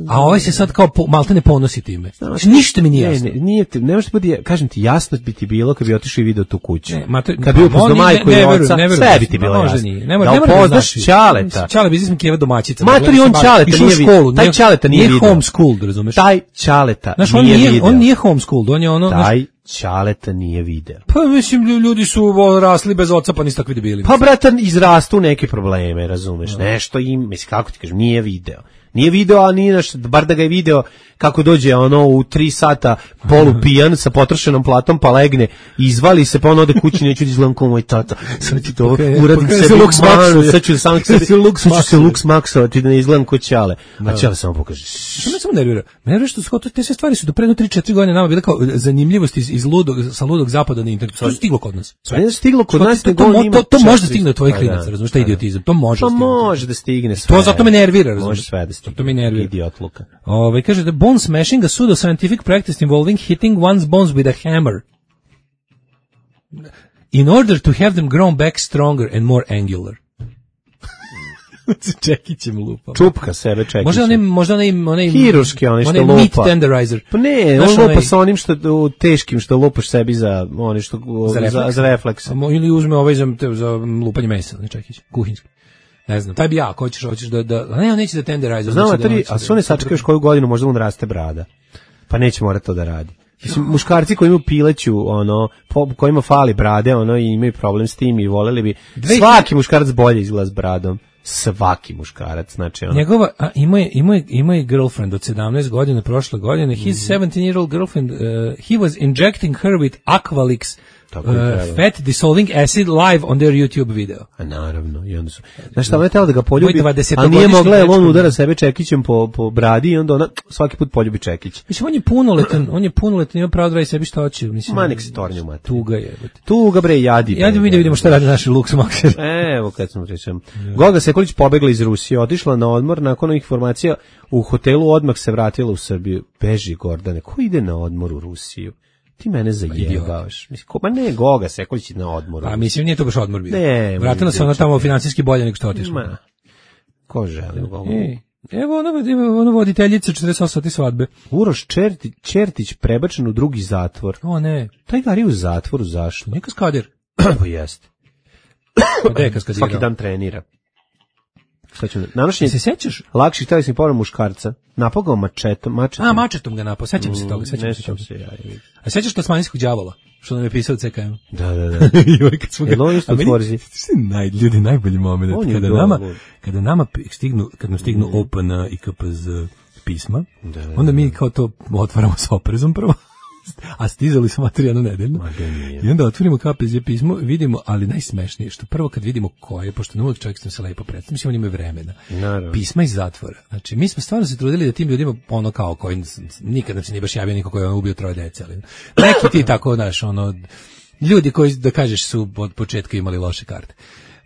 A ovaj se sad kao po, malte ne ponosi time. Znači, ništa mi nije jasno. Ne, ne, nije ti, ne možeš biti, kažem ti, jasno bi ti bilo kad bi otišao i video tu kuću. Ne, mater, kad bi upoznao majku i oca, sve bi ti bilo jasno. Nije. Ne, da upoznaš Ćaleta. Ćale biznis Kijeva domaćica. Matori, on Ćaleta nije vidio. Taj Ćaleta nije vidio. Nije homeschooled, razumeš? Taj Ćaleta znaš, nije on nije, vidio. On nije homeschooled, on je ono... Taj Ćaleta nije video. Pa mislim, ljudi su rasli bez oca, pa nisu takvi debili. Pa bratan, izrastu neke probleme, razumeš? No. Nešto im, mislim, kako ti kažem, nije video. Nije video, a nije naš, bar da ga je video kako dođe ono u tri sata polupijan sa potrošenom platom, pa legne, izvali se, pa on ode kući, neću da izgledam kao moj tata. Sad ću to uradim sebi manu, sad ću sam sebi, sad ću se luks maksovati da ne izgledam kao Ćale. A Ćale samo pokaže. Što me samo nervira? Nervira što su, te sve stvari su do pre tri četiri godine nama bile kao zanimljivosti iz, iz ludog, sa ludog zapada na internetu. To je stiglo kod nas. Sve je stiglo kod nas. To, to, to, to može da stigne do tvojih klinaca, razumiješ, taj idiotizam. To može da stigne. To može da stigne sve. To zato me nervira, razumiješ. Može sve da stigne. To me nervira. Idiotluka. Ove, kaže da bone smashing, a pseudo-scientific practice involving hitting one's bones with a hammer in order to have them grown back stronger and more angular. Čekićem lupa. Čupka sebe čekićem. Možda onaj, možda onaj, onaj hiruški, onaj što onaj lupa. Meat tenderizer. Pa ne, on lupa sa onim što, teškim što lupaš sebi za, oni što, za refleks. Za, za refleks. Ili uzme ovaj za, za lupanje mesa, ne čekić, kuhinjski. Ne znam, taj bi ja, ako hoćeš, hoćeš da, da, a ne, on neće da tenderizer. Znam, znači a, tri, da a sve ne sačekaju još koju godinu, možda mu raste brada. Pa neće morati to da radi. Mislim, muškarci koji imaju pileću, ono, po, kojima fali brade, ono, i imaju problem s tim i voleli bi, svaki muškarac bolje izgleda s bradom. Svaki muškarac, znači ono. Njegova, a ima je, ima je, ima je girlfriend od sedamnaest godina prošle godine, his mm. seventeen year old girlfriend, uh, he was injecting her with Aqualix uh, fat dissolving acid live on their YouTube video. A naravno, i onda su, znaš šta, ona je tela da ga poljubi, a nije mogla, jer on udara sebe čekićem po, po bradi i onda ona svaki put poljubi čekić. Mislim, on je punoletan, on je punoletan, ima pravo da radi sebi šta hoće. Mislim, ma nek se tornju mati. Tuga je. Tuga bre, jadi. Ja da vidimo šta radi naši Lux Maxer. Evo kad smo pričam. Goga Sekulić pobegla iz Rusije, otišla na odmor, nakon ovih informacija u hotelu odmah se vratila u Srbiju. Beži Gordane, ko ide na odmor u Rusiju? Ti mene zajebavaš. Mislim, ko, ma ne, Goga Sekulić na odmoru. A mislim, nije to baš odmor bio. Ne. Vratila se ona tamo finansijski bolje nego što otišla. Ma, ko želi Gogu? E, evo ona, ona voditeljica četrdeset osam sati svadbe. Uroš Čerti, Čertić prebačen u drugi zatvor. O ne. Taj gari u zatvoru, zašto? Nije kaskadir. Pa jeste. Gde je kaskadirao? Svaki dan trenira. Šta ću, nanošenje, se sećaš? Lakši telesni povreda muškarca. Napogao mačetom, mačetom. A, mačetom ga napao, sećam se toga, sećam se toga. Se ja, a sećaš Tasmanijskog đavola, što nam je pisao C K M? Da, da, da. Joj, kad smo ga... Jel on isto tvorzi? Naj, ljudi, najbolji moment. Kada nama, kada nama stignu, kad nam stignu O P N i K P Z pisma, da, da, onda mi kao to otvaramo s oprezom prvo. A stizali su materijanu nedeljno. I onda otvorimo K P Z pismo, vidimo, ali najsmešnije što prvo kad vidimo koje, pošto ne uvijek čovjek se lepo predstavlja, mislim, oni imaju vremena. Naravno. Pisma iz zatvora. Znači, mi smo stvarno se trudili da tim ljudima, ono kao, koji nikad nam se nije baš javio niko koji je ubio troje dece, ali neki ti tako, znaš, ono, ljudi koji, da kažeš, su od početka imali loše karte.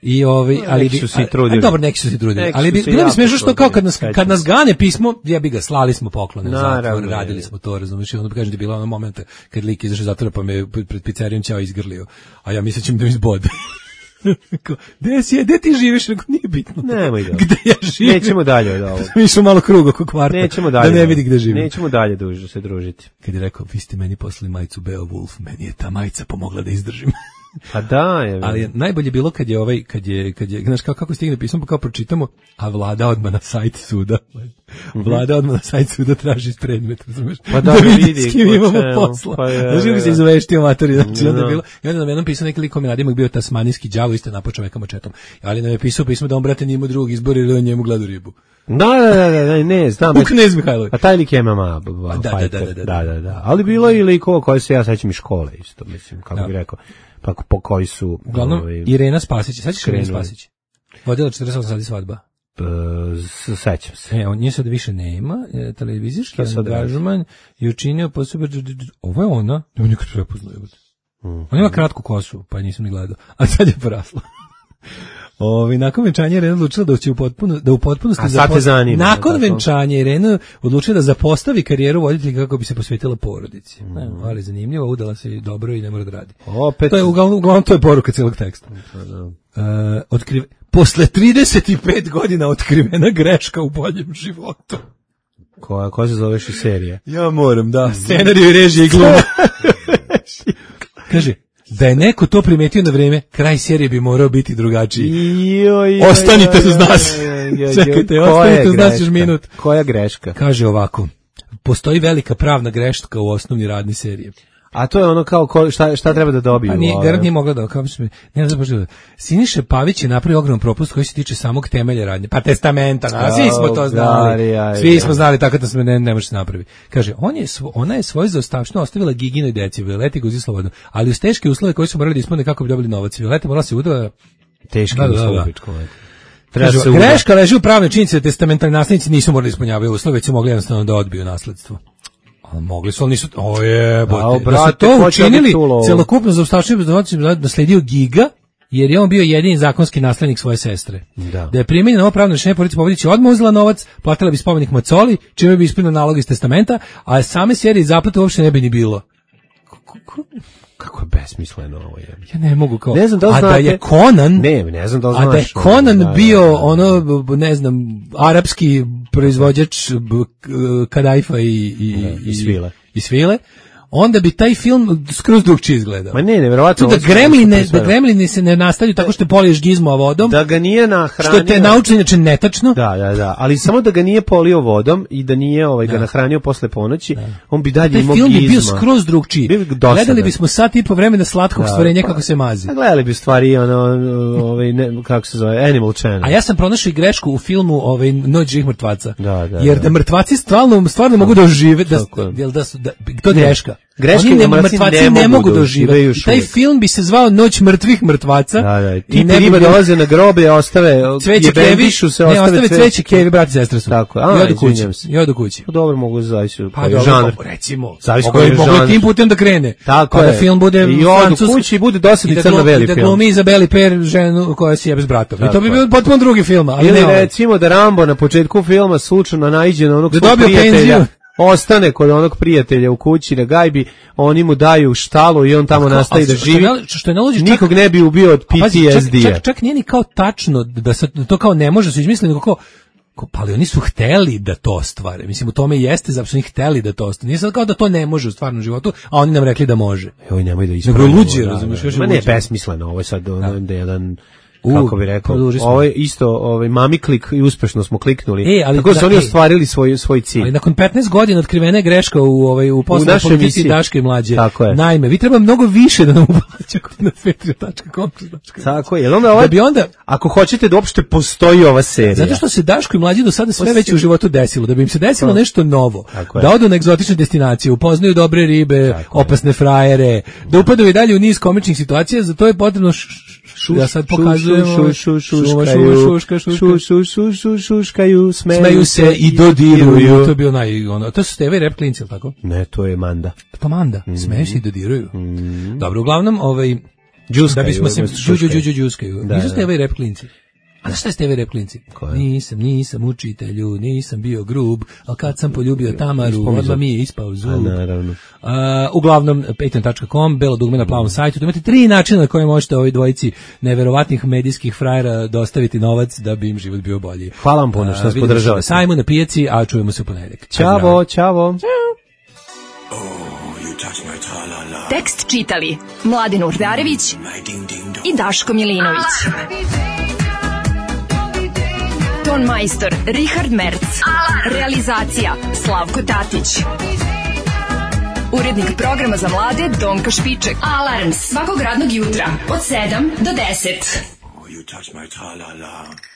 I ovaj, ali neki su se i trudili. A, dobro, neki su se trudili. Neki ali su bi, se bilo mi jako smešno što kao kad nas, trudili, kad nas sećam gane pismo, ja bi ga slali smo poklone u Naravno, zatvor, radili je. smo to, razumiješ, i onda bi kažem da je bilo ono momenta kad lik izašao iz zatvora pa me pred pizzerijom ćao izgrlio, a ja mislim da mi izbode. Gde si je, gde ti živiš? Rekao, nije bitno. Nemoj da. Gde ja živim? Nećemo dalje od ovoga. Mi išao malo krug oko kvarta. Nećemo dalje. Da ne vidi gde živim. Nećemo dalje duže se družiti. Kad je rekao, vi ste meni poslali majicu Beowulf, meni je ta majica pomogla da izdržim. Pa da, je. Ali je najbolje bilo kad je ovaj, kad je, kad je, znaš kako, kako stigne pismo, pa kao pročitamo, a vlada odmah na sajt suda. Vlada odmah na sajt suda traži iz predmeta, razumeš? Pa da, da vidi vidi s kim ko imamo čemu, posla. pa je, Znaš kako se je. izveštio matori, znači onda je Da. bilo, i onda nam jednom pisao neki lik kome nadimak bio tasmanijski đavo, isto napao čoveka mačetom. Ali nam je pisao pismo da on, brate, nije imao drugog izbora ili on njemu gledu ribu. Da, da, da, da, da, ne, znam. U Knez Mihajlović. A taj lik je M M A b- b- da, da, fighter, da, da, da, da. da, da. Ali bilo je i likova koje se ja sećam iz škole isto, mislim, kako Da. bih rekao. Pa po koji su... Uglavnom, ovaj, Irena Spasić, sećaš Irene krenuli. Spasić? Vodila četrdeset osam sati svadba. p- s- sećam se. E, on nje sad više nema, e, televizijski Šta sad angažman je učinio posebno, ovo je ona, ne nikad prepoznao, jebote. Ona ima kratku kosu, pa nisam ni gledao, a sad je porasla. Ovi, nakon venčanja Irena odlučila da će u potpuno, da u potpunosti A sad te zapos- zanima, nakon tako? venčanja Irena odlučila da zapostavi karijeru voditelja kako bi se posvetila porodici. Ne, ali zanimljivo, udala se i dobro i ne mora da radi. Opet... To je uglavnom, uglavnom to je poruka celog teksta. Uh, otkrive, posle trideset pet godina otkrivena greška u boljem životu. Koja, koja se zoveš i serija? Ja moram, da. Scenariju i režije i gluma. Kaže, da je neko to primetio na vreme, kraj serije bi morao biti drugačiji. Joj, joj, Ostanite joj, uz nas. joj, joj, joj, Čekajte, koja ostanite je uz nas još greška? minut. Koja greška? Kaže ovako, postoji velika pravna greška u osnovni radni serije. A to je ono kao ko, šta, šta treba da dobiju? Pa nije, ovaj? garant nije mogla da, kao što mi, ne znam baš da, Siniša Pavić je napravio ogroman propust koji se tiče samog temelja radnje, pa testamenta, na, svi smo to znali, Gari, svi smo znali, tako da se ne, ne može se napravi. Kaže, on je, svo, ona je svoju zaostavštinu ostavila Giginoj deci, Violeti Guzi Slobodno, ali uz teške uslove koji su morali da ispune kako bi dobili novac. Violeta morala se udala, Teški Da, da, da. uslov, pičko, eto. Treba kaže, se uda. greška leži u pravnoj činjenici da testamentarni naslednici nisu morali da ispunjavaju uslove, već su mogli jednostavno da odbiju nasledstvo. A mogli su, ali nisu, o jebote, A, da su brate, to ko će učinili, biti ulovo? celokupno zaostavštinu da nasledio Giga, jer je on bio jedini zakonski naslednik svoje sestre. Da. Da je primenjeno ovo pravno rešenje, porodica Pobedić je odmah uzela novac, platila bi spomenik Macoli, čime bi ispunila nalog iz testamenta, a same serije zaplate uopšte ne bi ni bilo. Kako je besmisleno ovo je. Ja ne mogu kao... Ne znam da li a da znate- je Conan... Ne, ne znam da li A da je znaš, Conan da, da, bio da, da. ono, b- ne znam, arapski proizvođač b- k- kadajfa i, i, Da, i svile. i svile, onda bi taj film skroz drugčije izgledao. Ma ne, nevjerovatno. Tu da ovo su- gremline, ovo su da sve- gremlini se ne nastavljaju tako što poliješ gizmo vodom, Da ga nije nahranio. što te nauči inače netačno. Da, da, da, ali samo da ga nije polio vodom i da nije ovaj ga nahranio posle ponoći, on bi dalje Taj imao film bi bio gizma. skroz drugčiji. Bio bi dosadan. Gledali bismo sat i po vremena slatkog Da, stvorenja pa- kako se mazi. A gledali bi u stvari ono, ovaj, ne, kako se zove, Animal Channel. A ja sam pronašao i grešku u filmu ovaj Noć živih mrtvaca. Da, da, Jer da. da mrtvaci stvarno stvarno mogu da ožive, da Tako je. jel da su da, to je greška. Greška Oni je ne, da mrtvaci mrtvaci ne ne mogu mogu da da ožive ožive. još Taj uvijek. film bi se zvao Noć mrtvih mrtvaca. Da, da, i ti ne bi riba bilo- dolaze na grobe, ostave Cveće jebem kevi, višu se, ne, ostave ostave cveće kevi, brati i sestre su. Tako je. I A, odu kući. izvinjam se. I odu kući. Pa dobro, mogu zavisi Pa koji je dobro, žanr. pa recimo. Zavisi Mogu koji je je mogu je žanr. tim putem da krene. Tako pa je. da film bude I odu francuski. kući i bude dosadni I da crno glumi- beli i da film. glumi Izabeli Per ženu koja se jebe s bratom. I Tako to bi je. bio potpuno drugi film, ali Ili ne ovaj. recimo da Rambo na početku filma slučajno naiđe na onog Da svog dobio prijatelja, penziju. ostane kod onog prijatelja u kući na gajbi, oni mu daju štalu i on tamo nastavi A da što živi. ne- što je najluđe, čak- Nikog ne bi ubio od A pazi, čak, P T S D-a. čak, čak nije ni kao tačno da se to kao ne može su izmislili, nego kao kao, pa ali oni su hteli da to ostvare. Mislim, u tome i jeste, zato što oni hteli da to ostvare. Nije sad kao da to ne može u stvarnom životu, a oni nam rekli da može. Joj, nemoj da Nego ispravimo. luđe, da, razumiješ, da. još je Ma ne, luđe. besmisleno, ovo je sad ono da je jedan, U, kako bi rekao, produži smo. ovo je isto ovaj, mami klik i uspešno smo kliknuli. E, ali Tako da su da, oni e. ostvarili svoj, svoj cilj. Ali nakon petnaest godina otkrivena je greška u ovaj u poslovnoj našoj politici emisiji. Daške i Mlađe. Tako je. Naime, vi treba mnogo više da nam uplaćate na patreon tačka com. Tako je, jel onda ovaj, Da bi onda ako hoćete da uopšte postoji ova serija. zato što se Daško i Mlađi do sada sve već u životu desilo, da bi im se desilo nešto novo, Tako je. da odu na egzotične destinacije, upoznaju dobre ribe, Tako opasne frajere, da upadaju i dalje u niz komičnih situacija, za to je potrebno š, š, š, ja sad pokazujem šu, šu, šu, šuma, šuškaju, šuma, šuška, šuška. šu, šu, šu, šu, šuškaju, smeju, Smeju se i dodiruju. To je bio naj, ono, to su Steve i Rap klinci, jel tako? Ne, to je Manda. Pa Manda, Mhm. smeju se i dodiruju. Dobro, uglavnom, ovaj, Džuskaju, da bismo se umjesto džu, džu, šuškaju. džu, džu, džuskaju. Da, Nisu da. Steva i rep klinci. A znaš šta je Steva i rep klinci? Koje? Nisam, nisam učitelju, nisam bio grub, ali kad sam poljubio Tamaru, Ispao mi odmah zub. mi je ispao A, zub. naravno. Uh, uglavnom, patreon tačka com, belo dugme na plavom sajtu. Tu imate tri načina na koje možete ovoj dvojici neverovatnih medijskih frajera dostaviti novac da bi im život bio bolji. Hvala vam puno što nas Uh, vidimo se podržavate. na sajmu, na pijaci, a čujemo se u ponedeljak. Ćavo, ćavo. Tekst čitali Mladin Urdarević i Daško Milinović. Ton majstor Richard Merc. Realizacija Slavko Tatić. Urednik programa za mlade Donka Špiček. Alarms svakog radnog jutra od sedam do deset. Oh, you touch my tra-la-la.